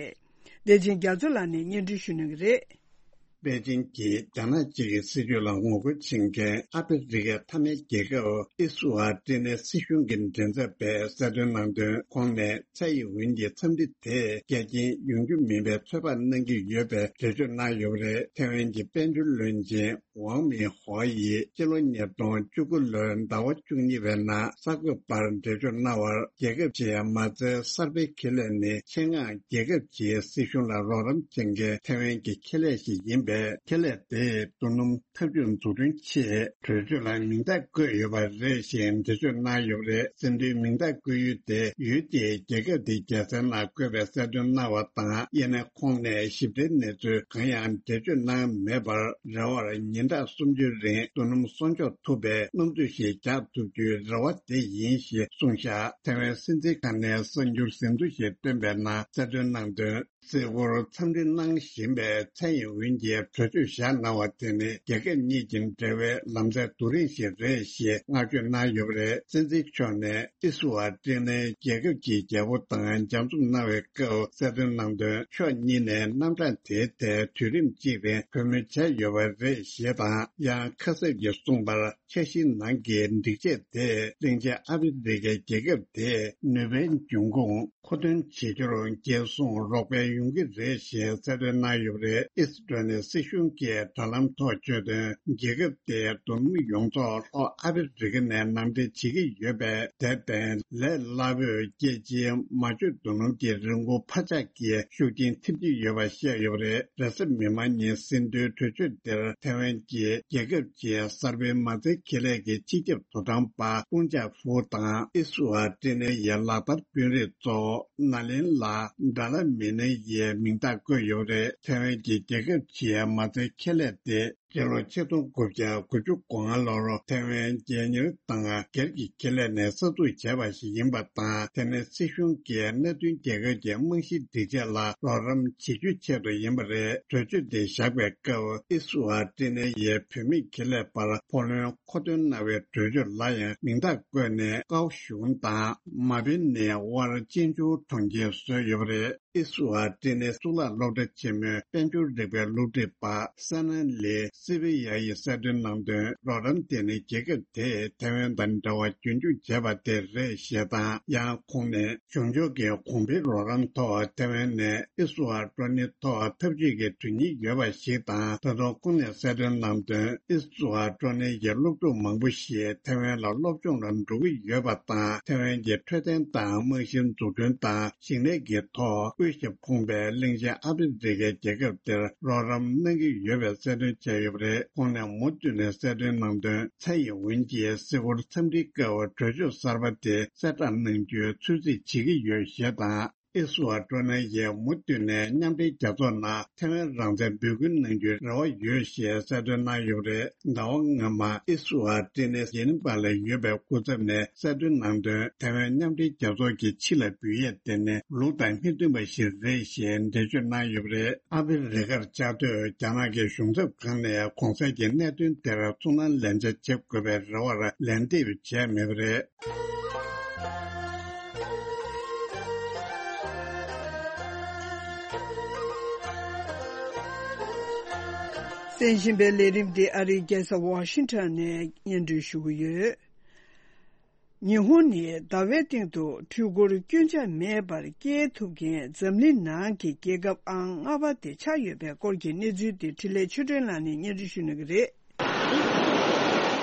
བདེ་ཆེན་རྒྱ་མཚོ་ལགས་ནས་སྙན་སྒྲོན་ཞུ་གནང་གི་རེད། པེ་ཅིན་གྱིས་རྒྱ་ནག་གཅིག་གི་སྲིད་ཇུས་ལ་ངོ་རྒོལ་བྱེད་མཁན་ཨ་ཧྥེ་རི་ཁའི་མཐའ་མའི་རྒྱལ་ཁབ་ཨི་སུ་ཨ་ཏི་ནེ་སྲིད་གཞུང་གི་མགྲིན་ཚབ་པས་གསལ་སྟོན་གནང་དོན། ཁོང་ནས་ཚད་ཡིན་འོན་གྱི་འཚམས་འདྲི་དེ་འགལ་རྐྱེན་ཡོང་རྒྱུ་མིན་པའི་ཚོད་དཔག་གནང་གི་ཡོད་པའི་འགྲེལ་བརྗོད་གནང་ཡོད་པ་རེད། ཐའེ་ཝན་གྱི་དཔལ་འབྱོར་བློན་ཆེན་ཝང་མིན་ཧོ་ཡིས་སྤྱི་ལོ་ཉིས་སྟོང་བཅུ་དགུ་ལོའི་ཟླ་བ་བཅུ་གཉིས་པའི་ནང་གསར་འགོད་པར་འགྲེལ་བརྗོད་གནང་བར། རྒྱལ་ཁབ་ཀྱི་མ་རྩའི་གསར་སྤེལ་ཁེ་ལས་ནི་ཆེད་མངགས་རྒྱལ་ཁབ་ཀྱི་སྲིད་གཞུང་ལ་རོགས་རམ་བྱེད་མཁན་ཐའེ་ཝན་གྱི་ཁེ་ལས་ཤིག་ཡིན་པས། ཁེ་ལས་དེས་རྡོ་སྣུམ་འཐབ་ཇུས་འཛུགས་སྐྲུན་ཆེད་གྲོས་ཆོད་ལ་མིང་རྟགས་བཀོད་ཡོད་པ་རེད་ཞེས་འགྲེལ་བརྗོད་གནང་ཡོད་པ་རེད། ཟིན་བྲིས་མིང་རྟགས་བཀོད་ཡུལ་དེ་ཡུལ་དེའི་རྒྱལ་ཁབ་དེའི་རྒྱལ་སའི་ནང་བཀོད་པའི་གསལ་སྟོན་གནང་བ་དང་། ཡིན་ནའི་ཁོང་ནས་ཞིབ་ཕྲའི་གནས་ཚུལ་གང་ཡང་འགྲེལ་བརྗོད་གནང་མེད་པར། རེ་བར་ཉིན་གྲངས་སུམ་ཅུའི་རིང་རྡོ་སྣུམ་གསོག་འཇོག་ཐུབ་པའི་སྣུམ་འཛུལ་ཞིག་རྒྱག་ཐུབ་རྒྱུའི་རེ་བ་དེ་ཡིན་ཞེས་གསུངས་བཞག་ཐའེ་ཝན་སྲིད་འཛིན་ཁང་ནས་གསར་འགྱུར་ཟིན་ཐོ་ཞིག་བཏོན་པའི་ནང་གསལ་སྟོན་གནང་དོན། གཟིགས་སྐོར་འཚམས་འདྲི་གནང་བཞིན་པའི་ཚད་ཡིན་འོན་གྱི་གྲོས་ཆོད་བཞག་གནང་བ་དེ་ནི་རྒྱལ་ཁབ་གཉིས་ཀྱི་འབྲེལ་བའི་ལམ་སྲོལ་རྡོ་རིང་ཞིག་རེད་ཞེས་བསྔགས་བརྗོད་གནང་ཡོད་པ་རེད། སྲིད་འཛིན་མཆོག་ནས་ཨི་སུ་ཨ་ཏི་ནེ་རྒྱལ་ཁབ་ཀྱི་རྒྱལ་པོ་དང་མཇལ་འཛོམས་གནང་བའི་སྐབས་གསལ་སྟོན་གནང་དོན། ཕྱོགས་གཉིས་ནས་རྣམ་གྲངས་དེའི་ཐད་དུས་རིམ་གཅིག་རིང་གྲོས་མོལ་བྱས་ཡོད་པ་རེད་ཞེས་དང་། ཡང་ཁ་གསབ་ཀྱིས་གསུངས་པར། འཆར་གཞིའི་ནང་གི་སྒྲིག་ཆས་དེས་གླིང་ཆེན་ཨ་ཧྥེ་རི་ཁའི་རྒྱལ་ཁབ་དེའི་ནུས་པའི་འབྱུང་ཁུངས་མཁོ་འདོན་བྱེད་རྒྱུར་འགན་སྲུང་རོགས་ཕན་ཡོང་གི་རེད་ཞེས་གསལ་སྟོན་གནང་ཡོད་པ་རེད། ཨིས་ཀྲོ་ནི་སྲིད་གཞུང་གིས་དྲ་ལམ་ཐོག་བརྗོད་དོན། རྒྱལ་ཁབ་དེའི་རྡོ་སྣུམ་ཡོངས་རྫོགས་ལྷོ་ཨ་ཧྥེ་རི་ཁ་ནས་ནང་འདྲེན་བྱེད་ཀྱི་ཡོད་པས། དེར་བརྟེན་ལས་སླ་པོས་རྒྱལ་སྤྱིའི་མ་བཅོས་རྡོ་སྣུམ་གྱི་རིན་གོང་འཕར་ཆག་གི་ཤུགས་རྐྱེན་ཐེབས་ཀྱི་ཡོད་པ་བཤད་ཡོད་པ་རེད། རེས་གཟའ་མིག་དམར་ཉིན་ཟིན་ཐོའི་གྲོས་ཆོད་འདིར་ཐའེ་ཝན་གྱི་རྒྱལ་ཁབ་ཀྱི་གསར་སྤེལ་མ་རྩའི་ཁེ་ལས་ཀྱི་སྤྱི་ཁྱབ་དོ་དམ་པ་ཀུང་ཅཱ་ཧྥུའུ་དང་ཨི་སུ་ཨ་ཀྲི་ནེ་ཡི་ལག་བསྟར་དཔོན་རིགས་གཙོ་བོ་ན་ལིན་ལ་ཌ་ལ་མི་ནེ་ཡི་མིང་རྟགས་བཀོད་ཡོད་པ་རེད། ཐའེ་ཝན་གྱི་རྒྱལ་ཁབ་ཀྱི་མ་རྩའི་ཁེ་ལས་དེ་སྤྱི་ལོ་ཆིག་སྟོང་དགུ་བརྒྱ་དགུ་བཅུ་གོ་ལྔ་ལོར་ཐའེ་ཝན་རྒྱལ་གཉེར་དང་སྒེར་གྱི་ཁེ་ལས་ནས་གསར་འཛུགས་བྱས་པ་ཞིག་ཡིན་པ་དང་། དེ་ནི་སྲིད་གཞུང་གིས་གནད་དོན་རྒྱལ་ཁབ་ཀྱི་རྨང་གཞིའི་སྒྲིག་ཆས་ལ་རོགས་རམ་བྱེད་རྒྱུའི་ཆེད་དུ་ཡིན་པ་རེད། གྲོས་ཆོད་དེ་བཞག་པའི་སྐབས་ཨི་སུ་ཨ་ཀྲི་ནེ་ཡི་བུད་མེད་ཁེ་ལས་པར་ཕོ་ལོན་མཁོ་འདོན་གནང་བའི་གྲོས་ཆོད་ལ་ཡང་མིང་རྟགས་བཀོད་ནས་ཀའོ་ཞུང་དང་མ་པིན་ནི་དབར་གཅེན་གཅུང་གྲོང་ཁྱེར་བཟོས་ཡོད་པ་རེད། ཨི་སུ་ཨ་ཀྲི་ནེ་གཙུག་ལག་སློབ་གྲྭ་ཆེན་མོའི་དཔལ་འབྱོར་རིག་པའི་སློབ་ཁྲིད་པ་སེ་ན་ལི་སི་བི་ཡ་ཡིས་གསལ་སྟོན་གནང་དོན། རོགས་རམ་དེ་ནི་རྒྱལ་ཁབ་དེས་ཐའེ་ཝན་དང་འབྲེལ་བ་རྒྱུན་འཁྱོངས་བྱས་པ་དེ་རེད་ཞེས་དང་། ཡང་ཁོང་ནས་གཞུང་ཕྱོགས་ཀྱི་གོང་འཕེལ་རོགས་རམ་ཐོག་ཐའེ་ཝན་ནས་ཨི་སུ་ཨ་ཀྲོ་ནི་ཐོག་འཐབ་ཇུས་ཀྱི་དོན་སྙིང་ཡོད་པ་ཞིག་དང་། ད་དུང་ཁོང་ནས་གསལ་སྟོན་གནང་དོན། ཨི་སུ་ཨ་ཀྲོ་ནི་ཡི་སློབ་ཕྲུག་མང་པོ་ཞིག་ཐའེ་ཝན་ལ་སློབ་སྦྱོང་ལ་འགྲོ་གི་ཡོད་པ་དང་། ཐའེ་ཝན་གྱི་འཕྲོད་བསྟེན་དང་རྨང་གཞི་འཛུགས་སྐྲུན་དང་། ཞིང་ལས་ཀྱི་ཐོག་དབུལ་ཞིང་ཕོངས་པའི་གླིང་ཆེན་ཨ་ཧྥེ་རི་ཁའི་རྒྱལ་ཁབ་དེར་རོགས་རམ་གནང་གི་ཡོད་པའི་གསལ་སྟོན་བྱས་ཡོད་པ་རེད། ཁོང་ནས་མུ་མཐུད་ནས་གསལ་སྟོན་གནང་དོན། ཚད་ཡིན་འོན་གྱི་གཟིགས་སྐོར་འཚམས་འདྲིའི་སྐབས་གྲོས་ཆོད་གསར་པ་དེ་གསལ་བསྒྲགས་གནང་རྒྱུའི་ཚོད་རྩིས་བྱེད་ཀྱི་ཡོད་ཞེས་དང་། ཨེ་སུ་ཨ་ཀྲོ་ནེ་ཡིས་མུ་མཐུད་ནས་མཉམ་འབྲེལ་རྒྱལ་ཚོགས་ནང་ཐའེ་ཝན་རང་བཙན་འབོད་སྐུལ་གནང་རྒྱུའི་རེ་བ་ཡོད་ཞེས་གསལ་སྟོན་གནང་ཡོད་པ་རེད། ཟླ་བ་སྔོན་མ་ཨེ་སུ་ཨ་ཀྲི་ནེ་ཡིན་པ་ལ་ཡོད་པའི་སྐུ་ཚབ་ནས་གསལ་སྟོན་གནང་དོན། ཐའེ་ཝན་མཉམ་འབྲེལ་རྒྱལ་ཚོགས་ཀྱི་ཕྱི་ལ་འབུད་ཡས་དེ་ནི་ལུགས་དང་མི་མཐུན་པ་ཞིག་རེད་ཞེས་འགྲེལ་བརྗོད་གནང་ཡོད་པ་རེད། ཨ་ཧྥེ་རི་ཁར་བཅའ་སྡོད་རྒྱ་ནག་གི་གཞུང་ཚབ་ཁང་ནས་གོང་གསལ་གྱི་གནད་དོན་དེར་ཚོར་སྣང་ལན་ཆ་བྱེད་དགོས་པའི་རེ་བར་ལན་འདེབས་བྱས་མེད་པ་རེད། གསན་བཞིན་པའི་ལས་རིམ་འདི་ཨ་རིའི་རྒྱལ་ས་ཝ་ཤིང་ཊོན་ནས་སྙན་སྒྲོན་ཞུ་གི་ཡོད། ཉི་ཧོང་ནི་ཟླ་བའི་སྟེང་དུ་འཕྲུལ་འཁོར་སྐྱོན་ཆ་མེད་པར་སྐྱེལ་ཐུབ་མཁན་འཛམ་གླིང་ནང་གི་རྒྱལ་ཁབ་ཨང་ལྔ་པ་དེ་ཆགས་ཡོད་པའི་སྐོར་གྱི་གནས་ཚུལ་དེ་འཕྲིན་ལས་ཆོས་སྒྲོན་ལགས་ནས་སྙན་སྒྲོན་ཞུ་གནང་གི་རེད།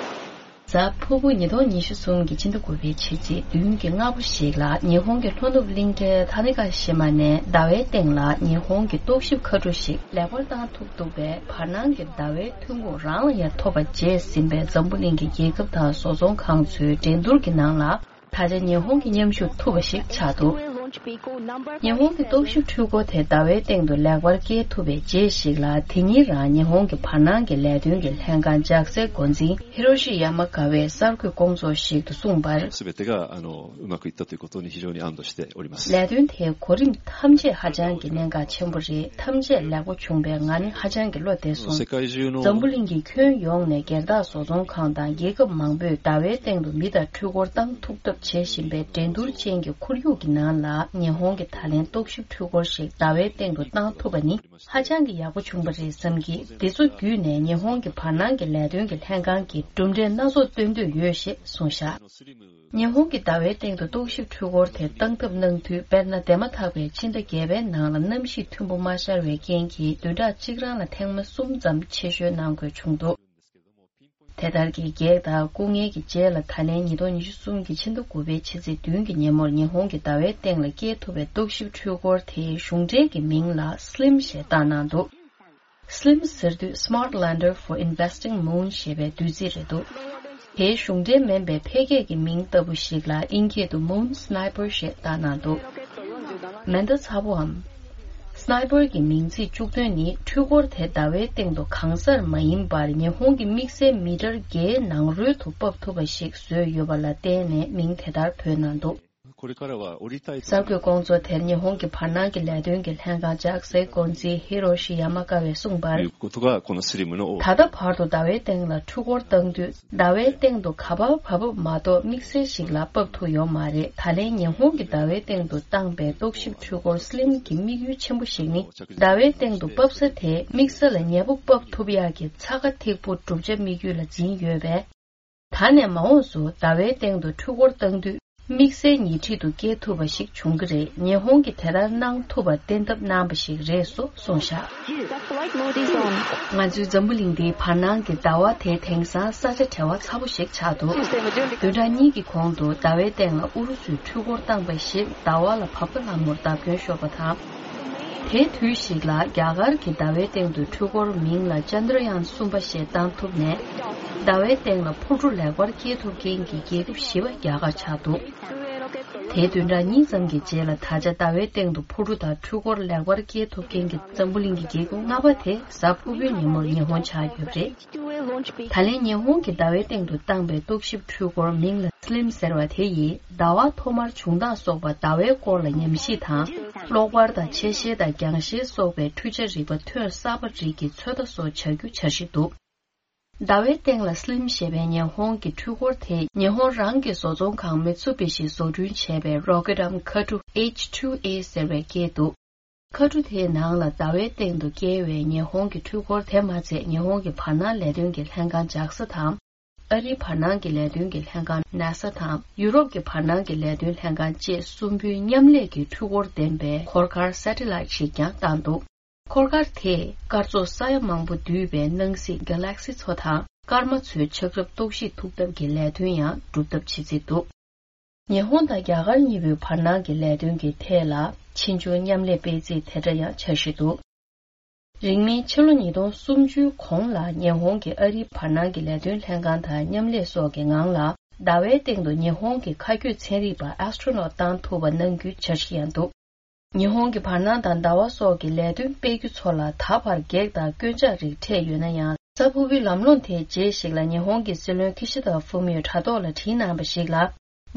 གཟའ་ཕུར་བུ་ཉིས་སྟོང་ཉི་ཤུ་གསུམ་གྱི་ཕྱི་ཟླ་དགུ་པའི་ཕྱི་ཚེས་བདུན་གྱི་སྔ་པོ་ཞིག་ལ། ཉི་ཧོང་གི་ལྷོ་ནུབ་གླིང་ཕྲན་ཐ་ནི་ག་ཤི་མ་ནས་ཟླ་བའི་སྟེང་ལ་ཉི་ཧོང་གི་རྟོག་ཞིབ་མཁའ་འགྲུལ་ཞིག་ལེགས་པར་བཏང་ཐུབ་འདུག་པས། བར་སྣང་གི་ཟླ་བའི་ཐོན་ཁུངས་རང་ལ་ཡང་ཐོབ་པ་བྱས་ཟིན་པའི་འཛམ་བུ་གླིང་གི་རྒྱལ་ཁབ་དང་བཟོ་ཚོང་ཁང་ཚོའི་འགྲན་བསྡུར་གྱི་ནང་ལ། ད་ཆ་ཉི་ཧོང་གིས་མཉམ་ཞུགས་ཐུབ་པ་ཞིག་ཆགས་འདུག་ཉི་ཧོང་གི་རྟོག་ཞིབ་འཕྲུལ་འཁོར་དེ་ཟླ་བའི་སྟེང་དུ་ལེགས་པར་སྐྱེལ་ཐུབ་པའི་རྗེས་ཤིག་ལ། དེ་ཉིན་རང་ཉི་ཧོང་གི་བར་སྣང་གི་ལས་དོན་གྱི་ལྷན་ཁང་ལྗགས་སའི་འགོ་འཛིན་ཧི་རོ་ཤི་ཡ་མ་ཀ་བས་གསར་འགོད་སྐོང་ཚོགས་ཤིག་ཏུ་གསུངས་པར། 全てがあのうまくいったということに非常に安堵しております。 ལས་དོན་དེ་གོ་རིམ་ཐམས་ཅད་ཧ་ཅང་གི་གནད་འགག་ཆེན་པོ་རེད། ཐམས་ཅད་ལེགས་པོ་བྱུང་བས་ང་ནི་ཧ་ཅང་གི་བློ་བདེ་སོང་། 世界中の འཛམ་བུ་གླིང་གི་ཁྱོན་ཡོངས་ནས་སྒེར་བདག་བཟོ་ཚོང་ཁང་དང་རྒྱལ་ཁབ་མང་པོས་ཟླ་བའི་སྟེང་དུ་མི་དང་འཕྲུལ་འཁོར་བཏང་ཐུབ་ཐབས་བྱེད་བཞིན་པའི་འགྲན་བསྡུར་ཅན་གྱི་ཁོར་ཡུག་གི་ནང་ལ། ཉི་ཧོང་གི་ད་ལན་རྟོག་ཞིབ་འཕྲུལ་འཁོར་ཞིག་ཟླ་བའི་སྟེང་དུ་བཏང་ཐུབ་པ་ནི་ཧ་ཅང་གི་ཡག་པོ་བྱུང་བ་རེད་བསམ་གྱི། འདི་ཚོ་བརྒྱུད་ནས་ཉི་ཧོང་གི་བར་སྣང་གི་ལས་དོན་གྱི་ལྷན་ཁང་གིས་གྲུབ་འབྲས་སྣ་ཚོགས་སྟོན་འདོད་ཡོད་ཞེས་གསུངས་བཞག་ཉི་ཧོང་གི་ཟླ་བའི་སྟེང་དུ་རྟོག་ཞིབ་འཕྲུལ་འཁོར་དེ་བཏང་ཐབས་གནང་དུས། དཔེར་ན། འདས་མ་ཐག་པའི་ཕྱི་ཟླ་བརྒྱད་པའི་ནང་ལ་གནམ་གཤིས་མཐུན་པོ་མ་ཤར་བའི་རྐྱེན་གྱིས། བདུན་ཕྲག་གཅིག་རང་ལ་ཐེངས་མ་གསུམ་ཙམ་ཆེ་ཤོས་གནང་དགོས་བྱུང་འདུག་དེ་ལྟར་གྱི་གེགས་དང་སྐུ་ངལ་གྱི་རྗེས་ལ། ད་ལན་ཉིས་སྟོང་ཉི་ཤུ་གསུམ་གྱི་ཕྱི་ཟླ་དགུ་པའི་ཕྱི་ཚེས་བདུན་གྱི་ཉིན་མོར་ཉི་ཧོང་གི་ཟླ་བའི་སྟེང་ལ་སྐྱེལ་ཐུབ་པའི་རྟོག་ཞིབ་འཕྲུལ་འཁོར་དེའི་གཞུང་འབྲེལ་གྱི་མིང་ལ་སི་ལིམ་ཞེས་བཏགས་གནང་འདུག་སི་ལིམ་ཟེར་དུས། Smart Lander for Investigating Moon ཞེས་པའི་བསྡུས་ཚིག་རེད་འདུག་དེའི་གཞུང་འབྲེལ་མིན་པའི་ཕལ་སྐད་ཀྱི་མིང་ལྟ་བུ་ཞིག་ལ་དབྱིན་སྐད་དུ་Moon Sniper ཞེས་བཏགས་གནང་འདུག་མེ་མདའ་ཚ་པོའམ། སི་ནའི་པར་གྱི་མིང་ཚིག་བཅུག་དོན་ནི། འཕྲུལ་འཁོར་དེ་ཟླ་བའི་སྟེང་དུ་གང་སར་མ་ཡིན་པར། ཉི་ཧོང་གི་དམིགས་བསལ་མི་ཊར་བརྒྱའི་ནང་རོལ་དུ་ཕབ་ཐུབ་པ་ཞིག་བཟོས་ཡོད་པ་ལ་བརྟེན་ནས་མིང་དེ་ལྟར་བོས་གནང་འདུག これからは降りたいと གསར་འགོད་སྐོང་ཚོགས་དེར་ཉི་ཧོང་གི་བར་སྣང་གི་ལས་དོན་གྱི་ལྷན་ཁང་ལྗགས་སའི་འགོ་འཛིན་ཧི་རོ་ཤི་ཡ་མ་ཀ་བས་གསུངས་པར། いうことがこのスリムの ད་ལྟ་བར་དུ་ཟླ་བའི་སྟེང་ལ་འཕྲུལ་འཁོར་བཏང་དུས། ཟླ་བའི་སྟེང་དུ་ག་པར་བབས་བབས་མ་གཏོགས་དམིགས་བསལ་ཞིག་ལ་ཕབ་ཐུབ་ཡོད་མ་རེད། ད་ལན་ཉི་ཧོང་གིས་ཟླ་བའི་སྟེང་དུ་བཏང་པའི་རྟོག་ཞིབ་འཕྲུལ་འཁོར་སི་ལིམ་གྱི་དམིགས་ཡུལ་ཆེན་པོ་ཞིག་ནི། ཟླ་བའི་སྟེང་དུ་ཕབ་ས་དེ་དམིགས་ས་ལ་ཉེ་པོ་ཕབ་ཐུབ་ཡག་གི་ཚ་ཁ་ཐིག་པོ་གྲུབ་ཆ་དམིགས་ཡུལ་ལ་འཛིན་ཡོད་པས། ད་ནས་མ་འོངས་སུ་ཟླ་བའི་སྟེང་དུ་འཕྲུལ་འཁོར་བཏང་དུས། དམིགས་བསལ་ཉེ་འཁྲིས་དུ་སྐྱེལ་ཐུབ་པ་ཞིག་བྱུང་གི་རེད། ཉི་ཧོང་གིས་དེ་ལྟར་གནང་ཐུབ་པར་གཏན་ཐབས་གནང་པ་ཞིག་རེད་སོགས་གསུངས་བཞག Yes, the flight mode is on. ང་ཚོའི་འཛམ་བུ་གླིང་འདིའི་བར་སྣང་གི་ཟླ་བ་དེ་དེང་སང་ས་ཆ་བྲལ་བ་ཚ་པོ་ཞིག་ཆགས་འདུག་བདུན་ཕྲག་གཉིས་ཀྱི་གོང་དུ་ཟླ་བའི་སྟེང་ལ་ཨུ་རུ་སུས་འཕྲུལ་འཁོར་བཏང་པ་ཞིག་ཟླ་བ་ལ་བབ་ཀ་ལྷ་མོར་བརྡབ་སྐྱོན་ཤོར་བ་དང་། དེའི་དུས་ཤིག་ལ་རྒྱ་གར་གྱི་ཟླ་བའི་སྟེང་དུ་འཕྲུལ་འཁོར་མིང་ལ་ཅན་དྲ་ཡཱན་གསུམ་པ་ཞེས་བཏང་ཐུབ་ནས། ཟླ་བའི་སྟེང་ལ་འཕུར་གྲུ་ལེགས་པར་སྐྱེལ་ཐུབ་མཁན་གྱི་རྒྱལ་ཁབ་བཞི་པ་རྒྱ་གར་ཆགས་འདུག་དེའི་བདུན་ཕྲག་གཉིས་ཙམ་གྱི་རྗེས་ལ་ད་ཆ་ཟླ་བའི་སྟེང་དུ་འཕུར་གྲུ་དང་འཕྲུལ་འཁོར་ལེགས་པར་སྐྱེལ་ཐུབ་མཁན་གྱི་འཛམ་བུ་གླིང་གི་རྒྱལ་ཁབ་ལྔ་པ་དེ་གཟའ་ཕུར་བུའི་ཉིན་མོར་ཉི་ཧོང་ཆགས་ཡོད་པ་རེད། ད་ལན་ཉི་ཧོང་གིས་ཟླ་བའི་སྟེང་དུ་བཏང་པའི་རྟོག་ཞིབ་འཕྲུལ་འཁོར་མིང་ལ་སི་ལིམ་ཟེར་བ་དེ་ཡིས། ཟླ་བ་ཐོག་མར་བྱུང་སྟངས་སོགས་པ་ཟླ་བའི་སྐོར་ལ་ཉམས་ཞིབ་དང་། གློག་པར་དང་ཆེ་ཤེལ་དང་རྒྱང་ཤེལ་སོགས་པའི་འཕྲུལ་ཆ་རིག་པ་ཐོན་གསར་པ་རིགས་ཀྱི་ཚོད་ལྟ་སོགས་བྱ་རྒྱུ་འཆར་གཞི་འདུག་ཟླ་བའི་སྟེང་ལ་སི་ལིམ་ཞེས་པའི་ཉི་ཧོང་གི་འཕྲུལ་འཁོར་དེ་ཉི་ཧོང་རང་གི་བཟོ་ཚོང་ཁང་མི་ཚུ་བི་ཤིས་བཟོ་སྐྲུན་བྱས་པའི་རོ་ཀེ་ཊམ་མཁའ་གྲུ་ཨེཆ་ཊུ་ཨེ་ཟེར་བའི་སྐད་འདུག་མཁའ་གྲུ་དེའི་ནང་ལ་ཟླ་བའི་སྟེང་དུ་བསྐྱལ་བའི་ཉི་ཧོང་གི་འཕྲུལ་འཁོར་དེ་མ་ཚད། ཉི་ཧོང་གི་བར་སྣང་ལས་དོན་གྱི་ལྷན་ཁང་ཇཱག་ས་དང་། ཨ་རིའི་བར་སྣང་གི་ལས་དོན་གྱི་ལྷན་ཁང་ནཱ་ས་དང་། ཡུ་རོབ་ཀྱི་བར་སྣང་གི་ལས་དོན་ལྷན་ཁང་བཅས་གསུམ་པོའི་མཉམ་ལས་ཀྱི་འཕྲུལ་འཁོར་ལྡན་པའི་འཁོར་སྐར་སེ་ཊི་ལའེ་ཊི་ཞིག་ཀྱང་བཏང་འདུག་འཁོར་སྐར་དེས་སྐར་ཚོགས་ས་ཡ་མང་པོ་འདུས་པའི་སྣང་སྲིད་གྷེ་ལེག་སི་ཚོ་དང་། སྐར་མ་ཚོའི་ཆགས་རབས་རྟོག་ཞིབ་ཐུབ་ཐབས་ཀྱི་ལས་དོན་ཡང་སྒྲུབ་ཐབས་བྱེད་རྩིས་འདུག་ཉི་ཧོང་དང་རྒྱ་གར་གཉིས་པོའི་བར་སྣང་གི་ལས་དོན་གྱི་ཐད་ལ་ཕྱིས་འབྱུང་མཉམ་ལས་སྤེལ་རྩིས་དེ་འདྲ་ཡང་འཆར་གཞི་འདུག་རིང་མིན་ཕྱི་ལོ་ཉིས་སྟོང་སུམ་ཅུའི་གོང་ལ་ཉི་ཧོང་གིས་ཨ་རིའི་བར་སྣང་གི་ལས་དོན་ལྷན་ཁང་དང་མཉམ་ལས་སོགས་ཀྱི་ངང་ལ་ཟླ་བའི་སྟེང་དུ་ཉི་ཧོང་གི་མཁའ་སྐྱོད་ཚན་རིག་པ་ཨེ་སི་ཊོ་ནོཊ་བཏང་ཐུབ་པ་གནང་རྒྱུའི་འཆར་གཞི་ཡང་འདུག་ཉི་ཧོང་གི་བར་སྣང་དང་ཟླ་བ་སོགས་ཀྱི་ལས་དོན་སྤེལ་རྒྱུ་ཚོ་ལ་ད་བར་གེགས་དང་སྐྱོན་ཆ་རིགས་འཕྲད་ཡོད་ན་ཡང་། གཟའ་ཕུར་བུའི་ལམ་ལྷོང་དེའི་རྗེས་ཤིག་ལ་ཉི་ཧོང་གི་སྲིད་བློན་ཁི་ཤི་ད་ཧྥུ་མིའོས་དྲ་ཐོག་ལ་བྲིས་གནང་པ་ཞིག་ལ།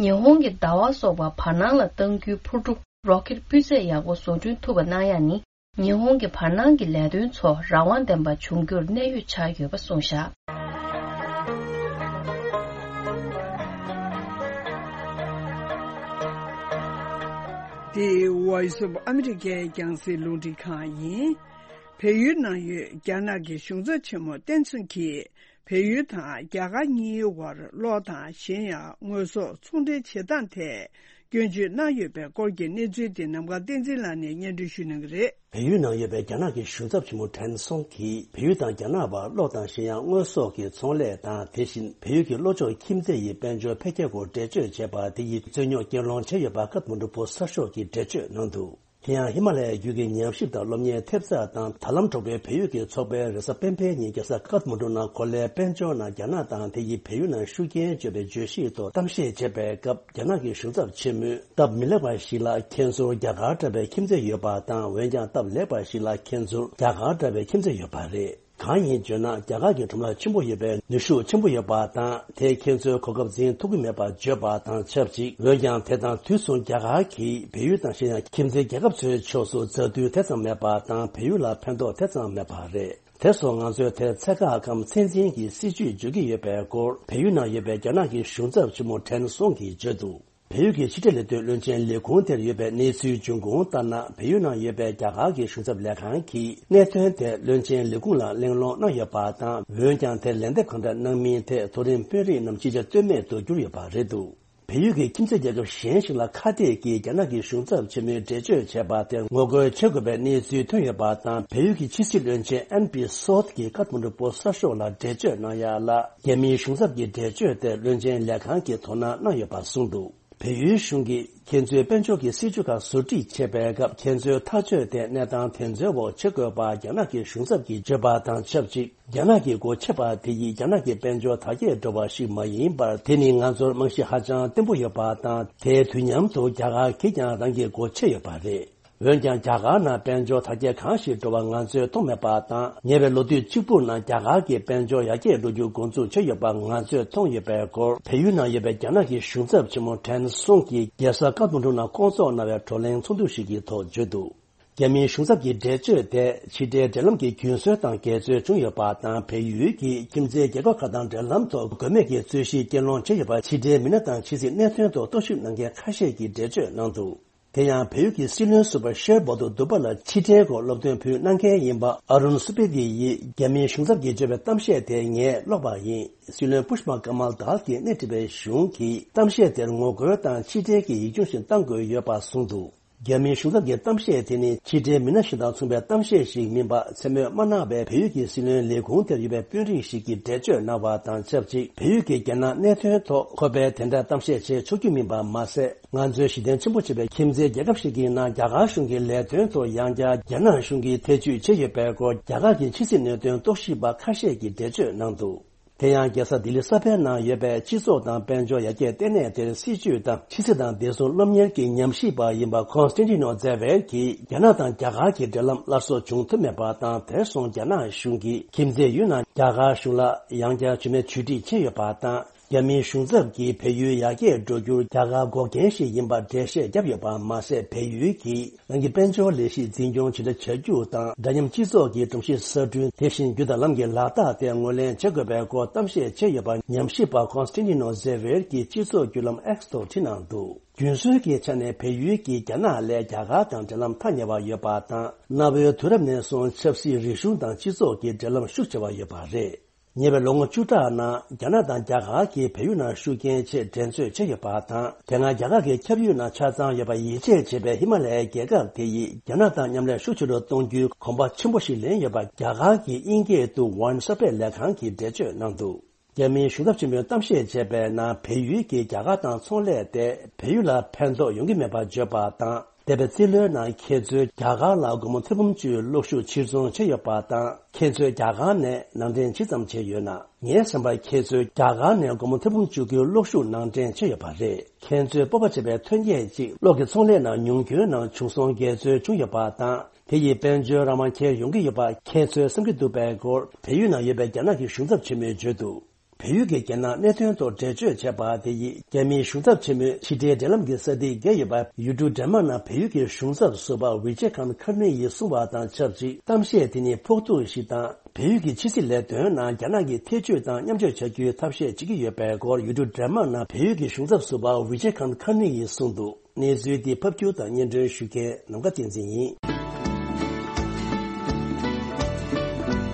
ཉི་ཧོང་གིས་ཟླ་བ་སོགས་པ་བར་སྣང་ལ་གཏང་རྒྱུའི་འཕུར་གྲུ་རོ་ཀེཊ་སྤུས་ཚད་ཡག་པོ་བཟོ་སྐྲུན་ཐུབ་པ་གནང་ཡ་ནི། ཉི་ཧོང་གི་བར་སྣང་གི་ལས་དོན་ཚོ་རང་དབང་ལྡན་པ་འབྱུང་རྒྱུར་གནད་ཡོད་ཆགས་ཡོད་པ་གསུངས་བཞག་འདི་Voice of America་རྒྱང་སྲིང་རླུང་འཕྲིན་ཁང་ཡིན། བལ་ཡུལ་ནང་ཡོད་རྒྱ་ནག་གི་གཞུང་ཚབ་ཆེན་མོ་ཏན་ཚུན་གྱིས། བལ་ཡུལ་དང་རྒྱ་གར་གཉིས་བར་གློག་དང་གཞན་ཡང་དངོས་ཟོག་ཚོང་འབྲེལ་བྱེད་སྟངས་ཐད་སྐྱོན་བརྗོད་གནང་ཡོད་པའི་སྐོར་གྱི་གནས་ཚུལ་དེ་ནམ་མཁའ་བསྟན་འཛིན་ལགས་ནས་སྙན་སྒྲོན་ཞུ་གནང་གི་རེད། བལ་ཡུལ་ནང་ཡོད་པའི་རྒྱ་ནག་གི་གཞུང་ཚབ་ཆེན་མོ་ཁྲེན་སུང་གིས་བལ་ཡུལ་དང་རྒྱ་ནག་བར་གློག་དང་གཞན་ཡང་དངོས་ཟོག་གི་ཚོང་ལས་དང་། དེ་བཞིན་བལ་ཡུལ་གྱི་གློག་ཆོག་ཁྱིམ་མཚེས་ཡི་དཔལ་འབྱོར་འཕེལ་རྒྱས་སྐོར་འགྲེལ་བརྗོད་བྱས་པ་དེ་ཡིས་རྩོད་རྙོག་རྐྱེན་སློང་བྱས་ཡོད་པ་ཀ་ཐ་མན་གྲུ་བོད་གསར་ཤོག་གིས་འགྲེལ་བརྗོད་གནང་འདུག་དེ་ཡང་ཧི་མ་ལ་ཡའི་རྒྱུད་ཀྱི་ཉམས་ཞིབ་དང་སློབ་གཉེར་ཐེབས་རྩ་དང་དྲ་ལམ་གྲོགས་པོའི་བལ་ཡུལ་གྱི་ཚོགས་པའི་རེས་གཟའ་སྤེན་པའི་ཉིན་རྒྱལ་ས་ཀ་ཐ་མན་གྲུ་ནང་གོ་ལའི་དཔལ་འབྱོར་ནང་རྒྱ་ནག་དང་དེ་ཡིས་བལ་ཡུལ་ནང་ཤུགས་རྐྱེན་བྱོས་པའི་བརྗོད་གཞི་ཐོག་གཏམ་བཤད་བྱས་པའི་སྐབས། རྒྱ་ནག་གི་གཞུང་ཚབ་ཆེན་མོས་སྟབས་མི་ལེགས་པ་ཞིག་ལ་ཁྱེད་ཚོར་རྒྱ་གར་འདྲ་བའི་ཁྱིམ་མཚེས་ཡོད་པ་དང་། འོན་ཀྱང་སྟབས་ལེགས་པ་ཞིག་ལ་ཁྱེད་ཚོར་རྒྱ་གར་འདྲ་བའི་ཁྱིམ་མཚེས་ཡོད་པ་རེད། གང་ཡིན་བརྗོད་ན། རྒྱ་གར་གྱི་ཁྲོམ་ར་ཆེན་པོ་ཡོད་པའི་ནུས་ཤུགས་ཆེན་པོ་ཡོད་པ་དང་། དེས་ཁྱེད་ཚོའི་གོ་སྐབས་འཛིན་ཐུབ་ཀྱི་མེད་པ་བརྗོད་པ་དང་ཆབས་ཅིག་འོན་ཀྱང་དེ་དང་དུས་མཚུངས་རྒྱ་གར་གྱིས་བལ་ཡུལ་དང་གཞན་ཡང་ཁྱིམ་མཚེས་རྒྱལ་ཁབ་ཚོའི་ཕྱོགས་སུ་མཛའ་མཐུན་དེ་ཙམ་མེད་པ་དང་། བལ་ཡུལ་ལ་ཕན་ཐོགས་དེ་ཙམ་མེད་པ་རེད། དེ་སོགས་ང་ཚོས་དེར་ཚད་བཀག་གམ་ཚད་འཛིན་གྱི་སྲིད་ཇུས་བརྗོད་ཀྱི་ཡོད་པའི་སྐོར་བལ་ཡུལ་ནང་ཡོད་པའི་རྒྱ་ནག་གི་གཞུང་ཚབ་ཆེན་མོ་ཁྲེན་སུང་གིས་བརྗོད་འདུག་བལ་ཡུལ་གྱི་ཕྱི་འབྲེལ་ལས་དོན་བློན་ཆེན་ལས་ཁུངས་དེར་ཡོད་པའི་གནས་ཚུལ་འབྱུང་ཁུངས་ལྟར་ན། བལ་ཡུལ་ནང་ཡོད་པའི་རྒྱ་གར་གྱི་གཞུང་ཚབ་ལས་ཁང་གིས་གནད་དོན་དེ་བློན་ཆེན་ལས་ཁུངས་ལ་གླེང་སློང་གནང་ཡོད་པ་དང་། འོན་ཀྱང་དེར་ལན་འདེབས་གང་འདྲ་གནང་མིན་ཐད་མཐོ་རིམ་དཔོན་རིགས་རྣམས་ཕྱི་བཅར་ལྟོས་མེད་དུ་གྱུར་ཡོད་པ་རེད་འདུག་བལ་ཡུལ་གྱི་ཁྱིམ་མཚེས་རྒྱལ་ཁབ་གཞན་ཞིག་ལ་ཁ་གཏད་ཀྱིས་རྒྱ་ནག་གི་གཞུང་ཚབ་ཆེན་མོས་འགྲེལ་བརྗོད་བྱས་པ་དེར་ངོ་རྒོལ་བྱེད་དགོས་པའི་གནས་ཚུལ་ཐོན་ཡོད་པ་དང་། བལ་ཡུལ་གྱི་ཕྱི་སྲིད་བློན་ཆེན་ཨན་པི་སོད་ཀྱིས་ཀ་ཐ་མན་གྲུ་བོད་གསར་ཤོག་ལ་འགྲེལ་བརྗོད་གནང་ཡ་ལ། རྒྱ་མིའི་གཞུང་ཚབ་ཀྱི་འགྲེལ་བརྗོད་དེར་བློན་ཆེན་ལས་ཁང་གིས་དོ་སྣང་གནང་ཡོད་པ་གསུངས་འདུག་བལ་ཡུལ་གཞུང་གིས་ཁྱེད་ཚོའི་དཔལ་འབྱོར་གྱི་སྲིད་ཇུས་ཁག་བཟོ་སྒྲིག་བྱེད་པའི་སྐབས། ཁྱེད་ཚོའི་ཐག་གཅོད་དེ་གནས་སྟངས་དེ་ཚོའི་འོག་བྱེད་དགོས་པ་རྒྱ་ནག་གི་གཞུང་ཚབ་ཀྱིས་བརྗོད་པ་དང་ཆབས་ཅིག་རྒྱ་ནག་གི་སྒོ་ཕྱེ་བ་དེ་ཡིས་རྒྱ་ནག་གི་དཔལ་འབྱོར་དར་རྒྱས་འགྲོ་བ་ཞིག་མ་ཡིན་པར། དེ་ནི་ང་ཚོར་རྨང་གཞི་ཧ་ཅང་བརྟན་པོ་ཡོད་པ་དང་། དེའི་དུས་མཉམ་དུ་རྒྱ་གར་གྱིས་ཀྱང་རང་གི་སྒོ་ཕྱེ་ཡོད་པ་རེད། འོན་ཀྱང་རྒྱ་གར་ནང་དཔལ་འབྱོར་དར་རྒྱས་གང་ཞིག་འགྲོ་བ་ང་ཚོས་མཐོང་མེད་པ་དང་། ཉེ་བའི་ལོ་དུས་གཅིག་པུ་ནང་རྒྱ་གར་གྱི་དཔལ་འབྱོར་ཡར་རྒྱས་འགྲོ་རྒྱུ་འགོ་འཛུགས་བྱས་ཡོད་པ་ང་ཚོས་མཐོང་ཡོད་པའི་སྐོར། བལ་ཡུལ་ནང་ཡོད་པའི་རྒྱ་ནག་གི་གཞུང་ཚབ་ཆེན་མོ་ཁྲེན་སུང་གིས་རྒྱལ་ས་ཀ་ཐ་མན་གྲུ་ནང་བསྐོང་ཚོགས་གནང་བའི་བགྲོ་གླེང་ཚོགས་འདུ་ཞིག་གི་ཐོག་བརྗོད་འདུག་རྒྱ་མིའི་གཞུང་ཚབ་ཀྱི་འགྲེལ་བརྗོད་དེ་ཕྱི་འབྲེལ་འབྲེལ་ལམ་གྱི་རྒྱུན་སྲོལ་དང་འགལ་འཛོལ་བྱུང་ཡོད་པ་དང་། བལ་ཡུལ་གྱིས་ཁྱིམ་མཚེས་རྒྱལ་ཁབ་ཁག་དང་འབྲེལ་ལམ་ཐོག་དགོས་མེད་ཀྱི་རྩོད་གཞི་རྐྱེན་སློང་བྱས་ཡོད་པ་ཕྱི་འབྲེལ་མི་སྣ་དང་ཕྱི་སྲིད་གནད་དོན་ཐོག་རྟོག་ཞིབ་གནང་མཁན་ཁ་ཤས་ཀྱིས་འགྲེལ་བརྗོད་གནང་འདུག་དེ་ཡང་བལ་ཡུལ་གྱི་སྲིད་བློན་ཟུར་པ་ཤེར་བོ་ཏོ་དུ་པ་ལ་ཕྱི་འབྲེལ་སྐོར་སློབ་སྟོན་ཕུལ་གནང་མཁན་ཡིན་པ་ཨ་རུན་སུ་པེ་ཏི་ཡིས། རྒྱ་མིའི་གཞུང་ཚབ་ཀྱིས་བརྗོད་པའི་གཏམ་བཤད་དེ་ངས་ཀློག་པ་ཡིན། སྲིད་བློན་པུཤ་པ་ཀ་མལ་དཱལ་གྱིས་སྣེ་ཁྲིད་པའི་གཞུང་གིས་གཏམ་བཤད་དེར་ངོ་རྒོལ་དང་ཕྱི་འབྲེལ་གྱི་ཡིག་ཆུང་ཞིག་བཏང་དགོས་ཡོད་པ་གསུངས་འདུག་རྒྱ་མིའི་གཞུང་ཚབ་ཀྱི་གཏམ་བཤད་དེ་ནི་ཕྱི་འབྲེལ་མི་སྣ་གཞན་དང་མཚུངས་པའི་གཏམ་བཤད་ཞིག་མིན་པ་མཚན་སྨོས་མ་གནང་བའི་བལ་ཡུལ་གྱི་སྲིད་བློན་ལས་ཁུངས་དེར་ཡོད་པའི་དཔོན་རིགས་ཤིག་གིས་འགྲེལ་བརྗོད་གནང་བ་དང་ཆབས་ཅིག་བལ་ཡུལ་གྱིས་རྒྱ་ནག་གནད་དོན་ཐོག་ཁོ་པས་དེ་འདྲ་གཏམ་བཤད་བྱེད་ཆོག་རྒྱུ་མིན་པ་མ་ཟད། ང་ཚོའི་གཞི་རྟེན་ཆེན་པོ་བྱེད་པའི་ཁྱིམ་མཚེས་རྒྱལ་ཁབ་ཞིག་གི་ནང་རྒྱ་གར་གཞུང་གི་ལས་དོན་ཐོག་ཡང་བསྐྱར་རྒྱ་ནག་གཞུང་གིས་ཐེ་ཇུས་བྱས་ཡོད་པའི་སྐོར། རྒྱ་གར་གྱི་ཕྱི་སྲིད་གནད་དོན་རྟོག་ཞིབ་པ་ཁ་ཤས་ཀྱིས་འགྲེལ་བརྗོད་གནང་འདུག་དེ་ཡང་རྒྱལ་ས་ལྡི་ལི་གསར་པའི་ནང་ཡོད་པའི་སྤྱི་ཚོགས་དང་དཔལ་འབྱོར་ཡར་རྒྱས་ལྟེ་གནས་དེར་སྲིད་བྱུས་དང་ཕྱི་སྲིད་དང་བདེ་སྲུང་སློབ་གཉེར་གྱི་ཉམས་ཞིབ་པ་ཡིན་པ་ཁོན་སི་ཊན་ཊི་ནོ་ཛེ་ཝེར་གྱིས། རྒྱ་ནག་དང་རྒྱ་གར་གྱི་འབྲེལ་ལམ་སླར་གསོ་བྱུང་ཐུབ་མེད་པ་དང་། དེར་སོང་རྒྱ་ནག་གཞུང་གིས་ཁྱིམ་མཚེས་ཡུལ་ནང་རྒྱ་གར་གཞུང་ལ་ཡང་བསྐྱར་བྱུས་མེད་བྱུས་འགྲིག་བྱས་ཡོད་པ་དང་། རྒྱ་མིའི་གཞུང་ཚབ་ཀྱིས་བལ་ཡུལ་ཡར་རྒྱས་འགྲོ་རྒྱུར་རྒྱ་གར་འགོག་རྐྱེན་ཞིག་ཡིན་པར་འགྲེལ་བཤད་བརྒྱབ་ཡོད་པ་མ་ཟད། བལ་ཡུལ་གྱིས་རང་གི་དཔལ་འབྱོར་ལས་གཞི་འཛིན་སྐྱོང་ཇི་འདྲ་བྱ་རྒྱུ་དང་། འདྲ་མཉམ་སྤྱི་ཚོགས་ཀྱི་སྒྲོམ་གཞི་གསར་སྐྲུན། དེ་བཞིན་རྒྱུ་དང་ལམ་གྱི་ལག་རྟགས་དེ་ངོས་ལེན་བྱེད་དགོས་པའི་སྐོར་གཏམ་བཤད་བྱས་ཡོད་པ་ཉམས་ཞིབ་པ་ཁོན་སི་ཊན་ཊི་ནོ་ཛེ་ཝེར་གྱིས་སྤྱི་ཚོགས་བརྒྱུད་ལམ་ཨེགས་ཐོག་བྲིས་གནང་འདུག་རྒྱུན་སྲོལ་གྱི་ཆ་ནས་བལ་ཡུལ་གྱིས་རྒྱ་ནག་ལས་རྒྱ་གར་དང་འབྲེལ་ལམ་ཐག་ཉེ་བ་ཡོད་པ་དང་། གནའ་བོའི་དུས་རབས་ནས་བཟུང་ཆབ་སྲིད་རིག་གཞུང་དང་སྤྱི་ཚོགས་ཀྱི་འབྲེལ་ལམ་ཤུགས་ཆེ་བ་ཡོད་པ་རེད། ཉེ་བའི་ལོ་ངོ་བཅུ་ཕྲག་ནང་རྒྱ་ནག་དང་རྒྱ་གར་གྱིས་བལ་ཡུལ་ནང་ཤུགས་རྐྱེན་ཆེད་འགྲན་རྩོད་བྱས་ཡོད་པ་དང་། དེ་སྔ་རྒྱ་གར་གྱི་ཁྱབ་ཡུལ་ནང་ཆ་ཚང་ཡོད་པར་ཡིད་ཆེས་བྱེད་པའི་ཧི་མ་ལ་ཡའི་རྒྱལ་ཁབ་དེ་ཡིས་རྒྱ་ནག་དང་མཉམ་ལས་ཤུགས་ཆེ་རུ་གཏོང་རྒྱུའི་གོམ་པ་ཆེན་པོ་ཞིག་ལེན་ཡོད་པ་རྒྱ་གར་གྱི་དབྱིན་སྐད་དུ་ཝན་གསར་སྤེལ་ལས་ཁང་གིས་འགྲེལ་བརྗོད་གནང་འདུག་རྒྱ་མིའི་གཞུང་ཚབ་ཆེན་པོས་གཏམ་བཤད་བྱས་པའི་ནང་། བལ་ཡུལ་གྱིས་རྒྱ་གར་དང་ཚོང་ལས་ཏེ་བལ་ཡུལ་ལ་ཕན་ཐོགས་ཡོང་གི་མེད་པར་བརྗོད་པ་དང་། འདས་པའི་རྩིས་ལོའི་ནང་ཁྱེད་ཚོས་རྒྱ་གར་ལ་སྒོར་མོ་ཐེར་འབུམ་བཅུའི་གློག་ཤུགས་ཕྱིར་ཚོང་བྱས་ཡོད་པ་དང་། ཁྱེད་ཚོས་རྒྱ་གར་ནས་ནང་འདྲེན་ཇི་ཙམ་བྱས་ཡོད་ན། ངའི་བསམ་པར་ཁྱེད་ཚོས་རྒྱ་གར་ནས་སྒོར་མོ་ཐེར་འབུམ་བཅུ་དགུའི་གློག་ཤུགས་ནང་འདྲེན་བྱས་ཡོད་པ་རེད། ཁྱེད་ཚོས་སྤོབས་པ་བྱེད་པའི་ཐོན་སྐྱེད་ཅིག་གློག་གི་ཚོང་ལས་ནང་ཉུང་སྐྱོན་ནང་བྱུང་སོང་འགལ་འཛོལ་བྱུང་ཡོད་པ་དང་། དེ་ཡིས་དཔལ་འབྱོར་རང་དབང་ཁྱེར་ཡོང་གི་ཡོད་པ་ཁྱེད་ཚོས་བསམ་གྱི་འདུག་པའི་སྐོར་བལ་ཡུལ་ནང་ཡོད་པའི་རྒྱ་ནག་གི་གཞུང་ཚབ་ཆེན་མོས་བརྗོད་འདུག་བལ་ཡུལ་གྱི་རྒྱལ་ནང་གནད་དོན་ཐོག་འགྲེལ་བརྗོད་བྱས་པ་དེ་ཡིས། རྒྱ་མིའི་གཞུང་ཚབ་ཆེན་མོས་ཕྱི་འབྲེལ་འབྲེལ་ལམ་གྱི་ས་ཐིག་བརྒལ་ཡོད་པ་ཡུལ་གྲུ་ཌེན་མཱག་ནང་བལ་ཡུལ་གྱི་གཞུང་ཚབ་ཟུར་པ་ཝི་ཇེ་ཁཱན་ཁར་ནི་ཡིས་གསུངས་པ་དང་ཆབས་ཅིག་གཏམ་བཤད་དེ་ནི་ཕོག་ཐུག་ཞིག་དང་། བལ་ཡུལ་གྱི་ཕྱི་སྲིད་ལས་དོན་ནང་རྒྱ་ནག་གི་ཐེ་བྱུས་དང་མཉམ་སྤྱོད་བྱ་རྒྱུའི་ཐབས་ཤེས་བྱེད་ཀྱི་ཡོད་པའི་སྐོར་ཡུལ་གྲུ་ཌེན་མཱག་ནང་བལ་ཡུལ་གྱི་གཞུང་ཚབ་ཟུར་པ་ཝི་ཇེ་ཁཱན་ཁར་ནི་ཡིས་གསུངས་འདུག་གནས་ཚུལ་འདི་ཕབ་སྒྱུར་དང་སྙན་སྒྲོན་ཞུ་མཁན་ནམ་མཁའ་བསྟན་འཛིན་ཡིན།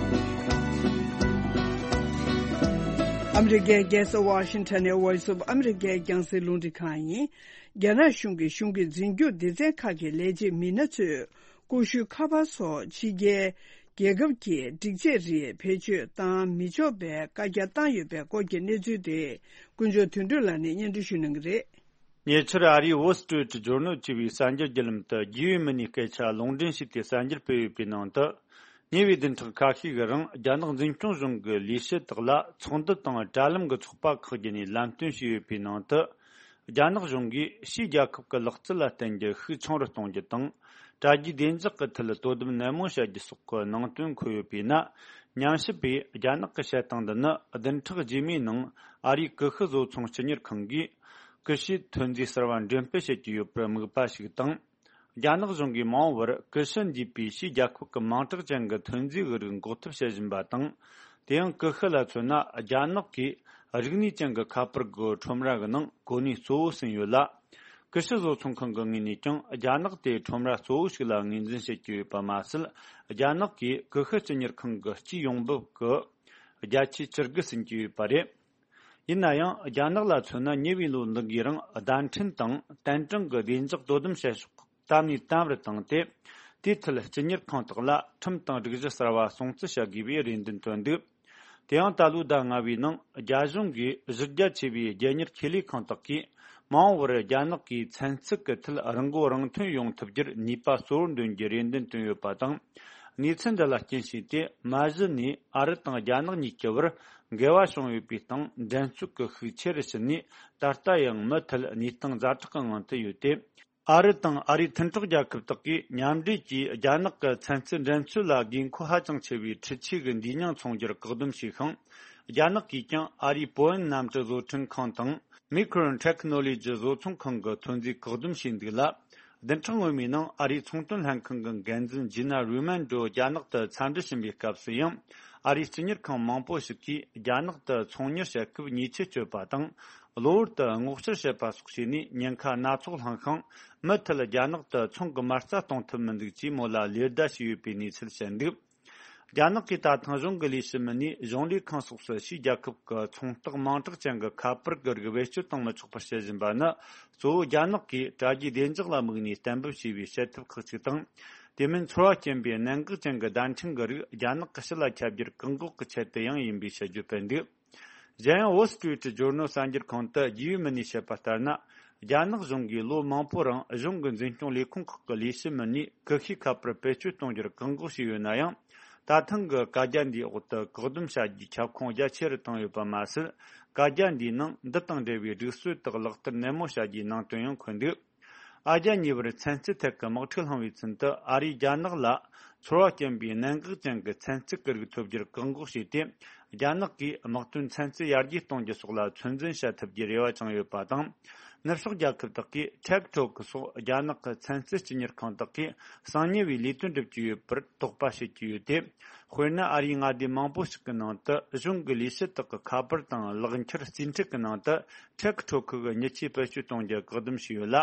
ཨ་མི་རི་ཀའི་རྒྱལ་ས་ཝ་ཤིང་ཊོན་ནས་Voice of America་རྒྱང་སྲིང་རླུང་འཕྲིན་ཁང་ཡིན། རྒྱ་ནག་གཞུང་གིས་གཞུང་གི་འཛིན་སྐྱོང་སྡེ་ཚན་ཁག་གི་ལས་བྱེད་མི་སྣ་ཚོས་ཀུ་ཤུ་ཁ་པར་སོགས་ཕྱི་རྒྱལ་རྒྱལ་ཁབ་ཀྱི་སྒྲིག་ཆས་རིགས་བེད་སྤྱོད་བཏང་མི་ཆོག་པའི་བཀའ་རྒྱ་བཏང་ཡོད་པའི་སྐོར་གྱི་གནས་ཚུལ་དེ་དཀོན་མཆོག་དོན་གྲུབ་ལགས་ནས་སྙན་སྒྲོན་ཞུ་གནང་གི་རེད། ཉེ་ཆར་ཨ་རིའི་Wall Street Journal་ཅེས་པའི་གསར་འགྱུར་བརྒྱུད་ལམ་དུ་རྒྱས་ཡོལ་མི་སྣའི་སྐད་ཆ་ལུང་འདྲེན་བྱས་ཏེ་གསར་འགྱུར་སྤེལ་ཡོད་པའི་ནང་དུ། ཉེ་བའི་བདུན་ཕྲག་ཁ་ཤས་ཀྱི་རིང་རྒྱ་ནག་འཛིན་སྐྱོང་གཞུང་གི་ལས་བྱེད་དག་ལ་ཚོགས་འདུ་དང་དྲ་ལམ་གྱི་ཚོགས་པ་ཁག་བརྒྱུད་ནས་ལམ་སྟོན་བྱས་ཡོད་པའི་ནང་དུ། རྒྱ་ནག་གཞུང་གིས་ཕྱིའི་རྒྱལ་ཁབ་ཀྱི་ལག་རྩལ་ལ་བརྟེན་རྒྱུ་ཤུགས་ཆུང་རུ་གཏོང་རྒྱུ་དང་། དྲ་རྒྱའི་བདེ་འཇགས་ཀྱི་ཐད་དོ་དམ་ནན་མོ་བྱ་རྒྱུ་སོགས་ཀྱི་ནང་དོན་འཁོད་ཡོད་པས་ན། ཉམས་ཞིབ་པས་རྒྱ་ནག་གི་བཤད་སྟངས་འདི་ནི་བདུན་ཕྲག་རྗེས་མའི་ནང་ཨ་རིའི་ཀུ་ཤུ་བཟོ་ཚོང་སྤྱི་གཉེར་ཁང་གིས། ཀུ་ཤུའི་ཐོན་རྫས་གསར་བ་འགྲེམས་སྤེལ་བྱེད་ཀྱི་ཡོད་པར་དམིགས་པ་ཞིག་དང་། རྒྱ་ནག་གཞུང་གིས་མ་འོངས་པར་ཀུ་ཤུ་འདུས་པའི་ཕྱིའི་རྒྱལ་ཁབ་ཀྱི་མིང་གྲགས་ཅན་གྱི་ཐོན་རྫས་ཀྱི་རིགས་འགོག་ཐབས་བྱེད་བཞིན་པ་དང་། དེ་ཡང་ཀུ་ཤུ་ལ་མཚོན་ན་རྒྱ་ནག་གིས་རིག་གནས་ཅན་གྱི་ཁ་པར་གྱི་ཁྲོམ་ར་གི་ནང་གོ་གནས་གཙོ་བོ་ཟིན་ཡོད་ལ། ཀུ་ཤུ་བཟོ་ཚོང་ཁང་གི་ངོས་ནས་ཀྱང་རྒྱ་ནག་དེ་ཁྲོམ་ར་གཙོ་བོ་ཞིག་ལ་ངོས་འཛིན་བྱེད་ཀྱི་ཡོད་པ་མ་ཟད། རྒྱ་ནག་གིས་ཀུ་ཤུ་སྤྱི་གཉེར་ཁང་གི་སྤྱིའི་ཡོང་འབབ་ཀྱི་བརྒྱ་ཆའི་བཅུ་དགུ་ཟིན་གྱི་ཡོད་པ་རེད། ཡིན་ན་ཡང་རྒྱ་ནག་ལ་མཚོན་ན་ཉེ་བའི་ལོ་འདི་གའི་རིང་བརྡ་འཕྲིན་དང་བསྟན་དྲུང་གི་བདེ་འཇགས་དོ་དམ་བྱེད་ཕྱོགས་དམ་ནས་དམ་རུ་བཏང་སྟེ། དེའི་ཐད་སྤྱི་གཉེར་ཁང་དག་ལ་ཁྲིམས་དང་སྒྲིག་གཞི་གསར་བ་སྲུང་བརྩི་བྱ་དགོས་པའི་རེ་འདུན་བཏོན་འདུག་དེ་ཡང་ད་ལོའི་ཟླ་ལྔ་བའི་ནང་རྒྱ་གཞུང་གིས་གཞི་རྒྱ་ཆེ་བའི་རྒྱལ་གཉེར་ཁེ་ལས་ཁང་དག་གིས་མ་འོངས་པར་རྒྱ་ནག་གིས་ཚན་རྩལ་གྱི་ཐད་རང་མགོ་རང་ཐོན་ཡོང་ཐུབ་རྒྱུར་ནུས་པ་གཙོ་བོར་འདོན་རྒྱུའི་རེ་འདུན་བཏོན་ཡོད་པ་དང་། གནས་ཚུལ་འདི་ལ་རྐྱེན་བྱས་ཏེ་མ་གཞི་ནས་ཨ་རི་དང་རྒྱ་ནག་གཉིས་ཀྱི་བར་འགལ་བ་བྱུང་ཡོད་པའི་སྟེང་འགྲན་རྩོད་ཀྱི་ཤུགས་ཆེ་རུ་ཕྱིན་ནས། ད་ལྟ་ཡང་མུ་མཐུད་གནས་སྟངས་ཛ་དྲག་གི་ངང་དུ་ཡོད་དེ། ཨ་རི་དང་ཨ་རིའི་མཐུན་གྲོགས་རྒྱལ་ཁབ་དག་གིས་མཉམ་འབྲེལ་གྱིས་རྒྱ་ནག་གི་ཚན་རྩལ་འགྲན་རྩོད་ལ་དགོས་མཁོ་ཧ་ཅང་ཆེ་བའི་འཕྲུལ་ཆས་ཀྱི་འདུས་མྱོང་ཚོང་རྒྱུར་བཀག་སྡོམ་བྱས་ཤིང་། རྒྱ་ནག་གིས་ཀྱང་ཨ་རིའི་པོ་ཨན་གནམ་གྲུ་བཟོ་སྐྲུན་ཁང་དང་། མི་ཁོ་རོན་ཊེག་ནོ་ལོ་ཇི་བཟོ་ཚོང་ཁང་གི་ཐོན་རྫས་བཀག་སྡོམ་བྱས་འདུག་ལ། བདུན་ཕྲག་སྔོན་མའི་ནང་ཨ་རིའི་ཚོང་དོན་ལྷན་ཁང་གི་འགན་འཛིན་ཇི་ན་རུ་མན་ཌོ་རྒྱ་ནག་ཏུ་འཚམས་འདྲི་ཕྱིན་པའི་སྐབས་སུ་ཡང་། ཨ་རིའི་སྤྱི་གཉེར་ཁང་མང་པོ་ཞིག་གིས་རྒྱ་ནག་ཏུ་ཚོང་གཉེར་བྱེད་སྐབས་ཉེས་ཆད་གཅོད་པ་དང་། གློ་བུར་དུ་སྔོག་བཤེར་བྱེད་པ་སོགས་བྱས་ནས་ཉེན་ཁ་སྣ་ཚོགས་བསླངས་ཤིང་། མུ་མཐུད་རྒྱ་ནག་ཏུ་ཚོང་གི་མ་རྩ་གཏོང་ཐུབ་མི་འདུག་ཅེས་མོལ་ལ་ལེ་བདའ་བྱས་ཡོད་པའི་གནས་ཚུལ་བཤད་འདུག་རྒྱ་ནག་གིས་ད་ཐེངས་གཞུང་གི་ལས་བྱེད་མི་སྣས་གཞུང་ལས་ཁང་སོགས་སུ་ཕྱིའི་རྒྱལ་ཁབ་ཀྱི་ཚོང་རྟགས་མིང་གྲགས་ཅན་གྱི་ཁ་པར་གྱི་རིགས་བེད་སྤྱོད་གཏོང་མི་ཆོག་པར་བྱེད་བཞིན་པ་ནི། གཙོ་བོ་རྒྱ་ནག་གིས་དྲ་རྒྱའི་བདེ་འཇགས་ལ་དམིགས་ནས་གཏན་འབེབས་བྱས་པའི་བྱེད་ཐབས་ཁག་ཅིག་དང་། དེ་མིན་ཚོར་བ་སྐྱེན་པའི་གནད་འགག་ཅན་གྱི་བརྡ་འཕྲིན་གྱི་རིགས་རྒྱ་ནག་གི་ཕྱི་ལ་ཁྱབ་རྒྱུར་བཀག་འགོག་གི་ཆེད་དུ་ཡང་ཡིན་པའི་བཤད་རྒྱུ་སྤེལ་འདུག་གཞན་ཡང་Wall Street Journal་གསར་འགྱུར་ཁང་དུ་རྒྱུས་ཡོད་མི་སྣས་བཤད་པ་ལྟར་ན། རྒྱ་ནག་གཞུང་གིས་ལོ་མང་པོ་རིང་གཞུང་གི་འཛིན་སྐྱོང་ལས་ཁུངས་ཁག་གི་ལས་བྱེད་མི་སྣས་ཀུ་ཤུའི་ཁ་པར་བེད་སྤྱོད་གཏོང་རྒྱུར་བཀག་འགོག་བྱས་ཡོད་ན་ཡང་། ད་ཐེངས་ཀྱི་བཀའ་རྒྱ་འདིའི་འོག་ཏུ་བཀག་སྡོམ་བྱ་རྒྱུའི་ཁྱབ་ཁོངས་རྒྱ་ཆེ་རུ་བཏང་ཡོད་པ་མ་ཟད། བཀའ་རྒྱ་འདིའི་ནང་འདི་དང་འབྲེལ་བའི་སྒྲིག་སྲོལ་དག་ལག་བསྟར་ནན་མོ་བྱ་རྒྱུའི་ནང་དོན་ཡང་འཁོད་འདུག་ཨ་རྒྱ་གཉིས་བར་ཚན་རྩལ་ཐད་ཀྱི་དམག་འཁྲུག་བསླངས་པའི་ཚུན་དུ་ཨ་རིས་རྒྱ་ནག་ལ་ཚོར་བ་སྐྱེན་པའི་གནད་འགག་ཅན་གྱི་ཚན་རྩལ་གྱི་རིགས་ཐོབ་རྒྱུར་བཀག་འགོག་བྱས་ཏེ། རྒྱ་ནག་གིས་དམག་དོན་ཚན་རྩལ་ཡར་རྒྱས་གཏོང་རྒྱུ་སོགས་ལ་ཚོད་འཛིན་བྱ་ཐུབ་རྒྱུའི་རེ་བ་བཅངས་ཡོད་པ་དང་། ནུབ་ཕྱོགས་རྒྱལ་ཁབ་དག་གིས་ཊེག་ཊོག་སོགས་རྒྱ་ནག་གི་ཚན་རྩལ་སྤྱི་གཉེར་ཁང་དག་གིས་གསང་ཉུལ་བའི་ལས་དོན་སྒྲུབ་ཀྱི་ཡོད་པར་དོགས་པ་བྱེད་ཀྱི་ཡོད་དེ། དཔེར་ན་ཨ་རིའི་མངའ་སྡེ་མང་པོ་ཞིག་གི་ནང་དུ་གཞུང་གི་ལས་བྱེད་དག་གི་ཁ་པར་དང་ལག་འཁྱུར་རྩིས་ཁྲ་གི་ནང་དུ་ཊེག་ཊོག་གི་མྱི་ཆས་བེད་སྤྱོད་གཏོང་རྒྱུ་བཀག་སྡོམ་བྱས་ཡོད་ལ།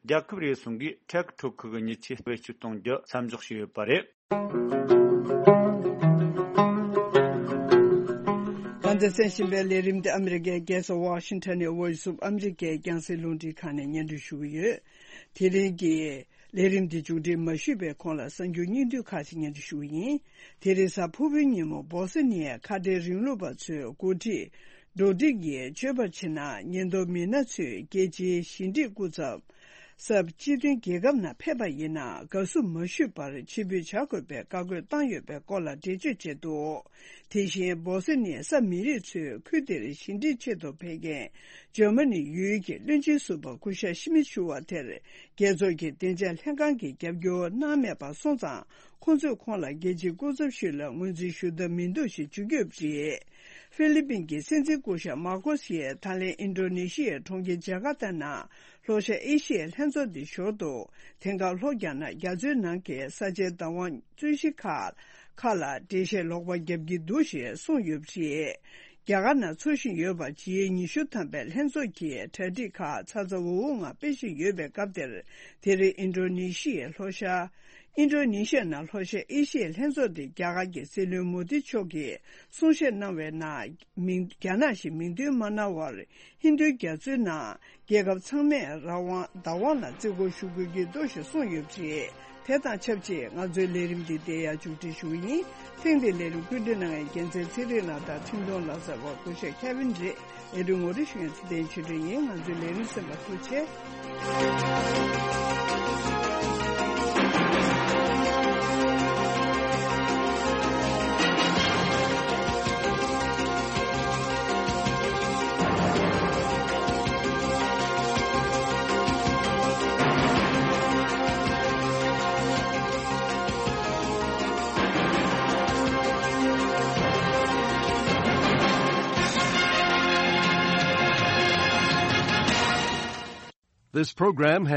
རྒྱལ་ཁབ་རེ་ཟུང་གིས་ཊེག་ཊོག་གི་མྱི་ཆས་བེད་སྤྱོད་གཏོང་རྒྱུ་མཚམས་འཇོག་བྱས་ཡོད་པ་རེད། ང་ཚོས་གསན་བཞིན་པའི་ལས་རིམ་འདི་ཨ་མི་རི་ཀའི་རྒྱལ་ས་ཝ་ཤིང་ཊོན་ནས་Voice of America་རྒྱང་སྲིང་རླུང་འཕྲིན་ཁང་ནས་སྙན་སྒྲོན་ཞུ་གི་ཡོད། དེ་རིང་གི་ལས་རིམ་འདི་མཇུག་སྒྲིལ་མ་ཞུས་པའི་གོང་ལ་གསར་འགྱུར་སྙིང་བསྡུས་ཁག་ཅིག་སྙན་སྒྲོན་ཞུ་གི་ཡིན། དེ་རིང་གཟའ་ཕུར་བུའི་ཉིན་མོ་སྦོ་སི་ནི་ཡའི་ཁ་བྲལ་རིང་ལུགས་པ་ཚོའི་འགོ་ཁྲིད་རྡོ་ཌིག་གིས་བརྗོད་པར་བྱས་ན། ཉེན་རྟོག་མི་སྣ་ཚོས་རྒྱལ་སྤྱིའི་ཞི་འགྲིག་སྐུ་ཚབ་གསར་སྤྱི་མཐུན་རྒྱལ་ཁབ་ནང་ཕེབས་པ་ཡིན་ན་དགའ་བསུ་མ་ཞུས་པར་ཕྱིར་འབུད་བྱ་དགོས་པའི་བཀའ་བཀོད་བཏང་ཡོད་པའི་སྐོར་ལ་འགྲེལ་བརྗོད་བྱས་འདུག་དེ་བཞིན་སྦོ་སི་ནི་ཡའི་ས་མི་རིགས་ཚོས་ཁུལ་དེར་ཞི་འགྲིག་ཆེད་དུ་ཕེབས་མཁན་འཇར་མ་ནི་ཡུལ་གྱི་བློན་ཆེན་ཟུར་པ་སྐུ་ཞབས་ཤི་མི་ཆུ་བ་དེར་རྒྱལ་ཚོགས་ཀྱི་བདེ་འཇགས་ལྷན་ཁང་གིས་རྒྱབ་སྐྱོར་གནང་མེད་པ་སོང་ཙང་། ཁོང་ཚོས་ཁོང་ལ་རྒྱལ་སྤྱིའི་སྐུ་ཚབ་ཞིག་ལ་ངོས་འཛིན་ཞུ་ཐབས་མི་འདུག་ཞེས་བརྗོད་ཀྱི་ཡོད་པ་རེད། ཧྥི་ལི་པིན་གྱི་སྲིད་འཛིན་སྐུ་ཞབས་མཱ་ཀོ་སི་ཡིས་ད་ལན་ཨིན་ཌོ་ནེ་ཤི་ཡའི་གྲོང་ཁྱེར་ཇ་ཀར་ཏ་ནང་ལྷོ་ཤར་ཨེ་ཤི་ཡའི་ལྷན་ཚོགས་འདི་ཞོར་དུ། དེང་སྐབས་ལྷོ་རྒྱ་ནག་རྒྱ་མཚོའི་ནང་གི་ས་ཆའི་བདག་དབང་རྩོད་གཞི་ཁག་ཁག་ལ་འགྲེལ་བཤད་ལོག་པ་བརྒྱབ་ཀྱི་འདུག་ཞེས་གསུངས་ཡོད་པ་རེད། རྒྱ་གར་ནང་འཚོགས་བཞིན་ཡོད་པ་ཇི་ཨེ་ཉི་ཤུ་ཐམ་པའི་ལྷན་ཚོགས་ཀྱི་གྲ་སྒྲིག་ཁག་ཚ་ཚ་འུར་འུར་ངང་སྤེལ་བཞིན་ཡོད་པའི་སྐབས་དེར། དེ་རིང་ཨིན་ཌོ་ནེ་ཤི་ཡའི་ལྷོ་ཤར་ ཨིན་ཌོ་ནི་ཤི་ཡ་ནང་ལྷོ་ཤར་ཨེ་ཤི་ཡའི་ལྷན་ཚོགས་དེ་རྒྱ་གར་གྱི་སྲིད་བློན་མོ་དི་མཆོག་གིས་གསུང་བཤད་གནང་བའི་ནང་མིང་རྒྱ་ནག་ཞེས་མིང་འདོན་མ་གནང་བར། ཧིན་རྡུའི་རྒྱ་མཚོའི་ནང་རྒྱལ་ཁབ་ཚང་མས་རང་དབང་བདག་དབང་ལ་བརྩི་བཀུར་ཞུ་དགོས་ཀྱི་འདུག་ཞེས་གསུངས་ཡོད་པ་རེད། དེ་དང་ཆབས་ཅིག་ང་ཚོའི་ལས་རིམ་འདི་འདིར་ཡང་མཇུག་སྒྲིལ་ཞུ་གི་ཡིན། ཐེངས་འདིའི་ལས་རིམ་བཀོད་སྒྲིག་གནང་མཁན་རྒྱལ་མཚན་ཚེ་རིང་ལགས་དང་འཕྲིན་གཏོང་ལག་རྩལ་བ་སྐུ་ཞབས་ཁེ་ཝིན་རེད། ལས་རིམ་ངོ་སྤྲོད་ཞུ་མཁན་ཚེ་བརྟན་ཆོས་སྒྲོན་ཡིན། ང་ཚོའི་ལས་རིམ་གསན་པར་ཐུགས་རྗེ་ཆེ། This program has